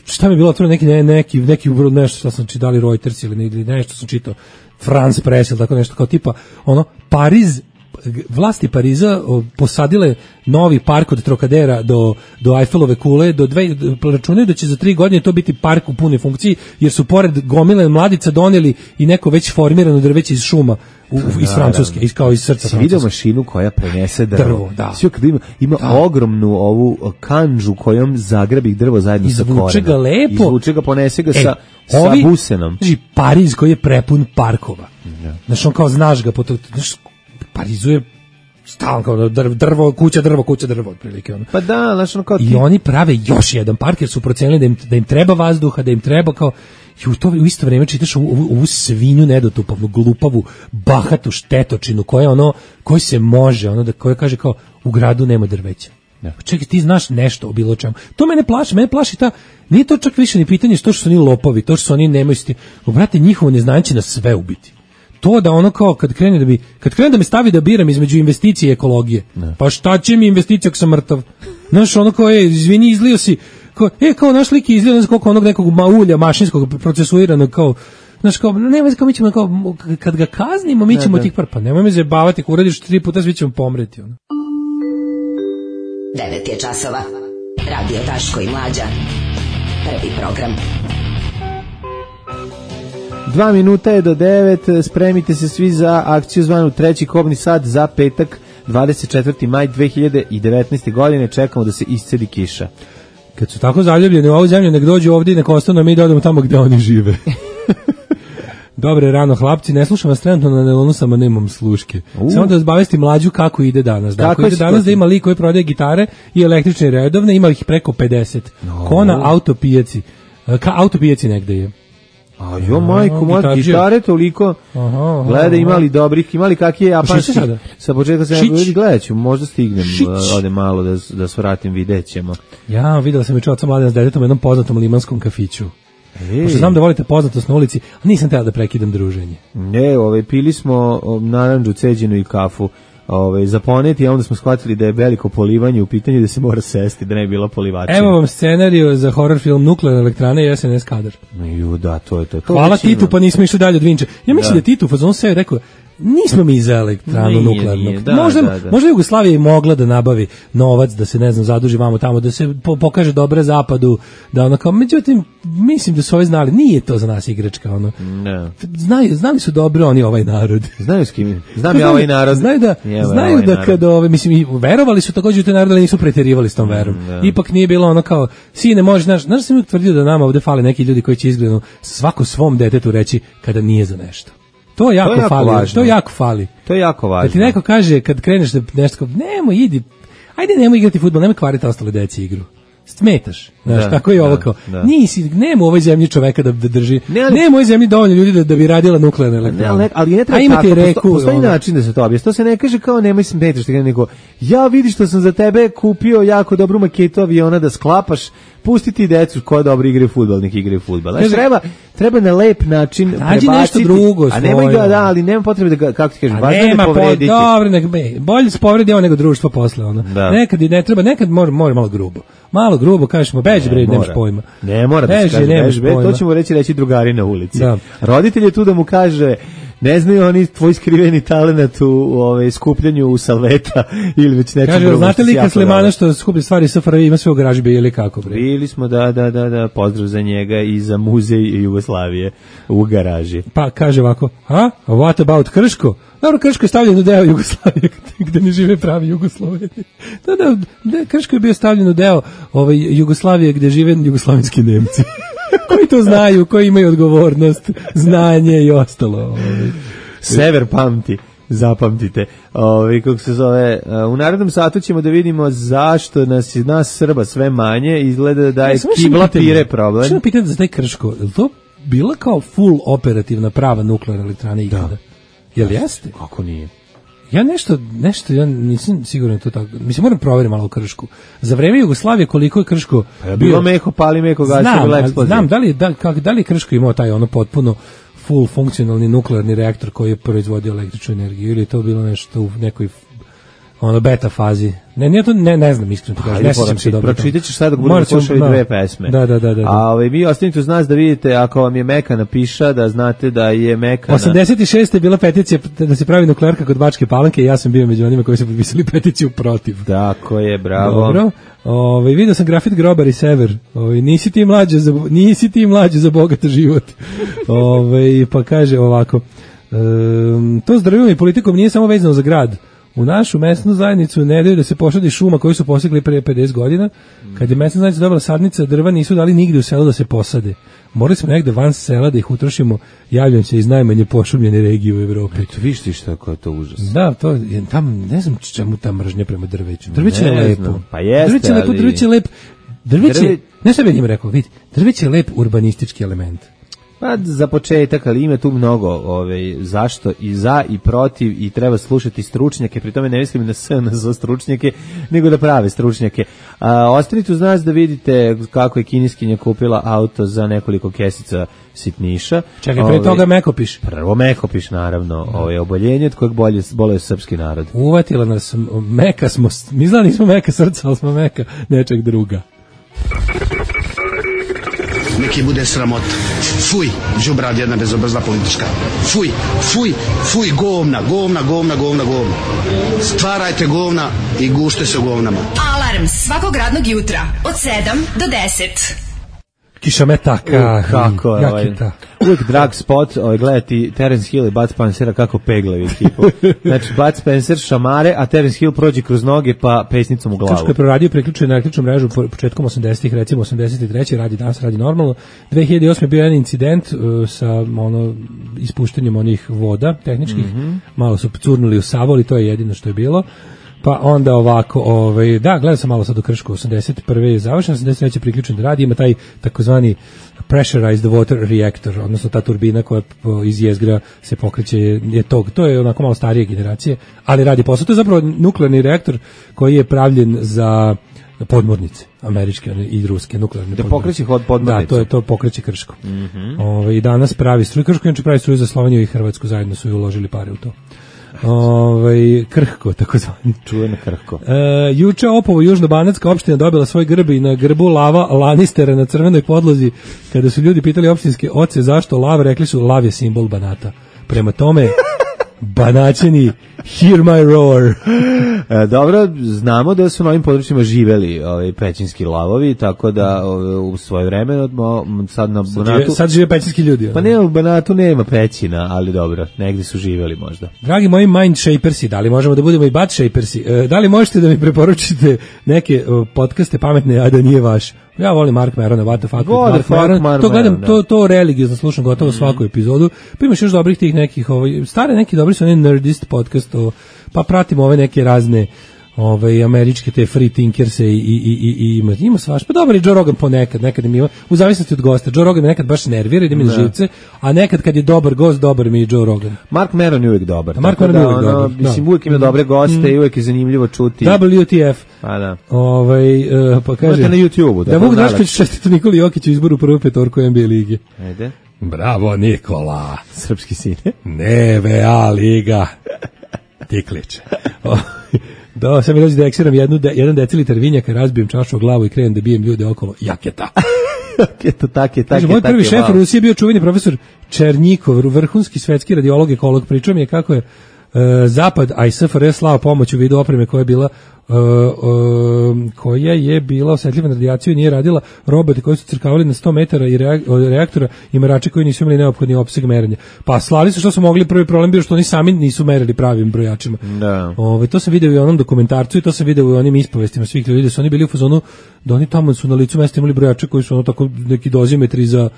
šta mi je bilo otvoreno, neki, ne, neki, neki nešto što sam čitali Reuters ili, ili nešto sam čitao, France Press ili tako nešto, kao tipa, ono, Pariz vlasti Pariza o, posadile novi park od Trocadera do, do Eiffelove kule, do dve, računaju da će za tri godine to biti park u punoj funkciji, jer su pored gomile mladica doneli i neko već formirano drveće iz šuma u, iz Francuske, iz, kao iz srca Francuske. Vidio mašinu koja prenese drvo. Drvo, da. Sve kad ima, ima da. ogromnu ovu kanđu kojom zagrabi drvo zajedno sa korenom. Izvuče ga lepo. Izvuče ga, ponese ga e, sa, ovi, sa busenom. Znači, Pariz koji je prepun parkova. Ja. Znaš, on kao znaš ga, po to, znaš, Parizu je stalno kao drvo, kuća, drvo, kuća, drvo, otprilike. Ono. Pa da, znaš, ono kao ti... I oni prave još jedan park, jer su procenili da im, da im treba vazduha, da im treba kao... I u, to, u isto vrijeme čitaš ovu, ovu, ovu svinju nedotupavnu, glupavu, bahatu štetočinu koja ono, koji se može, ono da koja kaže kao u gradu nema drveća. Ja. Čekaj, ti znaš nešto o bilo čemu. To mene plaši, mene plaši ta, nije to čak više ni pitanje što su oni lopovi, to što su oni nemaju sti. Brate, njihovo neznanje će nas sve ubiti. To da ono kao kad krene da bi kad krene da me stavi da biram između investicije i ekologije. Ne. Pa šta će mi investicija ako sam mrtav? Znaš, ono kao je, izvini, izlio si, kao, e, kao naš lik je izlio, ne znam koliko onog nekog ulja mašinskog procesuiranog, kao, znaš, kao, nema, kao mi ćemo, kao, kad ga kaznimo, mi ćemo tih par, pa nemoj me zajebavati, ako uradiš tri puta, svi ćemo pomreti, ono. devet je časova, Radio Daško i Mlađa, prvi program. Dva minuta je do devet, spremite se svi za akciju zvanu treći kobni sat za petak, dvadeset četvrti maj dve hiljade devetnaeste. godine, čekamo da se iscedi kiša. Kad su tako zaljubljeni u ovu zemlju, nek dođu ovdje i nek ostanu, mi da odemo tamo gde oni žive. Dobre rano, hlapci, ne slušam vas trenutno na nelonu, samo nemam sluške. Uh. Samo da zbavesti Mlađu kako ide danas. Kako da, ide danas da ima lik koji prodaje gitare i električne redovne, ima ih preko pedeset. No. Ko na autopijaci. Ka autopijaci negde je. A jo, majko, moja gitare toliko, aha, aha, gleda imali dobrih, imali kakve japanski, sa početka se ne gledat ću, možda stignem, ode malo da, da svratim, vidjet ćemo. Ja, videla sam juče oca Mladena s detetom u jednom poznatom limanskom kafiću. Pošto znam da volite poznatost na ulici, a nisam tela da prekidam druženje. Ne, ove, pili smo narandžu, ceđenu i kafu, ove, za poneti, a onda smo shvatili da je veliko polivanje u pitanju, da se mora sesti, da ne je bila polivačina. Evo vam scenariju za horror film Nuklearna elektrana i S N S kadar. Ju, da, to je to. to Hvala Titu, pa nismo išli dalje od Vinče. Ja mislim da, da Titu, on se je rekao, nismo mi za elektranu nuklearnog. Da, možda, da, da. možda Jugoslavija i mogla da nabavi novac, da se, ne znam, zaduži vamo tamo, da se po, pokaže dobre zapadu, da ono kao, međutim, mislim da su ovi znali, nije to za nas igračka, ono. No. Znaju, znali su dobro oni ovaj narod. Znaju s kim? Znam ja ovaj narod. Znaju da, Jeva, znaju ovaj da kad, ove, mislim, i verovali su također u te narode, ali nisu preterivali s tom verom. Mm, Ipak nije bilo ono kao, sine, može, znaš, znaš sam uvijek tvrdio da nama ovde fale neki ljudi koji će izgledno svako svom detetu reći kada nije za nešto. To jako, to jako fali, važno. to jako fali. To je jako važno. Kad ti neko kaže, kad kreneš da nešto, nemoj, idi, ajde nemoj igrati fudbal, nemoj kvariti ostale deci igru. Smetaš, znaš, da, tako je ovo kao, da. Nisi, nema u ovoj zemlji čoveka da, da drži, ne, ali, nema u ovoj zemlji dovoljno ljudi da, da bi radila nuklearna elektrana. Ne, ali ne treba tako, reku, postoji način da se to objasni. To se ne kaže kao nemoj smetaš, nego ja vidi što sam za tebe kupio jako dobru maketu aviona da sklapaš, pustiti decu ko dobro igra fudbal, nek igra fudbal. Znači treba treba na lep način prebaciti. Nešto drugo, a nemoj ga, da, ali nema potrebe da kako ti kažeš, važno da povrediti. Po, dobro, nek be, bolje se povredi ovo nego društvo posle ono. Da. Nekad i ne treba, nekad mora mora malo grubo. Malo grubo kažemo, beži bre, nemaš pojma. Ne mora da se kaže, beži, to ćemo reći reći drugari na ulici. Da. Roditelj je tu da mu kaže, ne znaju oni tvoj skriveni talenat u ove skupljanju u salveta ili već nečem drugom. Kaže, znate li kad Slimana što skuplja stvari S F R J ima sve u garaži ili kako bre? Bili smo, da, da, da, da, pozdrav za njega i za muzej Jugoslavije u garaži. Pa kaže ovako, a? What about Krško? Dobro, Krško je stavljeno deo Jugoslavije gde ne žive pravi Jugosloveni. Da, da, da, Krško je bio stavljeno deo ovaj, Jugoslavije gde žive jugoslavenski Nemci. Koji to znaju, koji imaju odgovornost, znanje i ostalo. Ovaj. Sever pamti, zapamtite. Ovaj, kako se zove, u narednom satu ćemo da vidimo zašto nas, nas Srba sve manje, izgleda da je kibla pire problem. Što pitati za taj Krško, je li to bila kao full operativna prava nuklearna elektrana ikada? Da. Jel jeste? Kako nije? Ja nešto, nešto, ja nisam siguran to tako. Mislim, moram provjeriti malo u Kršku. Za vreme Jugoslavije koliko je Krško pa ja bilo meho, pali meko, gaće, bila eksplozija. Znam, da li, da, kak, da li je Krško imao taj ono potpuno full funkcionalni nuklearni reaktor koji je proizvodio električnu energiju ili je to bilo nešto u nekoj ono beta fazi. Ne, nije to, ne, ne znam iskreno, kažem, ne sjećam se dobro. Pročitat ćeš sad dok budemo slušali da, dve pesme. Da, da, da. da. A ovaj, vi ostanite uz nas da vidite, ako vam je Mekana piša, da znate da je Mekana... osamdeset šeste je bila peticija da se pravi nuklearka kod Bačke Palanke i ja sam bio među onima koji su potpisali peticiju protiv. Tako je, bravo. Dobro. Ovaj vidio sam grafit Grobar i Sever. Ovaj nisi ti mlađe za nisi ti mlađe za bogat život. Ovaj pa kaže ovako. Um, to zdravljem i politikom nije samo vezano za grad. U našu mesnu zajednicu ne daju da se posadi šuma koju su posegli pre pedeset godina. Kad je mesna zajednica dobila sadnice drva, nisu dali nigde u selu da se posade. Morali smo negde van sela da ih utrošimo, javljam se iz najmanje pošumljene regije u Evropi. Eto, viš ti šta je to užas. Da, to je, tam, ne znam čemu ta mržnja prema drveću. Drveće je lepo. Pa jeste, drveće je lepo, ali... drveće je lep. Drveće, Drve... ne šta bih njim rekao, vidi, drveće je lep urbanistički element. Pa za početak, ali ima tu mnogo ovaj, zašto i za i protiv i treba slušati stručnjake, pri tome ne mislim na S N za stručnjake, nego da prave stručnjake. A, ostanite uz nas da vidite kako je kineskinja kupila auto za nekoliko kesica sitniša. Čekaj, pre toga ovaj, Mekopiš. Prvo Mekopiš, naravno, ovaj, oboljenje od kojeg bolje, bolje srpski narod. Uvatila nas, meka smo, mi znali nismo meka srca, ali smo meka nečeg druga. Neki bude sramota. Fuj, đubrad jedna bezobrazna politička. Fuj, fuj, fuj, govna, govna, govna, govna, govna. Stvarajte govna i gušte se u govnama. Alarm svakog radnog jutra od sedam do deset. Kišometaka. Uh, kako je, ovaj, uvijek drag spot, ovaj, gledati Terence Hill i Bud Spencera kako peglaju ekipu. Znači, Bud Spencer šamare, a Terence Hill prođe kroz noge pa pesnicom u glavu. Kako je proradio, priključio na električnu mrežu početkom osamdesetih, recimo osamdeset treće radi danas, radi normalno. dve hiljade osme bio jedan incident uh, sa ono ispuštanjem onih voda tehničkih, mm-hmm. malo su curnuli u Savoli, to je jedino što je bilo. Pa onda ovako, ovaj, da, gledam sam malo sad u Kršku, osamdeset prve je završen, osamdeset treće priključen da radi, ima taj takozvani pressurized water reactor, odnosno ta turbina koja iz jezgra se pokreće, je to, to je onako malo starije generacije, ali radi posao. To je zapravo nuklearni reaktor koji je pravljen za podmornice, američke i ruske nuklearne da podmornice. Da pokreće podmornice. Da, to je to pokreće Krško. Mm-hmm. Ove, i danas pravi struju, Krško inače pravi struju za Sloveniju i Hrvatsku, zajedno su i uložili pare u to. Ovaj krhko takozvani čuveno krhko. E, juče Opovo južnobanatska opština dobila svoj grb i na grbu lava Lannistera na crvenoj podlozi. Kada su ljudi pitali opštinske oce zašto lav, rekli su lav je simbol Banata. Prema tome Banaćani, hear my roar. E, dobro, znamo da su na ovim područjima živeli ovaj, pećinski lavovi, tako da ovaj, u svoje vreme sad na Banatu... Sad žive pećinski ljudi. Pa ne, u Banatu nema pećina, ali dobro, negdje su živeli možda. Dragi moji mind shapersi, da li možemo da budemo i butt shapersi? E, da li možete da mi preporučite neke o, podcaste pametne, a da nije vaš? Ja volim Mark Merona, what the fuck, God Mark fuck Maron. Mark To gledam, Maron, to, to religiozno slušam gotovo mm-hmm. svaku epizodu. Pa imaš još dobrih tih nekih, ovaj, stare neki dobri su oni Nerdist podcast, o, pa pratimo ove neke razne ovaj američke te free tinkerse i i i i ima ima svaš. Pa dobro, i Joe Rogan ponekad, nekad mi ima, u zavisnosti od gosta. Joe Rogan me nekad baš nervira, ide mi na živce, a nekad kad je dobar gost, dobar mi je Joe Rogan. Mark Maron je uvijek dobar. Mark Maron je uvijek ono, dobar. Mislim, uvijek ima dobre goste mm. i uvijek je zanimljivo čuti. W T F. Pa da. Ovaj uh, pa kaže na YouTubeu. Da, da Vuk Drašković čestita Nikoli Jokiću izboru prvu petorku N B A lige. Ajde. Bravo Nikola. Srpski sine. Ne, V A liga. Tiklić. Da, sam mi dođe da eksiram jednu, de, jedan decilitar vinjaka, razbijem čašu o glavu i krenem da bijem ljude okolo. Jaketa. Jaketa, tak je, tak je. Moj prvi šef u Rusiji je bio čuveni profesor Černjikov, vrhunski svetski radiolog, ekolog. Pričao mi je kako je uh, Zapad, a i S F R S slao pomoć u vidu opreme koja je bila Uh, uh, koja je bila osetljiva na radijaciju i nije radila, robote koji su crkavali na sto metara i reaktora i merači koji nisu imali neophodni opseg merenja. Pa slali su što su mogli, prvi problem bio što oni sami nisu merili pravim brojačima. Da. Ove, to sam video i u onom dokumentarcu i to sam video i u onim ispovestima svih ljudi da su oni bili u fazonu da oni tamo su na licu mesta imali brojače koji su ono tako neki dozimetri za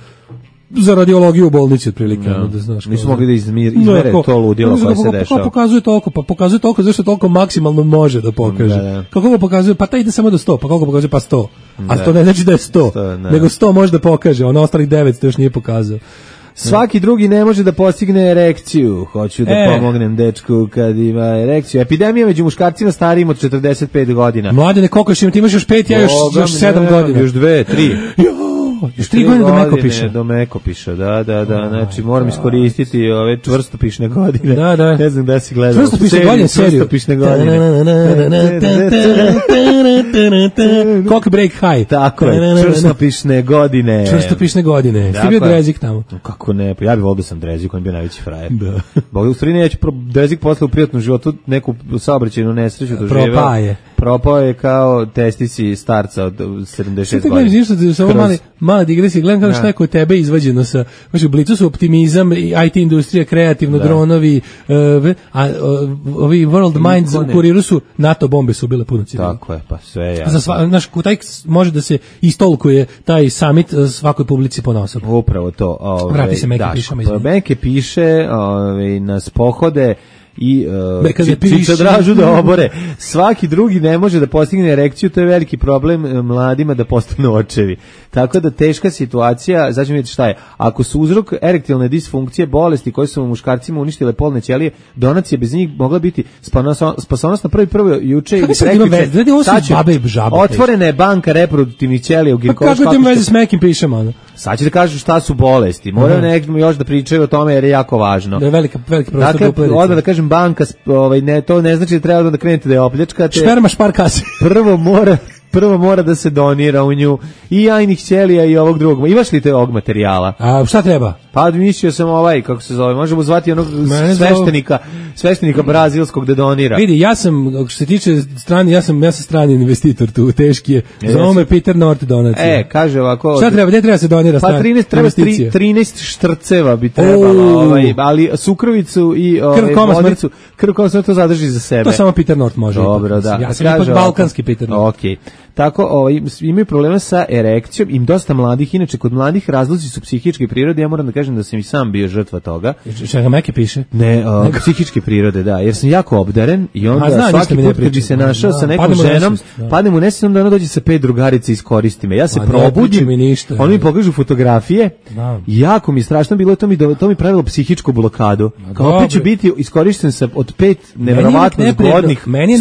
za radiologiju u bolnici otprilike, no. da znaš. Nisu mogli da izmir, izmere no, to ludilo koje se dešava. Kako pokazuje toliko, pa pokazuje toliko zašto toliko maksimalno može da pokaže. Da, da. Kako ga pokazuje, pa taj ide samo do sto, pa kako pokazuje pa sto. A da. To ne znači da je sto, sto nego sto može da pokaže, ono ostalih devetsto još nije pokazao. Svaki drugi ne može da postigne erekciju. Hoću da e. pomognem dečku kad ima erekciju. Epidemija među muškarcima starijim od četrdeset pet godina. Mladene, koliko još ima? Ti imaš još pet, ja još, još sedam godina. Još dve, tri. Jo, još tri godine do meko piše. Do meko piše, da, da, da. Znači, moram iskoristiti ove čvrstopišne godine. Da, da. Ne znam da si gledao. Čvrstopišne godine, seriju. Čvrstopišne godine. Cock break high. Tako je, čvrstopišne godine. Čvrstopišne godine. Ti bio Drezik tamo? Kako ne, pa ja bih volio da sam Drezik, on je bio najveći frajer. Da. Bog, u stvari neću, Drezik posle u prijatnom životu neku saobraćajnu nesreću doživeo. Propao je. Propao je kao testisi starca od sedamdeset šest godina. Sve te gledam, samo mali, mala digresija, gledam kako šta je kod tebe izvađeno sa, znači u Blicu su optimizam, I T industrija, kreativno, da. Dronovi, uh, a uh, ovi World Minds u kuriru su, NATO bombe su bile puno civila. Tako je, pa sve je. Za sva, znaš, taj može da se istolkuje taj summit svakoj publici ponosom. Upravo to. Ove, Vrati se Meke pišama. Meke piše ove, nas pohode i uh, čičadražu da obore. Svaki drugi ne može da postigne erekciju, to je veliki problem mladima da postanu očevi. Tako da teška situacija, znači vidite šta je, ako su uzrok erektilne disfunkcije, bolesti koje su muškarcima uništile polne ćelije, donacija bez njih mogla biti spasonosna na prvi prvo juče ili prekjuče. Otvorena je banka reproduktivnih ćelija u ginekološkom. Kako ti veze s Mekim pišemo? Ono? Sad će da kažu šta su bolesti. Moraju uh-huh. nekako još da pričaju o tome jer je jako važno. Da je velika, veliki prostor dakle, odmah da kažem banka, ovaj, ne, to ne znači da treba da krenete da je opljačkate. Šperma špar kase. Prvo mora prvo mora da se donira u nju i jajnih ćelija i ovog drugog. Imaš li te ovog materijala? A šta treba? Pa mislio sam ovaj, kako se zove, možemo zvati onog sveštenika, sveštenika brazilskog da donira. Vidi, ja sam, što se tiče strani, ja sam, ja sam strani investitor tu, teški je. Zove me Peter Nort donacija. E, kaže ovako. Šta treba, gde treba se donira strani? Pa trinaest, treba trinaest štrceva bi trebalo, ovaj, ali sukrovicu i ovaj, vodicu, krv koma smrti to zadrži za sebe. To samo Peter Nort može. Dobro, da. Ja sam ipak balkanski Peter Nort. Okej. Tako, ovaj, imaju problema sa erekcijom, im dosta mladih, inače kod mladih razlozi su psihičke prirode, ja moram da kažem da sam i sam bio žrtva toga. Čega Meke piše? Ne, o, psihičke prirode, da, jer sam jako obdaren i onda zna, svaki put kad bi se našao da, sa nekom ženom, nesvest, da. padnem u nesvest, onda ona dođe sa pet drugarica i iskoristi me. Ja se pa probudim, mi ništa, oni mi pokažu fotografije, da. jako mi je strašno bilo, to mi, to mi pravilo psihičku blokadu. Kao opet ću biti iskorišten sa od pet neverovatno zgodnih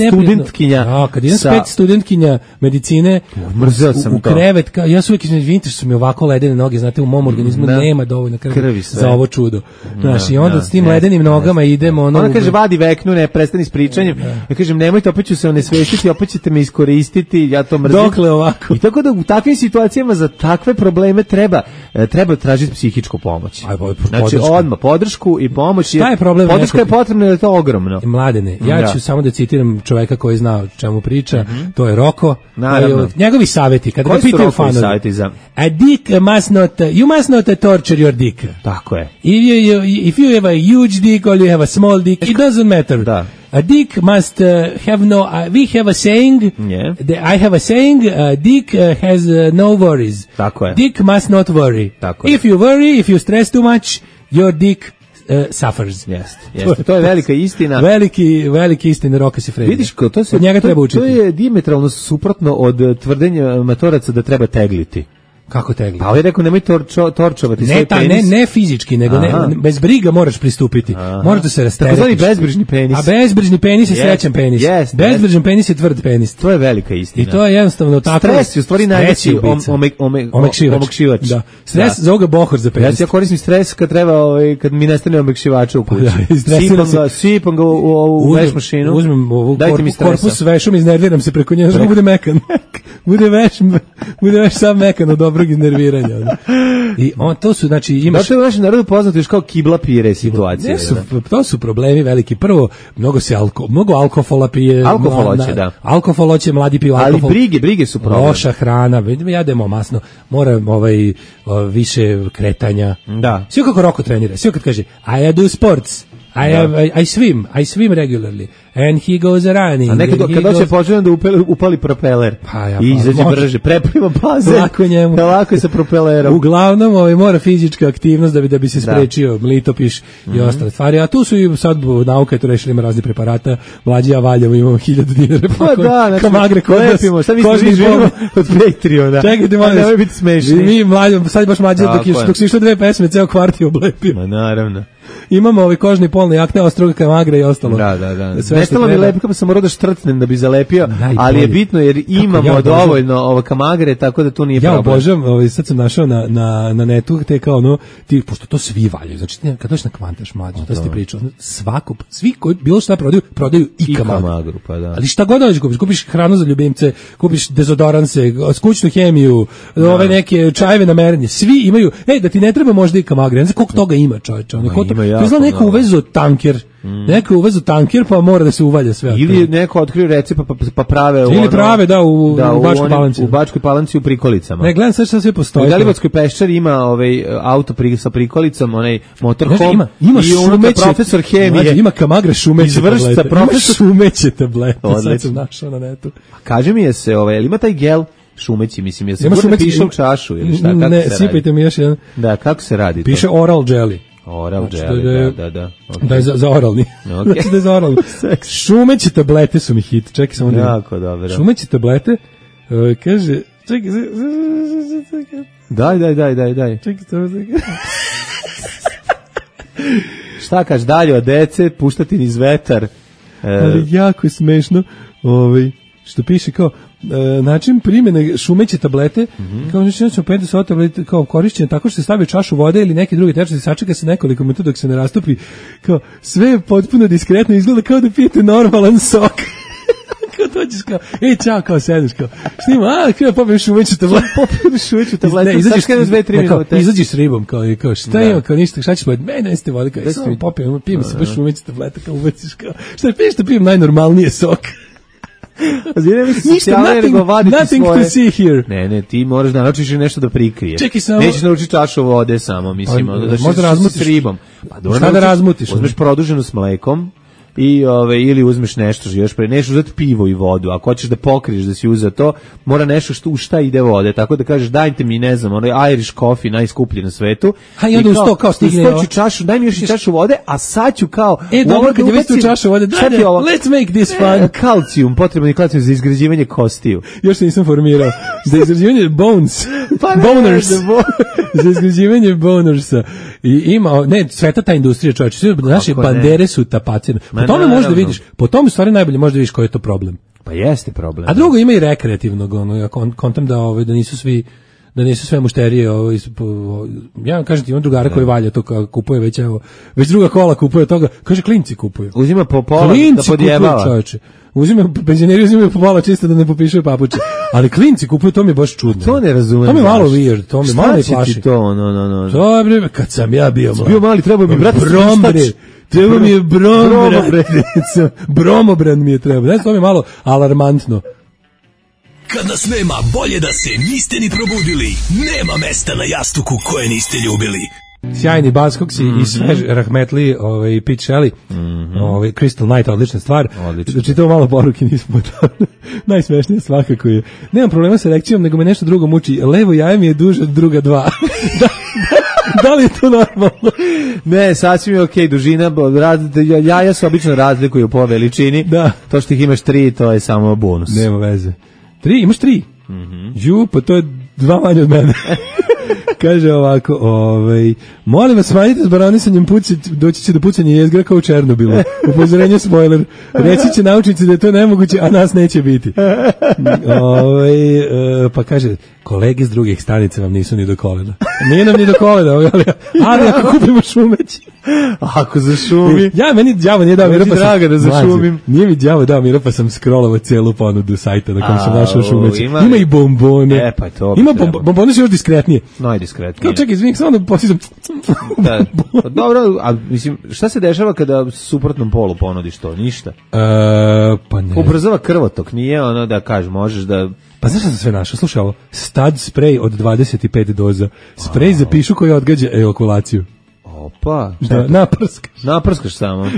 studentkinja. Da, kad idem s pet studentkinja medicine, mrzeo sam u, u krevet, ka, ja su uvijek izvinite što su mi ovako ledene noge, znate, u mom organizmu da. nema dovoljno krvi, krvi za ovo čudo. Znaš, i onda da, s tim ne, ledenim ne, nogama ne, idemo... Ono, ona kaže, vadi veknu, ne, prestani s pričanjem. Da. Ja kažem, nemojte, opet ću se onesvestiti, opet ćete me iskoristiti, ja to mrzim. Dokle ovako? I tako da u takvim situacijama za takve probleme treba treba tražiti psihičku pomoć. Aj, znači, odmah, podršku i pomoć. Šta je problem? Podrška je potrebna, jer je to ogromno. Mladene, ja da. ću samo da citiram čoveka koji zna o čemu priča, mm-hmm. to je Roko. Naravno. Njegovi savjeti, kada ga pitaju fanovi. Za... A dick must not, you must not torture your dick. Tako je. If you, you, if you have a huge dick or you have a small dick, it doesn't matter. Da. A dick must uh, have no, uh, we have a saying, yeah. the, I have a saying, uh, dick uh, has uh, no worries. Tako je. Dick must not worry. Tako je. If you worry, if you stress too much, your dick Uh, suffers. Jeste, jeste. To je velika istina. Veliki, veliki istina Roka Sifredi. Vidiš ko, to se, od njega to, treba učiti. To je dijametralno suprotno od tvrdenja matoraca da treba tegliti. Kako tegli? Pa ovaj rekao nemoj torčo, torčovati ne, svoj ta, penis. Ne, ne fizički, nego ne, bez briga moraš pristupiti. Aha. Možeš da se rasteretiš. Tako zvani bezbrižni penis. A bezbrižni penis je yes. srećan penis. Yes, bezbrižan yes. penis je tvrd penis. To je velika istina. I to je jednostavno tako. Stres je u stvari najveći ome, ome, omekšivač. Da. Stres da. za ovoga bohor za penis. Ja, ja koristim stres kad treba, ovaj, kad mi nestane omekšivača u kući. Da, sipam ga, sipam ga u, u, u veš mašinu. Uzmem ovu korpus vešom, iznerviram se preko njega, bude mekan. Bude veš, bude veš sam mekan od dobrog iznerviranja. I on to su znači imaš. Da, to je u našem narodu poznato još kao kibla pire situacije. Ne su, to su problemi veliki. Prvo, mnogo se alko, mnogo alkohola pije. Alkohol hoće, da. Alkohol hoće, mladi piju alkohol. Ali brige, brige su problem. Loša hrana, jademo masno. Mora ovaj više kretanja. Da. Sve kako Roko trenira. Sve kad kaže I do sports. I, have, I, I swim, I swim regularly. And he goes running. A nekad kad doće počne da upali, upali propeler. Pa ja, i izađe može. brže, prepliva bazen. Lako njemu. Lako je sa propelerom. Uglavnom, ovaj, mora fizička aktivnost da bi, da bi se sprečio da. Litopiš mm-hmm. i ostale stvari. A tu su i sad nauka je tu rešila, ima razni preparata. Mlađi ja valjamo, imamo hiljadu dinara. Pa da, znači, kamagre kod lepimo. Šta mislite, mi živimo od Patreona. Čekajte, molim. Nemoj biti smešni. Mi mlađi, sad baš mlađi, dok, dok su išle dve pesme, ceo kvart je oblepio. Ma naravno. imamo ovaj kožni polni jakne, ostroga kamagra i ostalo. Da, da, da. Sve Nestalo mi lepka, pa sam morao da štrcnem da bi zalepio, Najbolje. ali je bitno jer imamo ja dovoljno ovo kamagre, tako da tu nije ja problem. obožavam, ovaj, sad sam našao na, na, na netu, te kao ono, ti, pošto to svi valjaju, znači ti, kad dođeš na Kvantaš mlađe, to si ti pričao, svako, svi koji bilo šta prodaju, prodaju i, I kamagru. kamagru, pa da. Ali šta god dođeš kupiš, kupiš hranu za ljubimce, kupiš dezodoranse, kućnu hemiju, Da. ove neke čajeve na merenje, svi imaju, ej, da ti ne treba možda i kamagre, ne znam koliko toga ima, čoveče, ono, Ma, ko to, ima to jako je znao neko mnogo. uvezu tanker, mm. neko uvezu tanker, pa mora da se uvalja sve. Ili je neko otkrio recept pa, pa prave u Ili ono, prave, da, u, da, u Bačkoj onim- Palanci. U Bačkoj Palanci u prikolicama. Ne, gledam sad šta sve U postoji. Galibatskoj peščari ima ovaj auto pri, sa prikolicom, onaj motorhome Znaš, ima, ima i unutra šumeće, profesor hemije. Mlađe, ima kamagre šumeće Izvršca, tablete. profesor- Ima šumeće tablete. Sad Odlično. sam našao na netu. Kaže mi je se, ovaj, jel ima taj gel šumeći, mislim, jel se Ima gurne šumeće- piše u čašu ili šta, kako Ne, se radi? sipajte mi još jedan. Da, kako se radi Piše to? oral jelly. Oral Znači, jelly, da je- da, da, da. Okay. Da je za, za oralni. Ok. Znači da je za oralni. Šumeće tablete su mi hit. Čekaj samo da. Jako dobro. Šumeće tablete, uh, kaže, čekaj, z- z- z- čekaj, Daj, daj, daj, daj, daj. čekaj, samo čekaj. Šta kaš dalje od dece, puštati niz vetar. E, Ali jako je smešno, ovaj, što piše kao, e, način primjene šumeće tablete, mm-hmm. kao znači znači pet do sedam tablete kao korišćenje tako što se stavi u čašu vode ili neki drugi tečnost i sačeka se nekoliko minuta dok se ne rastopi, kao sve je potpuno diskretno, izgleda kao da pijete normalan sok. Kao dođeš kao, ej, čao, kao sedeš, kao, šta ima, a, kao popijem šumeću tabletu, popijem šumeću tabletu, Ne, izađeš s dve, tri ne, kao, minute. izađeš s ribom, kao, i kao, šta Da. ima, kao, ništa, šta ćeš pojeti, mene, neste vode, kao, Da samo si- popijem, pijem se baš šumeću tableta, kao, ubaciš, kao, šta piješ da pijem najnormalnije sok. Ništa, nothing, nothing to see here. Ne, ne, ti moraš da naučiš i nešto da prikriješ. Čekaj samo- Nećeš naučiti čašu vode samo, mislim, Pa, ono da možda ćeš razmutiš. s ribom. Pa dobro, Šta da naučiš- razmutiš, ono? Uzmeš produženu s mlekom i ove ili uzmeš nešto još pre nešto uzeti pivo i vodu. Ako hoćeš da pokriješ da si uzeo to, mora nešto što u šta ide vode. Tako da kažeš dajte mi, ne znam, onaj Irish coffee najskuplji na svetu. A i onda uz to kao stigne uz to ovo. ću čašu, daj mi još i čašu vode, a sad ću kao E, u dobro, ovo kad je već tu ubacim- čašu vode, sad daj, ti daj, ovo- let's make this fun. E, kalcijum, potreban je kalcijum za izgrađivanje kostiju. Još se nisam formirao. Za izgrađivanje bones. Pa ne, boners. da bo- Za izgrađivanje bonersa. I ima, ne, sveta ta industrija, čovječe, sve naše Kako ne? bandere su tapacene. Po Ma tome možda naravno. vidiš, po tome u stvari najbolje možda vidiš koji je to problem. Pa jeste problem. A drugo ima i rekreativnog, ono, ja kon- kontam da, ovaj, da nisu svi da nisu sve mušterije, ovaj, s- po- ja vam kažem ti, imam drugara koji valja to, kao kupuje već, evo, već druga kola kupuje toga, kaže klinci kupuju. Uzima po pola da Klinci kupuju, podjebava. čoveče. Uzimaju, penzioneri uzimaju po pola čisto da ne popišaju papuče. Ali klinci kupuju, to mi je baš čudno. To ne razumem. To mi je malo zašto. weird, to mi Šta malo me će plaši. ti to, no, no, no. To je bre, kad sam ja bio mlad. Bio mali, trebao mi, brate, brombre. spuštač. Treba mi je Bromobran. bromobran. Bromobran mi je treba. Znači, to mi je malo alarmantno. Kad nas nema, bolje da se niste ni probudili. Nema mesta na jastuku koje niste ljubili. Sjajni Buzzcocks Mhm. mm-hmm. i svež Rahmetli, ovaj, Pete Shelley, mm-hmm. ovaj, Crystal Night, odlična stvar. Odlično. Znači, to malo poruke nismo dali. Najsmešnije svakako je. Nemam problema sa erekcijom, nego me nešto drugo muči. Levo jaje mi je duže od druga dva. da, da, da li je to normalno? Ne, sasvim je okej, dužina, bo- raz, jaja se obično razlikuju po veličini. Da. To što ih imaš tri, to je samo bonus. Nema veze. Tri, imaš tri? Mhm. Ju, pa to je dva manje od mene. Kaže ovako, ovaj, molim vas smanjite s baronisanjem puci, doći će do pucanja jezgra kao u Černobilu. Upozorenje spoiler. Reći će naučnici da je to nemoguće, a nas neće biti. Ovaj, e, pa kaže, kolege s drugih stanica vam nisu ni do kolena. Nije nam ni do kolena, ali, ali ako kupimo šumeći. Ako zašumi. Ja, meni đavo nije dao mira, Meni pa sam, draga da zašumim. Mlađe, nije mi đavo dao mira, pa sam scrollovao celu ponudu sajta na kojem sam A, našao o, šumeći. ima Ima, li? i bombone. E, pa to bi Ima trebalo. bombo, bombone su još diskretnije. Najdiskretnije. Kao čekaj, izvinim, samo da posjećam. Da. Pa dobro, a mislim, šta se dešava kada suprotnom polu ponudiš to? Ništa. E, pa ne. Ubrzava krvotok, nije ono da kažeš, možeš da... Pa znaš šta sam sve našao? Slušaj ovo, stud sprej od dvadeset pet doza. Sprej za pišu koji odgađa ejakulaciju. Opa. Da, naprskaš. Naprskaš samo.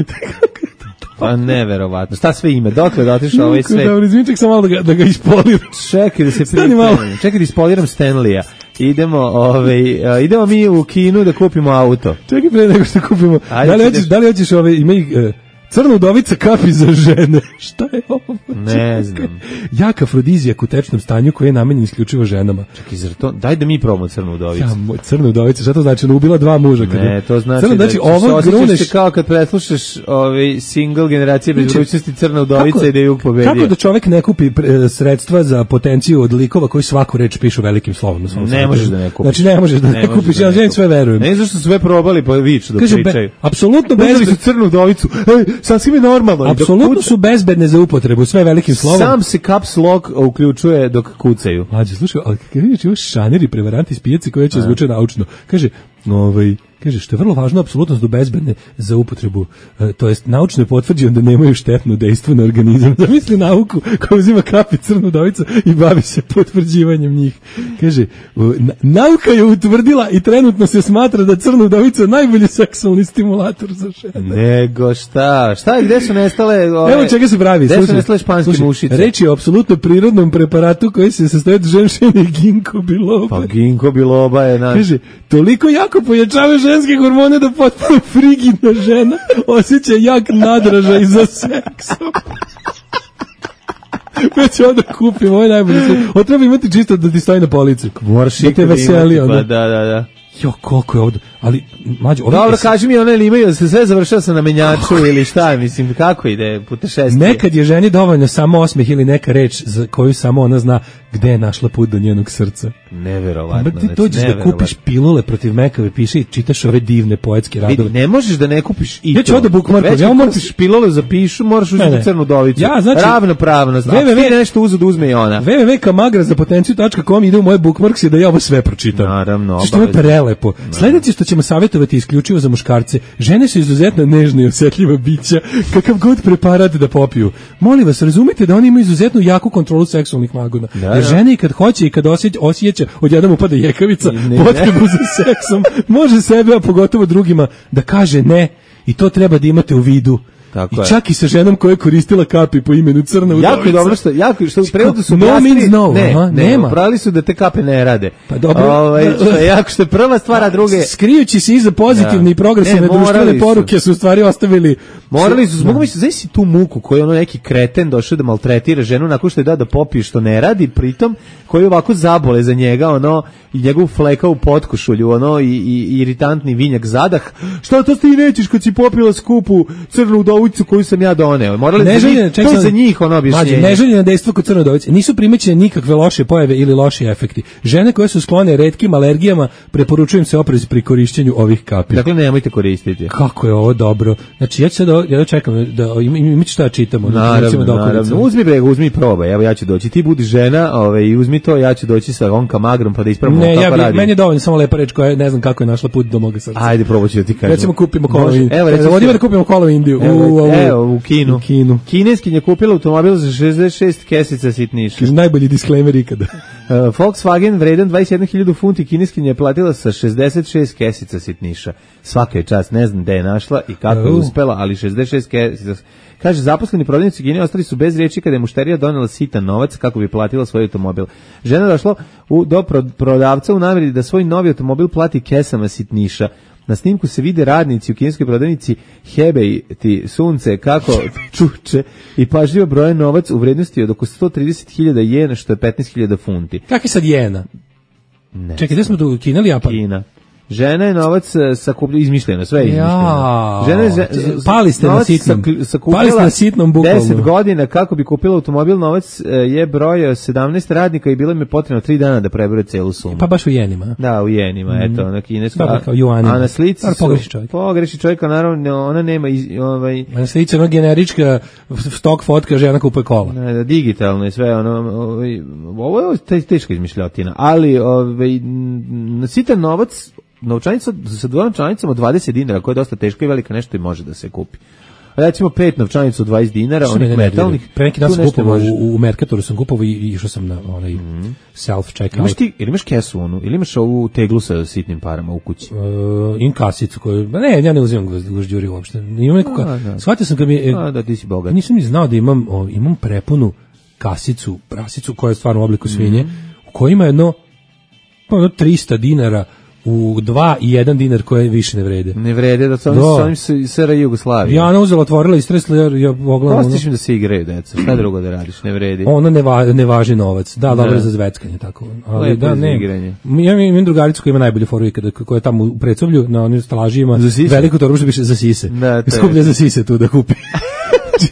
Pa neverovatno. Šta sve ime? Dokle da otišao ovaj sve? Dobro, izvim, ček sam malo da ga, da ga ispoliram. Čekaj da se Stani malo. pripremim. Čekaj da ispoliram Stanleya. Idemo, ovaj, a, idemo mi u kinu da kupimo auto. Čekaj pre nego što kupimo. Ajde, Da li ideš. hoćeš, da li hoćeš ove, ima ih, e, Crna udovica kapi za žene. Šta je ovo? Ne znam. Jak afrodizijak u tečnom stanju koji je namenjen isključivo ženama. Čekaj, zar to? Daj da mi probamo crnu udovicu. Ja, moj, crna udovica, šta to znači? Ona ubila dva muža. Kada... Ne, to znači, crna, da znači ćeš ovo osjećaš gruneš... se kao kad preslušaš ovaj single generacije bez Znači, budućnosti crna udovica kako- i da je pobedio. Kako da čovjek ne kupi pre- sredstva za potenciju od likova koji svaku reč pišu velikim slovom na svom Ne sajtu? možeš da ne kupiš. Znači ne možeš da ne, možeš kupiš, da ja ne želim kupiš. sve verujem. Ne, zašto su sve probali pa viču da Kaže, pričaju. be, apsolutno Uzeli bezbedno. su crnu udovicu. Ej, sasvim je normalno. I dok Apsolutno kuca- su bezbedne za upotrebu, sve velikim slovom. Sam se caps lock uključuje dok kucaju. Mlađe, slušaj, ali kad vidiš ovo šaneri prevaranti iz pijaci koji će zvuče naučno, kaže, ovaj, kaže, što je vrlo važno, apsolutno su bezbedne za upotrebu, e, to jest naučno je potvrđeno da nemaju štetno dejstvo na organizam. Zamisli nauku koja uzima kapi crnu udovicu i bavi se potvrđivanjem njih. Kaže, o, na- nauka je utvrdila i trenutno se smatra da crna udovica je najbolji seksualni stimulator za žene. Nego šta? Šta je, gde su nestale ove... Evo čega se pravi. Gde su slušaj, nestale španske slušaj, mušice? Reč je o apsolutno prirodnom preparatu koji se sastoji od ženšine ginko biloba. Pa ginko biloba je naš... Kaže, toliko jako pojačava ženske hormone da potpuno frigidna žena osjeća jak nadražaj za seksom. Već onda kupim, ovo je najbolje. Ovo treba imati čisto da ti stoji na polici. Moraš da te ikad veseli. imati, onda. pa da, da, da. Jo, koliko je ovdje. Ali, mlađe, ovdje... Dobro, kaži mi, one li imaju, da se sve završava sa na menjaču ili šta, mislim, kako ide putešestvije? Nekad je ženi dovoljno samo osmeh ili neka reč za koju samo ona zna gde je našla put do njenog srca. Neverovatno. Pa ti dođeš da kupiš pilule protiv mekave, piše i čitaš ove divne poetske radove. Vidi, ne možeš da ne kupiš i Ja ću to. ovde bookmarkom, Već ja kad moram- kupiš pilule za pišu, moraš uzeti Ne, ne. crnu udovicu. Ja, znači- Ravnopravnost. Ako www ti nešto uzu da uzme i ona. w w w tačka kamagra za potenciju tačka com ide u moje bookmarks i da ja ovo sve pročitam. Naravno, Što je obavezno. prelepo. Sledeće što ćemo savjetovati isključivo za muškarce. Žene su izuzetno nežne i osjetljiva bića, kakav god preparat da popiju. Molim vas, razumite da oni imaju izuzetno jaku kontrolu seksualnih magona. Da, Jer da. žene i kad hoće i kad osjeća, osjeća odjednom upada jekavica, Ne, ne. potrebu za seksom, može sebe, a pogotovo drugima, da kaže ne. I to treba da imate u vidu. Tako I je. čak i sa ženom koja je koristila kapi po imenu Crna udovica. Jako je dobro što, jako, što u prevodu su No objasnili- means no, ne, aha, ne, nema. upravili su da te kape ne rade. Pa dobro. Ovaj, što je jako, što je prva stvar, a druge... Skrijući se iza pozitivne Da. i progresivne Ne, morali društvene su. poruke su u stvari ostavili. Morali su, mogu misliti, znaš si tu muku koju ono neki kreten došao da maltretira ženu nakon što je da da popije što ne radi, pritom koji ovako zabole za njega, ono, i njegovu fleka u potkošulju, ono, i, i, i iritantni vinjak zadah. Šta to ti nećeš kad si popila skupu crnu udovicu koju sam ja doneo? Morali za njih, Neželjene, to je za njih ono objašnjenje. Mlađe, neželjeno dejstvo kod crne udovice. Nisu primećene nikakve loše pojave ili loši efekti. Žene koje su sklone retkim alergijama, preporučujem se oprez pri korišćenju ovih kapi. Dakle, nemojte koristiti. Kako je ovo dobro. Znači, ja ću sad, ovo- ja čekam da im, im, šta da čitamo. Naravno, recimo da okolica. naravno. Uzmi bre, uzmi i probaj. Evo ja ću doći. Ti budi žena, ovaj i uzmi to, ja ću doći sa on kamagrom pa da ispravimo Ne, kako ja bi, radi. meni je dovoljno samo lepa reč koja ne znam kako je našla put do moga srca. Ajde, probat ću da ti kažem. Recimo kupimo kolo u Može. Indiju. Evo, recimo, Odimo da kupimo kolo u Indiju. Evo, u, ovu- evo, u Kinu. U Kinu. Kineskin je kupila automobil za šezdeset šest kesica sitniša. Kaže, najbolji disclaimer ikada. Uh, Volkswagen vredan dvadeset jednu hiljadu funti, kineskin je platila sa šezdeset šest kesica sitniša. Svaka je čast, ne znam gde je našla i kako je Au. uspela, ali šezdeset šest kesica. Kaže, zaposleni prodavnici u Kini ostali su bez riječi kada je mušterija donela sitan novac kako bi platila svoj automobil. Žena je došla u, do pro- prodavca u namjeri da svoj novi automobil plati kesama sitniša. Na snimku se vide radnici u kineskoj prodavnici Hebei ti sunce kako čuče i pažljivo broje novac u vrednosti od oko sto trideset hiljada jena, što je petnaest hiljada funti. Kakvi sad jena? Ne. Čekaj, gde smo tu, Kina ili Japan? Kina. Žena je novac e, sakupljena, izmišljeno, sve je izmišljeno. Ja, Žena je ze- pali ste na novac sitnom. sak- sakupljala Pali ste na sitnom, bukvalno. deset godina kako bi kupila automobil, novac e, je brojao sedamnaest radnika i bilo im je potrebno tri dana da prebere celu sumu. Pa baš u jenima. Da, u jenima, Mm. eto, na kinesko. Dobro, kao juanima. A na slici Dobro, su... pogreši čovjek. Pogreši čovjek, a naravno, ona nema iz, ovaj... Na slici ono generička stok fotka, žena kupuje kola. Ne, da, digitalno je sve ono, ovaj, ovo je te- teška izmišljotina, ali ovaj, n- sitan novac, novčanica sa dva novčanicama od dvadeset dinara, koja je dosta teška i velika, nešto i može da se kupi. Recimo pet novčanica od dvadeset dinara, Što onih mene nervira. metalnih, Pre neki dan tu sam nešto kupovao može. u, u Mercatoru, sam kupovao i i išao sam na onaj self checkout. Imaš ti, ili imaš kesu onu, ili imaš ovu teglu sa sitnim parama u kući? Uh, in kasicu koju, ma ne, ja ne uzimam gužđuri uopšte. Imam neku, A, ka, da. shvatio sam kad mi je, A, da, ti si bogat. nisam ni znao da imam, o, imam prepunu kasicu, prasicu koja je stvarno u obliku svinje, Mhm. u kojoj ima jedno, pa jedno trista dinara u dva i jedan dinar koje više ne vrede. Ne vrede, da su oni Da. sa onim S R I Jugoslavije. Ja ona uzela, otvorila i stresla, jer ja pogledam. Prostiš mi da se igraju, deca, šta drugo da radiš, ne vredi. Ono ne, va, ne važi novac. Da, dobro Da. je za zveckanje, tako. Ali Lepo da, je za ne. igranje. Ja imam, imam drugaricu koja ima najbolju foru ikada, koja je tamo u Precovlju, na onim stalažijima, Za sise? veliku torbu što piše za sise. Da, to je. Skuplja za sise tu da kupi.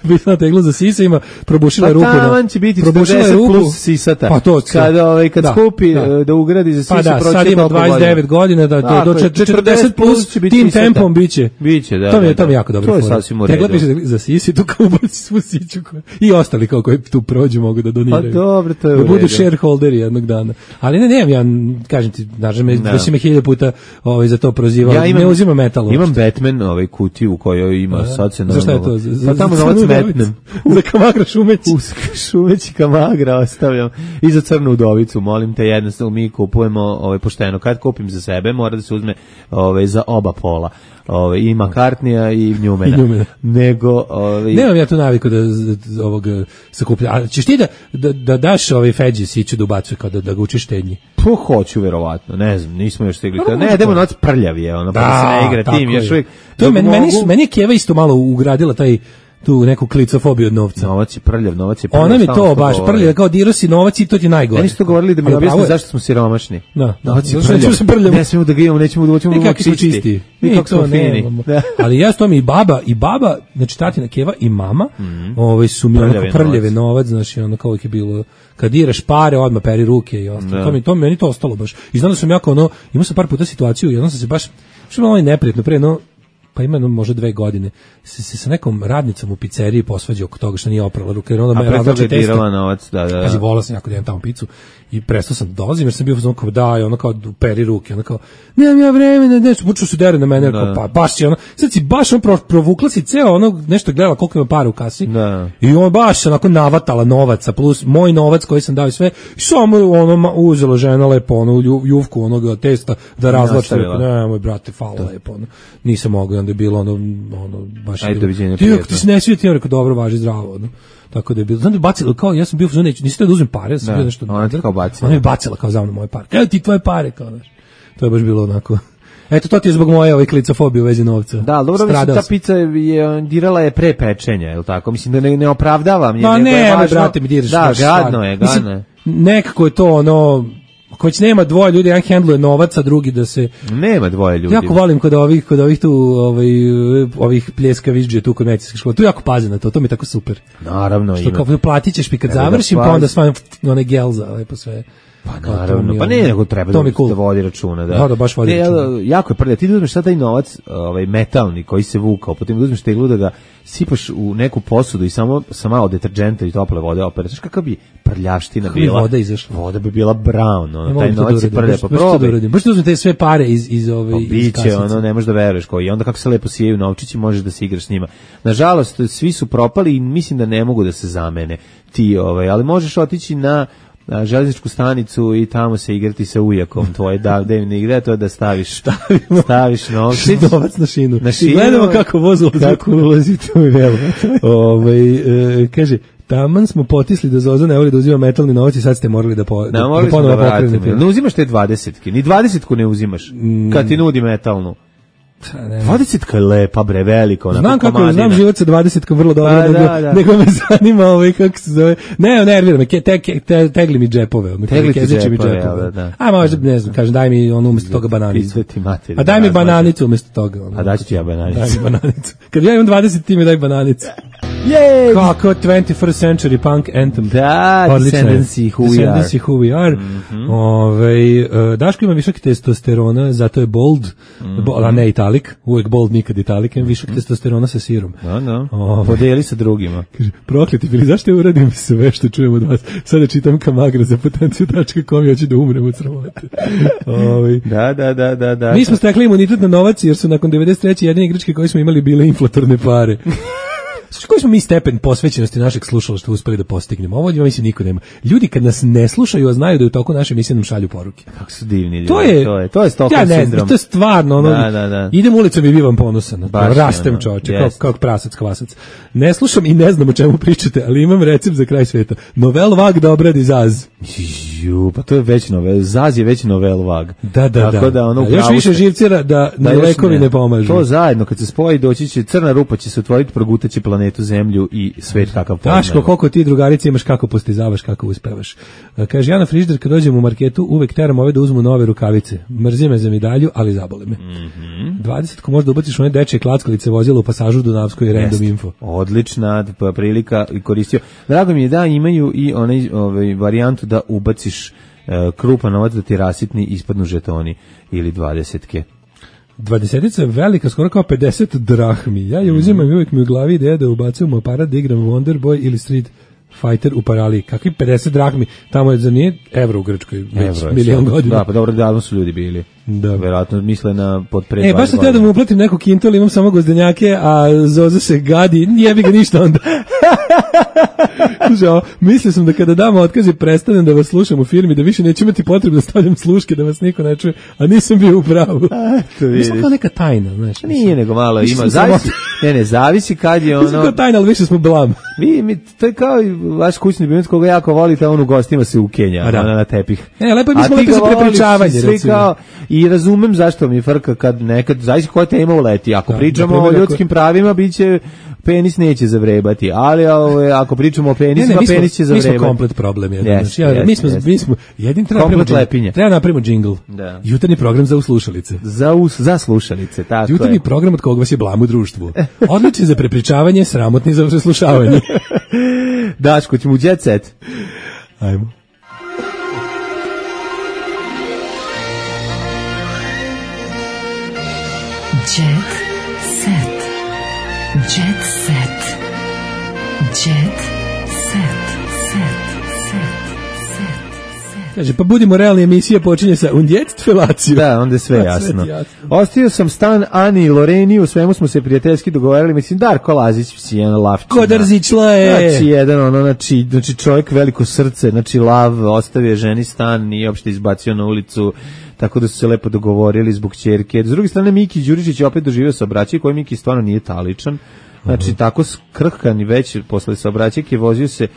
Bila tegla za sise, ima probušila Pa ruku. taman će biti probušila četrdeset ruku. plus sisata. Pa to, kad, ovaj, kad da, skupi da. da. da ugradi za sisu, Pa da, proći sad ima toliko dvadeset devet godina, da, Tako do je, četrdeset plus će biti tim sisata. tempom biće. Biće, da. To mi je, da, to mi je da. jako dobro. To je sasvim u Tegla redu. piše za sisi, tu kao ubaci svu siću. koja- I ostali kao koji tu prođu mogu da doniraju. Pa dobro, to je u Da budu redu. shareholderi jednog dana. Ali ne, nemam ja, kažem ti, znaš, me, Da. da si me hiljada puta ovaj, za to prozivao. Ja imam, ne uzima metal. Imam Batman ovaj kutiju u kojoj ima A, sad se za šta je normalno- to? Za- za- Pa tamo za novac crnu metnem. Za Kamagra Šumeć. U Šumeć i Kamagra ostavljam. I za crnu udovicu, molim te, jednostavno mi kupujemo ovaj, pošteno. Kad kupim za sebe, mora da se uzme ovaj, za oba pola. Ovaj, i McCartneya i Njumena. I Njumena. Nego, ovaj, Nemam ja tu naviku da z- ovog sakuplja. A ćeš ti da, da, da daš ovaj Feđi siću da ubacuje kao da, da ga učiš štednji? po hoću verovatno, ne znam, nismo još stigli. Pa, Ne, idemo noć prljav je, ono, pa da se ne igra tako tim, je. još uvijek. To je dok meni, meni, mogu- su- meni je Keva isto malo ugradila taj tu neku klicofobiju od novca. Novac je prljav, novac je prljav. Ona mi stalno to to baš govori. prljav, kao dirao si novac i to ti je najgore. Meni su to govorili da mi Ali objasne pravo je. zašto smo siromašni. Da, da. Novac je Zato što prljav. nećemo se prljamo. Ne smemo da ga imamo, nećemo da hoćemo da I budemo kako smo čisti. čisti. I Mi kako smo to fini. nemamo. Da. Ali ja s tom i baba, i baba, znači tatina Keva i mama, ovaj su mi Prljave onako prljave novac. novac, znači ono kao uvijek je bilo, kad diraš pare, odmah peri ruke i ostalo. Da. To mi, to mi, meni to ostalo baš. I znam da sam jako ono, imao sam par puta situaciju, jednom sam se baš, što je malo neprijatno, pre no, pa ima jedno možda dve godine, se, se sa nekom radnicom u pizzeriji posvađao oko toga što nije oprala ruke, jer onda A me pre toga razlači je testo. dirala novac, da, da. Pazi, volao sam jako da jem tamo picu i prestao sam da dolazim jer sam bio u fazonu kao daj, ono kao peri ruke, ono kao nemam ja vremena, nešto, počeo se dere na mene, Da. kao, pa baš si ono, sad si baš ono pro, provukla si ceo ono, nešto gledala koliko ima para u kasi Da. i on baš onako navatala novaca plus moj novac koji sam dao i sve i samo ono ma, uzela žena lepo ono lju- juvku onoga testa da razlači, Nastavila. ne moj brate, fala lepo ono, nisam mogao, onda je bilo ono, ono baš je Ajde, bilo- doviđenja, ti, ako prijetno. ti se ne svije, ti je rekao dobro, važi zdravo ono. Tako da je bilo. Znam da je bacila, kao ja sam bio u fazonu, neću, nisi da uzmem pare, ja sam Da, bio nešto. ona ti kao bacila. Ona je bacila kao za mnom moje pare. Evo ti tvoje pare, kao znaš. To je baš bilo onako. Eto, to ti je zbog moje ovaj klicofobije u vezi novca. Da, ali dobro, mislim, Stradao ta sam. pizza je, dirala je pre pečenja, je li tako? Mislim da ne, ne opravdavam. je, Ma nego je ne, važno- brate, mi diraš. Da, baš gadno stvarno. je, Mislim, gadno je. nekako je to ono, ako već nema dvoje ljudi, jedan hendluje novac, a drugi da se... Nema dvoje ljudi. Jako volim kod ovih, kod ovih tu, ovaj, ovih pljeskaviđđe tu kod medicinske škole. Tu jako paze na to, to mi je tako super. Naravno, Što ima. kao platit ćeš mi kad Treba da završim, pa pazi. onda svajem onaj gel za lepo sve. Pa Kao to naravno, mi pa je ne, ono- nego treba to da, mi je cool. da vodi računa. Da, Da, da, baš vodi ne, računa. jel, jako je prljav. Ti da uzmeš sad taj novac, ovaj, metalni koji se vukao, potom da uzmeš teglu da ga sipaš u neku posudu i samo sa malo deterđenta i tople vode opere. Znaš kakav bi prljavština Kako bi bila? voda izašla? Voda bi bila brown, Ne ono, mogu taj to da novac je uradim, prljav, baš- pa baš to da probaj. uradim. Baš da uzmem te sve pare iz, iz ove... Pa iz biće, kasice. ono, ne možeš da veruješ koji. I onda kako se lepo sijaju novčići, možeš da se igraš s njima. Nažalost, svi su propali i mislim da ne mogu da se zamene ti, ovaj, ali možeš otići na na železničku stanicu i tamo se igrati sa ujakom tvoje, da, da ne igra, to je da staviš, staviš novčić. Novac na šinu. Na I šinu. gledamo kako voz ulazi. Kako ulazi, to je velo. Ovaj, e, kaže, taman smo potisli da Zoza ne voli da uzima metalni novac i sad ste morali da, po, da, Da, da morali smo da ponovo vratimo. pokrenete. Ne uzimaš te dvadesetke, ni dvadesetku ne uzimaš, kad ti nudi metalnu. dvadesetka je lepa, bre, velika, onako Znam kako, komadina. znam život sa dvadesetkom vrlo dobro, Pa, nego, da, da. nego me zanima ovaj, kako se zove. Ne, nervira me, ke, te, ke, te, tegli mi džepove. ono, Tegli ti kezeći mi džepove, džepove. da, da. A možda, ne znam, kažem, daj mi ono umjesto toga bananicu. Izveti materiju. A daj mi razmaže. bananicu umjesto toga. Ono. A daću ti ja bananicu. Daj mi bananicu. Kad ja imam dvadeset, ti mi daj bananicu. Jej! Kako twenty-first century punk anthem. Da, Odlično je. Descendancy who we are. Descendancy who we are. Ovaj, e, Daško ima višak testosterona, zato je bold, bo- a ne italik, uvek bold, nikad italik, ima višak testosterona sa sirom. Da, da. Ovaj. Podijeli sa drugima. Kaže, prokleti bili, zašto ja uradim sve što čujem od vas? Sada čitam kamagra za potenciju tačka com i hoću da umrem od sramote. Ovaj. Da, da, da, da, da. Mi smo stekli imunitet na novac jer su nakon devedeset treće jedine igračke koje smo imali bile inflatorne pare. Znači, koji smo mi stepen posvećenosti našeg slušalaštva uspeli da postignemo? Ovo, mislim, niko nema. Ljudi kad nas ne slušaju, a znaju da u toku naše emisije nam šalju poruke. Kako su divni ljudi. To je, to je, to je Stockholm ja ne sindrom. znam, to je stvarno, ono, da, da, da. idem ulicom i bivam ponosan. Baš rastem ono, čoveče, yes. kao, kao prasac, kvasac. Ne slušam i ne znam o čemu pričate, ali imam recept za kraj sveta. Novel Vag da obradi Zaz. Ju, pa to je već novel, Zaz je već novel Vag. Da, da, Tako da. da ono, još više živcira da, da lekovi ne, ne pomažu. To zajedno, kad se spoji, doći će crna rupa, će se otvoriti, progutaće planetu Zemlju i svet kakav poznajemo. Daško, koliko ti drugarice imaš, kako postizavaš, kako uspevaš. Kaže, ja na frižider kad dođem u marketu uvek teram ove da uzmu nove rukavice. Mrzi me za medalju, ali zabole me. Mm-hmm. dvadeset ko možda ubaciš one dečje klackalice vozila u pasažu Dunavskoj i Random Info. Odlična prilika i koristio. Drago mi je da imaju i onaj ovaj, varijantu da ubaciš uh, krupan novac da ti rasitni ispadnu žetoni ili dvadesetke. Dvadesetica je velika, skoro kao pedeset drahmi. Ja je uzimam i uvijek mi u glavi ideja da ubacujem u aparat da igram Wonder Boy ili Street Fighter u paraliji. Kakvi pedeset drahmi? Tamo je za nije evro u Grčkoj već milion godina. Da, pa dobro, davno su ljudi bili. Da. Verovatno misle na pod pred. E, baš sam teo da mu uplatim neku kintu, ali imam samo gozdenjake, a Zoza se gadi, jebi ga ništa onda. Žao, mislio sam da kada dam otkaz i prestanem da vas slušam u firmi, da više neću imati potrebu da stavljam sluške, da vas niko ne čuje, a nisam bio u pravu. Mi smo kao neka tajna, znaš. Nije, nego malo ima, zavisi, ne, ne, zavisi kad je ono... Mi smo kao tajna, ali više smo blam. Vi, mi, to je kao i vaš kućni ljubimac koga jako volite, on u gostima se u Kenja, ona na tepih. Ne, lepo mi smo lepo za prepričavanje, recimo. I razumem zašto mi frka kad nekad, zaista koja tema uleti. Ako da, pričamo o ljudskim ako... pravima, biće penis neće zavrebati, ali ove, ako pričamo o penisima, ne, ne, penis će zavrebati. Mi smo komplet problem. Jedan. Yes, znači, ja, yes, mi smo, yes. mi smo, jedin treba napravimo, treba napravimo džingl. Da. Jutarnji program za uslušalice. Za, us, za slušalice, tako Jutarnji je. program od kog vas je blam u društvu. Odličan za prepričavanje, sramotni za preslušavanje. Daško, ćemo u jet set. Ajmo. Jet set. Jet set. Jet set. Set. Set. Set. Kaže, pa budimo realni, emisija počinje sa und jetzt felaciju. Da, onda je sve jasno. jasno. Ostio sam stan Ani i Loreni, u svemu smo se prijateljski dogovarali, mislim, Darko Lazić, si jedan lavčina. Kodarzićla je. Znači, jedan, ono, znači, znači, čovjek veliko srce, znači, lav, ostavio ženi stan, nije uopšte izbacio na ulicu, tako da su se lepo dogovorili zbog ćerke. S druge strane, Miki Đuričić je opet doživio saobraćaj koji Miki stvarno nije taličan. Znači, uh-huh. tako skrhkan i već posle saobraćajke vozio se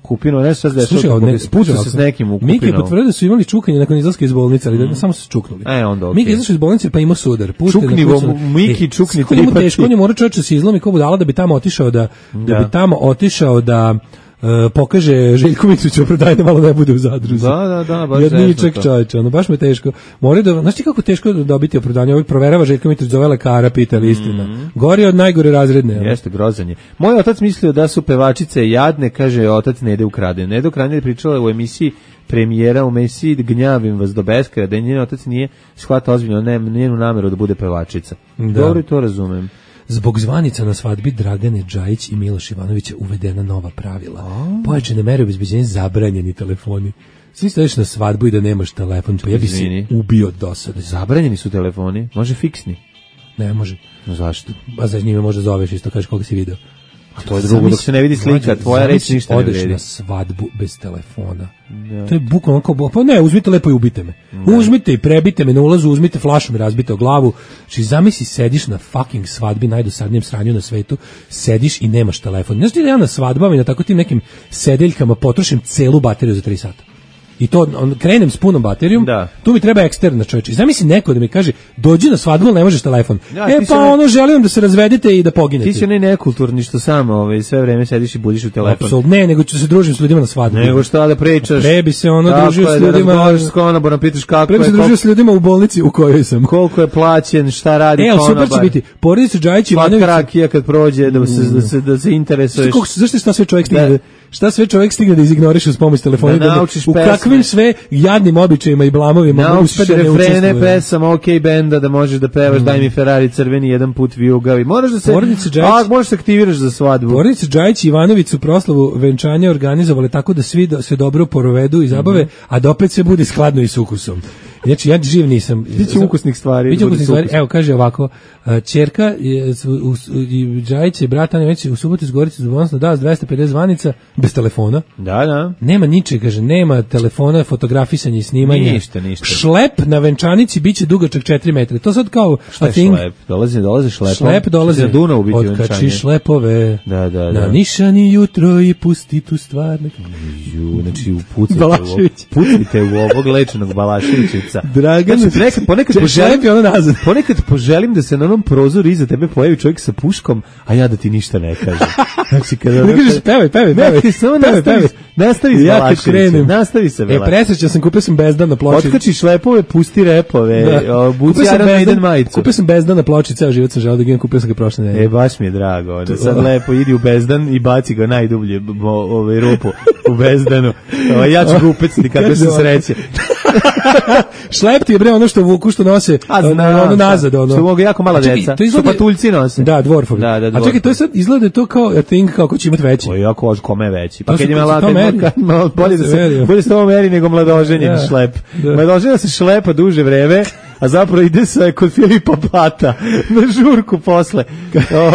Kupino, ne šta se dešava, ne, spušao se s nekim u Kupinu. Miki je potvrdio da su imali čukanje nakon izlaska iz bolnice, ali mm. da samo su čuknuli. E, onda okej. Okay. Miki je izašao iz bolnice pa imao sudar. Čukni, Miki, e, čukni tri pati. Teško, on je mora čovječe se izlomi ko budala da bi tamo otišao da, da. da bi tamo otišao da Uh, pokaže Željko Mitroviću opravdanje da malo ne bude u zadruzi. Da, da, da, baš jedničak čovječe, ono, baš me teško. Mora da, znaš ti kako teško dobiti opravdanje? Ovih proverava Željko Mitrović, zove lekara, pita li istina. Mm-hmm. Gori od najgore razredne. Ono. Jeste, grozanje. Moj otac mislio da su pevačice jadne, kaže otac Nede Ukraden. Nede Ukraden je pričala u emisiji premijera u emisiji Gnjavim vas do beskraja, da njen otac nije shvatao ozbiljno ne, njenu nameru da bude pevačica. Da. Dobro i to razumem. Zbog zvanica na svadbi Dragane Džajić i Miloš Ivanovića uvedena nova pravila. Oh. Pojačane mere obezbeđenja, zabranjeni telefoni. Svi staješ na svadbu i da nemaš telefon, pa ja bi se ubio od dosade. Zabranjeni su telefoni, može fiksni. Ne može. No zašto? A za njime može zoveš isto, kažeš koga si video. A to je drugo, dok se ne vidi slika, tvoja reč ništa ne vredi. Odeš na svadbu bez telefona. Ja. To je bukvalno kao, pa ne, uzmite lepo i ubite me. Ja. Uzmite i prebite me na ulazu, uzmite flašu mi razbite o glavu. Znači, zamisli, sediš na fucking svadbi, najdosadnijem sranju na svetu, sediš i nemaš telefon. Znaš ti da ja na svadbama i na tako tim nekim sedeljkama potrošim celu bateriju za tri sata. I to on, krenem s punom baterijom, da. Tu mi treba eksterna čovječe. Zamisli neko da mi kaže, dođi na svadbu, ali ne možeš telefon. Ja, e pa ne... ono, želim da se razvedete i da poginete. Ti si ne nekulturni što samo ovaj, sve vreme sediš i budiš u telefon. Apsolutno, ne, nego ću se družim s ljudima na svadbu. Nego šta da pričaš. Pre bi se ono družio s ljudima. Da s konobarom, pitaš kako pre bi se družio s ljudima u bolnici u kojoj sam. Koliko je plaćen, šta radi e, konobar. E, super će biti. Porodica Džajić i Ivanović. Slatka rakija kad prođe, da se, da se, da se interesuješ. Zašto šta sve čovjek stigne? Šta sve čovjek stigne da izignoriš uz pomoć telefona, da da, u kakvim sve jadnim običajima i blamovima uspe da ne učestvuje. Refrene pesama OK benda da možeš da pevaš mm. Daj mi Ferrari crveni jedan put vijugavi. Moraš da se a možeš se aktiviraš za svadbu. Porodica Džajić i Ivanović su proslavu venčanja organizovale tako da svi do, se dobro provedu i zabave, mm-hmm. a da opet se bude skladno i s ukusom. Znači, ja živ nisam. Biće ukusnih stvari. Biće ukusnih stvari. Evo, kaže ovako, ćerka je, u, i Džajić je brat Anja već u subotu iz Gorice zbognosno dao s dvesta pedeset zvanica bez telefona. Da, da. Nema ničeg, kaže, nema telefona, fotografisanje i snimanje. Ništa, ništa. Šlep na venčanici biće dugačak četiri metra. To sad kao šta je thing. Šlep? Dolazi, dolazi šlepom. Šlep dolazi. Na Dunavu biti venčanje. Otkači šlepove. Da, da, da. Na nišani jutro i pusti tu stvar. Ju, znači upucajte u, pucajte u ovog lečenog Balaševića. Dragan, znači, ponekad, ponekad, poželim, ono nazad. ponekad poželim da se na onom prozoru iza tebe pojavi čovjek sa puškom, a ja da ti ništa ne kažem. Znači, kada ne kažeš, pevaj, pevaj, pevaj. Ne, samo nastavi, nastavi s Balaševićem. Nastavi se, Balašević. E, presrećan sam, kupio sam bezdan na ploči. Otkači šlepove, pusti repove, buci Iron Maiden majicu. Kupio sam bezdan na ploči, ceo život sam želeo da ga imam, kupio sam ga prošle nedelje. E, baš mi je drago. Onda sad lepo idi u bezdan i baci ga najdublje ovaj rupu u bezdanu. O, ja ću ga upeciti kakve su sreće. Šlep ti je bre ono što vuku, što nose znam, ono nazad. Ono. Što mogu jako mala deca, što patuljci nose. Da, dvorfovi. Da, da, a čekaj, to je sad izgleda to kao a thing, kao ko će imati veći. O, jako ož kome je veći. Pa to kad je mala, bolje da se, bolje se to meri nego mladoženjen da, šlep. Da. Mladoženja se šlepa duže vreme, a zapravo ide se kod Filipa Pata na žurku posle.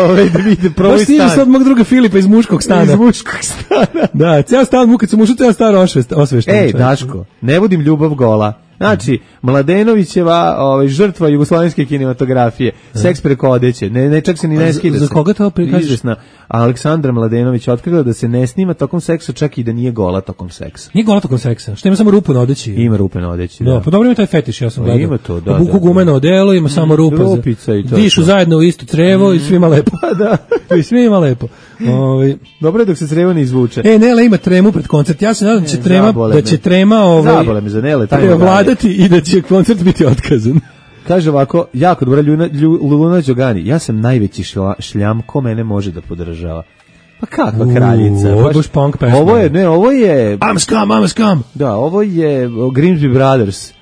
Ove, da vide prvo stan. Baš sad mog druga Filipa iz muškog stana. Iz muškog stana. Da, ceo stan mu kad sam ušao, ceo stan osvešten. Ej, Daško, ne vodim ljubav gola. Znači, Mladenovićeva ovaj, žrtva jugoslovenske kinematografije, seks preko odeće, ne, ne čak se ni ne skida. Za koga to prikažeš? Izvesna Aleksandra Mladenović otkrila da se ne snima tokom seksa, čak i da nije gola tokom seksa. Nije gola tokom seksa, što ima samo rupu na odeći. Ima rupe na odeći, da. Da, pa dobro ima taj fetiš, ja sam gledao. Ima to, da. Buku gumeno odelo, ima samo rupa. Rupica i to. Dišu zajedno u isto crevo i svima lepo. Da. I svima lepo. Ovaj dobro je dok se crevo ne izvuče. E, Nele ima tremu pred koncert. Ja se nadam da će trema, da će trema ovaj zabole me za Nele, taj vladati i da će koncert biti otkazan. Kaže ovako, jako dobra Luna, Luna Đogani, ja sam najveći šla, šljam, ko mene može da podržava. Pa kakva kraljica? Ovo je punk pesma. Ovo je, ne, ovo je... I'm scum, I'm scum. Da, ovo je Grimsby Brothers.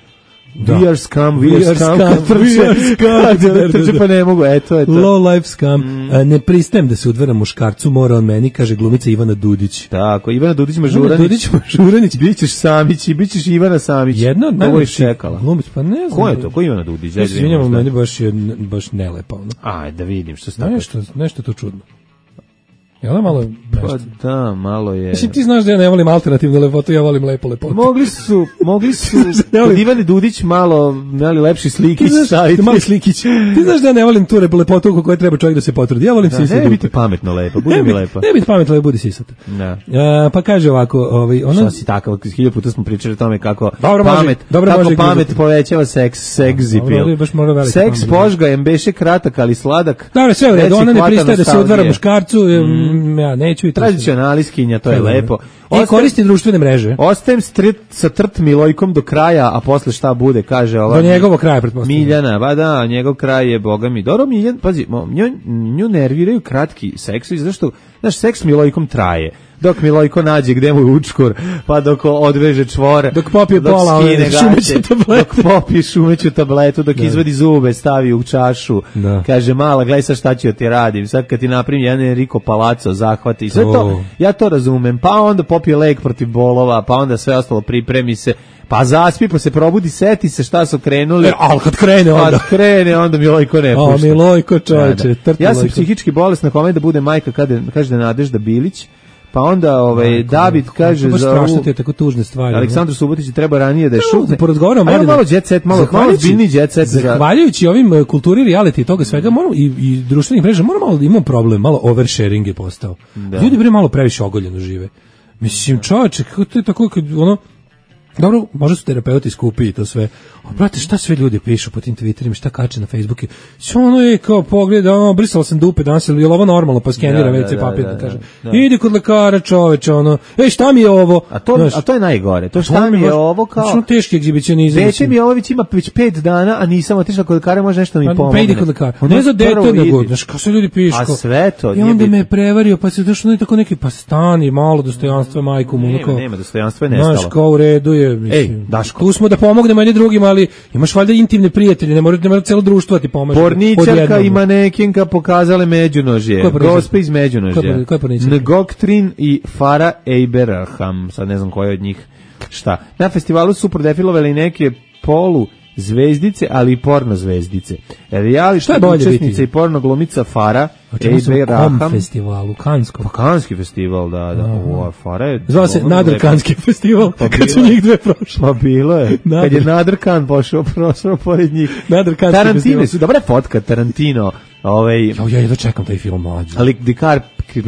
Da. We are scum, we, we are scum, scum we are scum, trče pa ne mogu, eto je to. Low life scum, mm. A, ne pristajem da se udvaram muškarcu, mora on meni, kaže glumica Ivana Dudić. Tako, Ivana Dudić Mažuranić. Dudić Mažuranić. Bićeš Samić i bićeš Ivana Samić. Jedna od najvećih čekala. Glumic, pa ne znam. Ko je to, ko je Ivana Dudić? Ja se izvinjamo, meni baš je baš nelepa. Ono. Aj, da vidim što se tako. Nešto, nešto to čudno. Je ona malo pa da, malo je. Mislim, ti znaš da ja ne volim alternativnu lepotu, ja volim lepo lepotu. Mogli su, mogli su kod Ivane Dudić malo, mali lepši slikić staviti. Mali slikić. Ti znaš da ja ne volim tu lepotu oko koje treba čovjek da se potrudi. Ja volim da, sisati. Ne biti pametno lepo, budi mi lepo. Ne biti pametno lepo, budi sisata. Da. A, pa kaže ovako, ovaj, ona... Šta si takav, hiljadu puta smo pričali o tome kako dobro pamet, može, dobro kako može pamet gleda. Povećava seks, seksipil. Seks požga, embeše kratak, ali sladak. Dobro, sve u redu, ona ne pristaje da se udvara muškarcu, ja neću. Tradicionalistkinja, to je lepo. I koristi društvene mreže. Ostajem sa Trt Milojkom do kraja, a posle šta bude, kaže ova. Do njegovog kraja, pretpostavljam. Miljana, ba da, njegov kraj je, boga mi. Dobro, Miljan, pazi, nju, nju nerviraju kratki seksovi, zašto, znaš, seks s Milojkom traje. Dok Milojko nađe gde mu je učkur, pa dok odveže čvor, dok popije pola šumeću tabletu, dok popije šumeću tabletu, dok da. Izvadi zube, stavi u čašu, da. Kaže, mala, gledaj sad šta ću ti radim, sad kad ti napravim jedan Enrico Palazzo zahvati, sve to, oh. Ja to razumem, pa onda popije lek protiv bolova, pa onda sve ostalo pripremi se, pa zaspi, pa se probudi, seti se šta su krenuli. E, ali kad krene onda. Kad krene, onda Milojko ne pušta. O, Milojko čovječe, da, da. Ja sam psihički bolesna, kome da bude majka, kada, kaže da Nadežda Bilić, pa onda ovaj Majko, David kaže za ovu te tako tužne stvari. Aleksandru Subotiću treba ranije da je šutne. Porazgovaramo malo malo jet set, malo malo ozbiljni jet set. Zahvaljujući ovim kulturi reality i toga svega, moramo i, i društvenih mreža, moramo malo imamo problem, malo oversharing je postao. Da. Ljudi bre malo previše ogoljeno žive. Mislim, čoveče, kako to je tako kad ono dobro, možda su terapeuti skupi i to sve. O, brate, šta sve ljudi pišu po tim Twitterima, šta kače na Facebooku? Što ono je kao pogled, ono, brisala sam dupe danas, ili je ovo normalno, pa skenira ve ce papir, da, kaže. Da, da. Idi kod lekara, čoveče, ono, ej, šta mi je ovo? A to, znaš, a to je najgore, to šta mi je baš, ovo kao... Što teški egzibicionizam. Dete mi je ovo već ima već pet dana, a nisam otišla kod lekara, može nešto mi pomogne. Pa idi kod lekara. Ne za dete, nego, znaš, kao sve ljudi pišu. A sve to. I onda me je prevario, pa se došlo ne tako neki, pa stani, malo dostojanstva majku mu. Nema, nema dostojanstva, je nestalo. Znaš, kao u redu je, mislim. Daško. Tu smo da pomognemo jedni drugima, ali imaš valjda intimne prijatelje, ne mora ne mora celo društvo ti pomaže. Porničarka i manekinka pokazale međunožje. Gospe iz međunožja. Ngoktrin i Farah Abraham, sad ne znam koja od njih šta. Na festivalu su prodefilovali neke polu zvezdice, ali i porno zvezdice. Reality učesnica i porno glumica Farah Ejbe Raham festivalu, Kanskom. Pa Kanski festival, da, da. Ova Farah je... Zvao se Nadr Kanski festival, pa kad su njih dve prošli. Pa bilo je. Kad je Nadr Kan pošao, prošao pored njih. Nadr Kanski Tarantino festival. su, dobra je fotka, Tarantino. Ovaj, ja, ja jedno čekam taj film mlađe. Ali Dikar...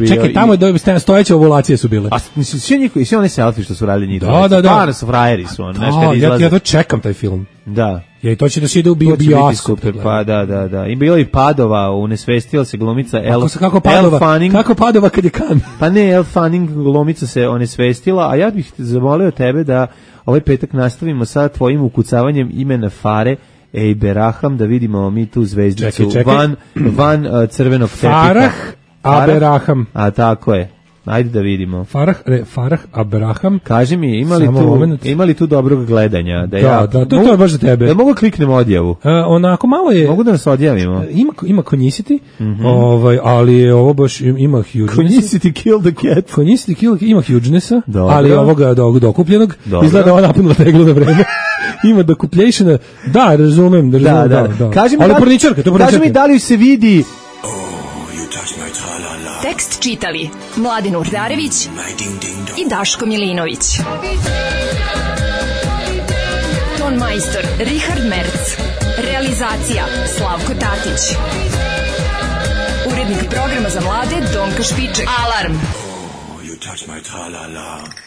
Čekaj, tamo je do, stojeće ovulacije su bile. A svi njihovi, svi oni selfie što su radili njih. Da, da, da. Stvarno su frajeri su on, znaš, kad izlaze. Ja, ja to čekam taj film. Da. Ja i to će da se ide u bioskop. Pa da, da, da. I bilo i Padova, unesvestila se glumica El, kako, kako Padova, El Fanning. Kako Padova kad je kan? Pa ne, El Fanning glumica se onesvestila, a ja bih zamolio tebe da ovaj petak nastavimo sa tvojim ukucavanjem imena Fare Ejbe Raham, da vidimo mi tu zvezdicu čekaj, čekaj. van, van uh, crvenog tepika. Farah Aberaham. A tako je. Ajde da vidimo. Farah, re, Farah Abraham. Kaži mi, ima li, tu, ima li tu dobrog gledanja? Da, da, ja, da to, to je baš za tebe. Da mogu kliknem odjavu? Uh, onako malo je... Mogu da nas odjavimo? Ima, ima konjisiti, mm-hmm. ovaj, ali je ovo baš ima hugeness. Konjisiti kill the cat. Konjisiti kill, ima hugenessa, dobro. Ali ovoga do, dokupljenog. Dobro. Izgleda ova napunula teglu na vreme. Ima dokuplješena. Da, razumem. Da, da, da. da, da. Kaži mi, ali da, porničarka, to porničarka. Kaži mi da li se vidi... Tekst čitali Mladin Urdarević i Daško Milinović. Ton majstor Richard Merc. Realizacija Slavko Tatić. Urednik programa za mlade Donka Špiček. Alarm! Oh, you touch my tra-la-la.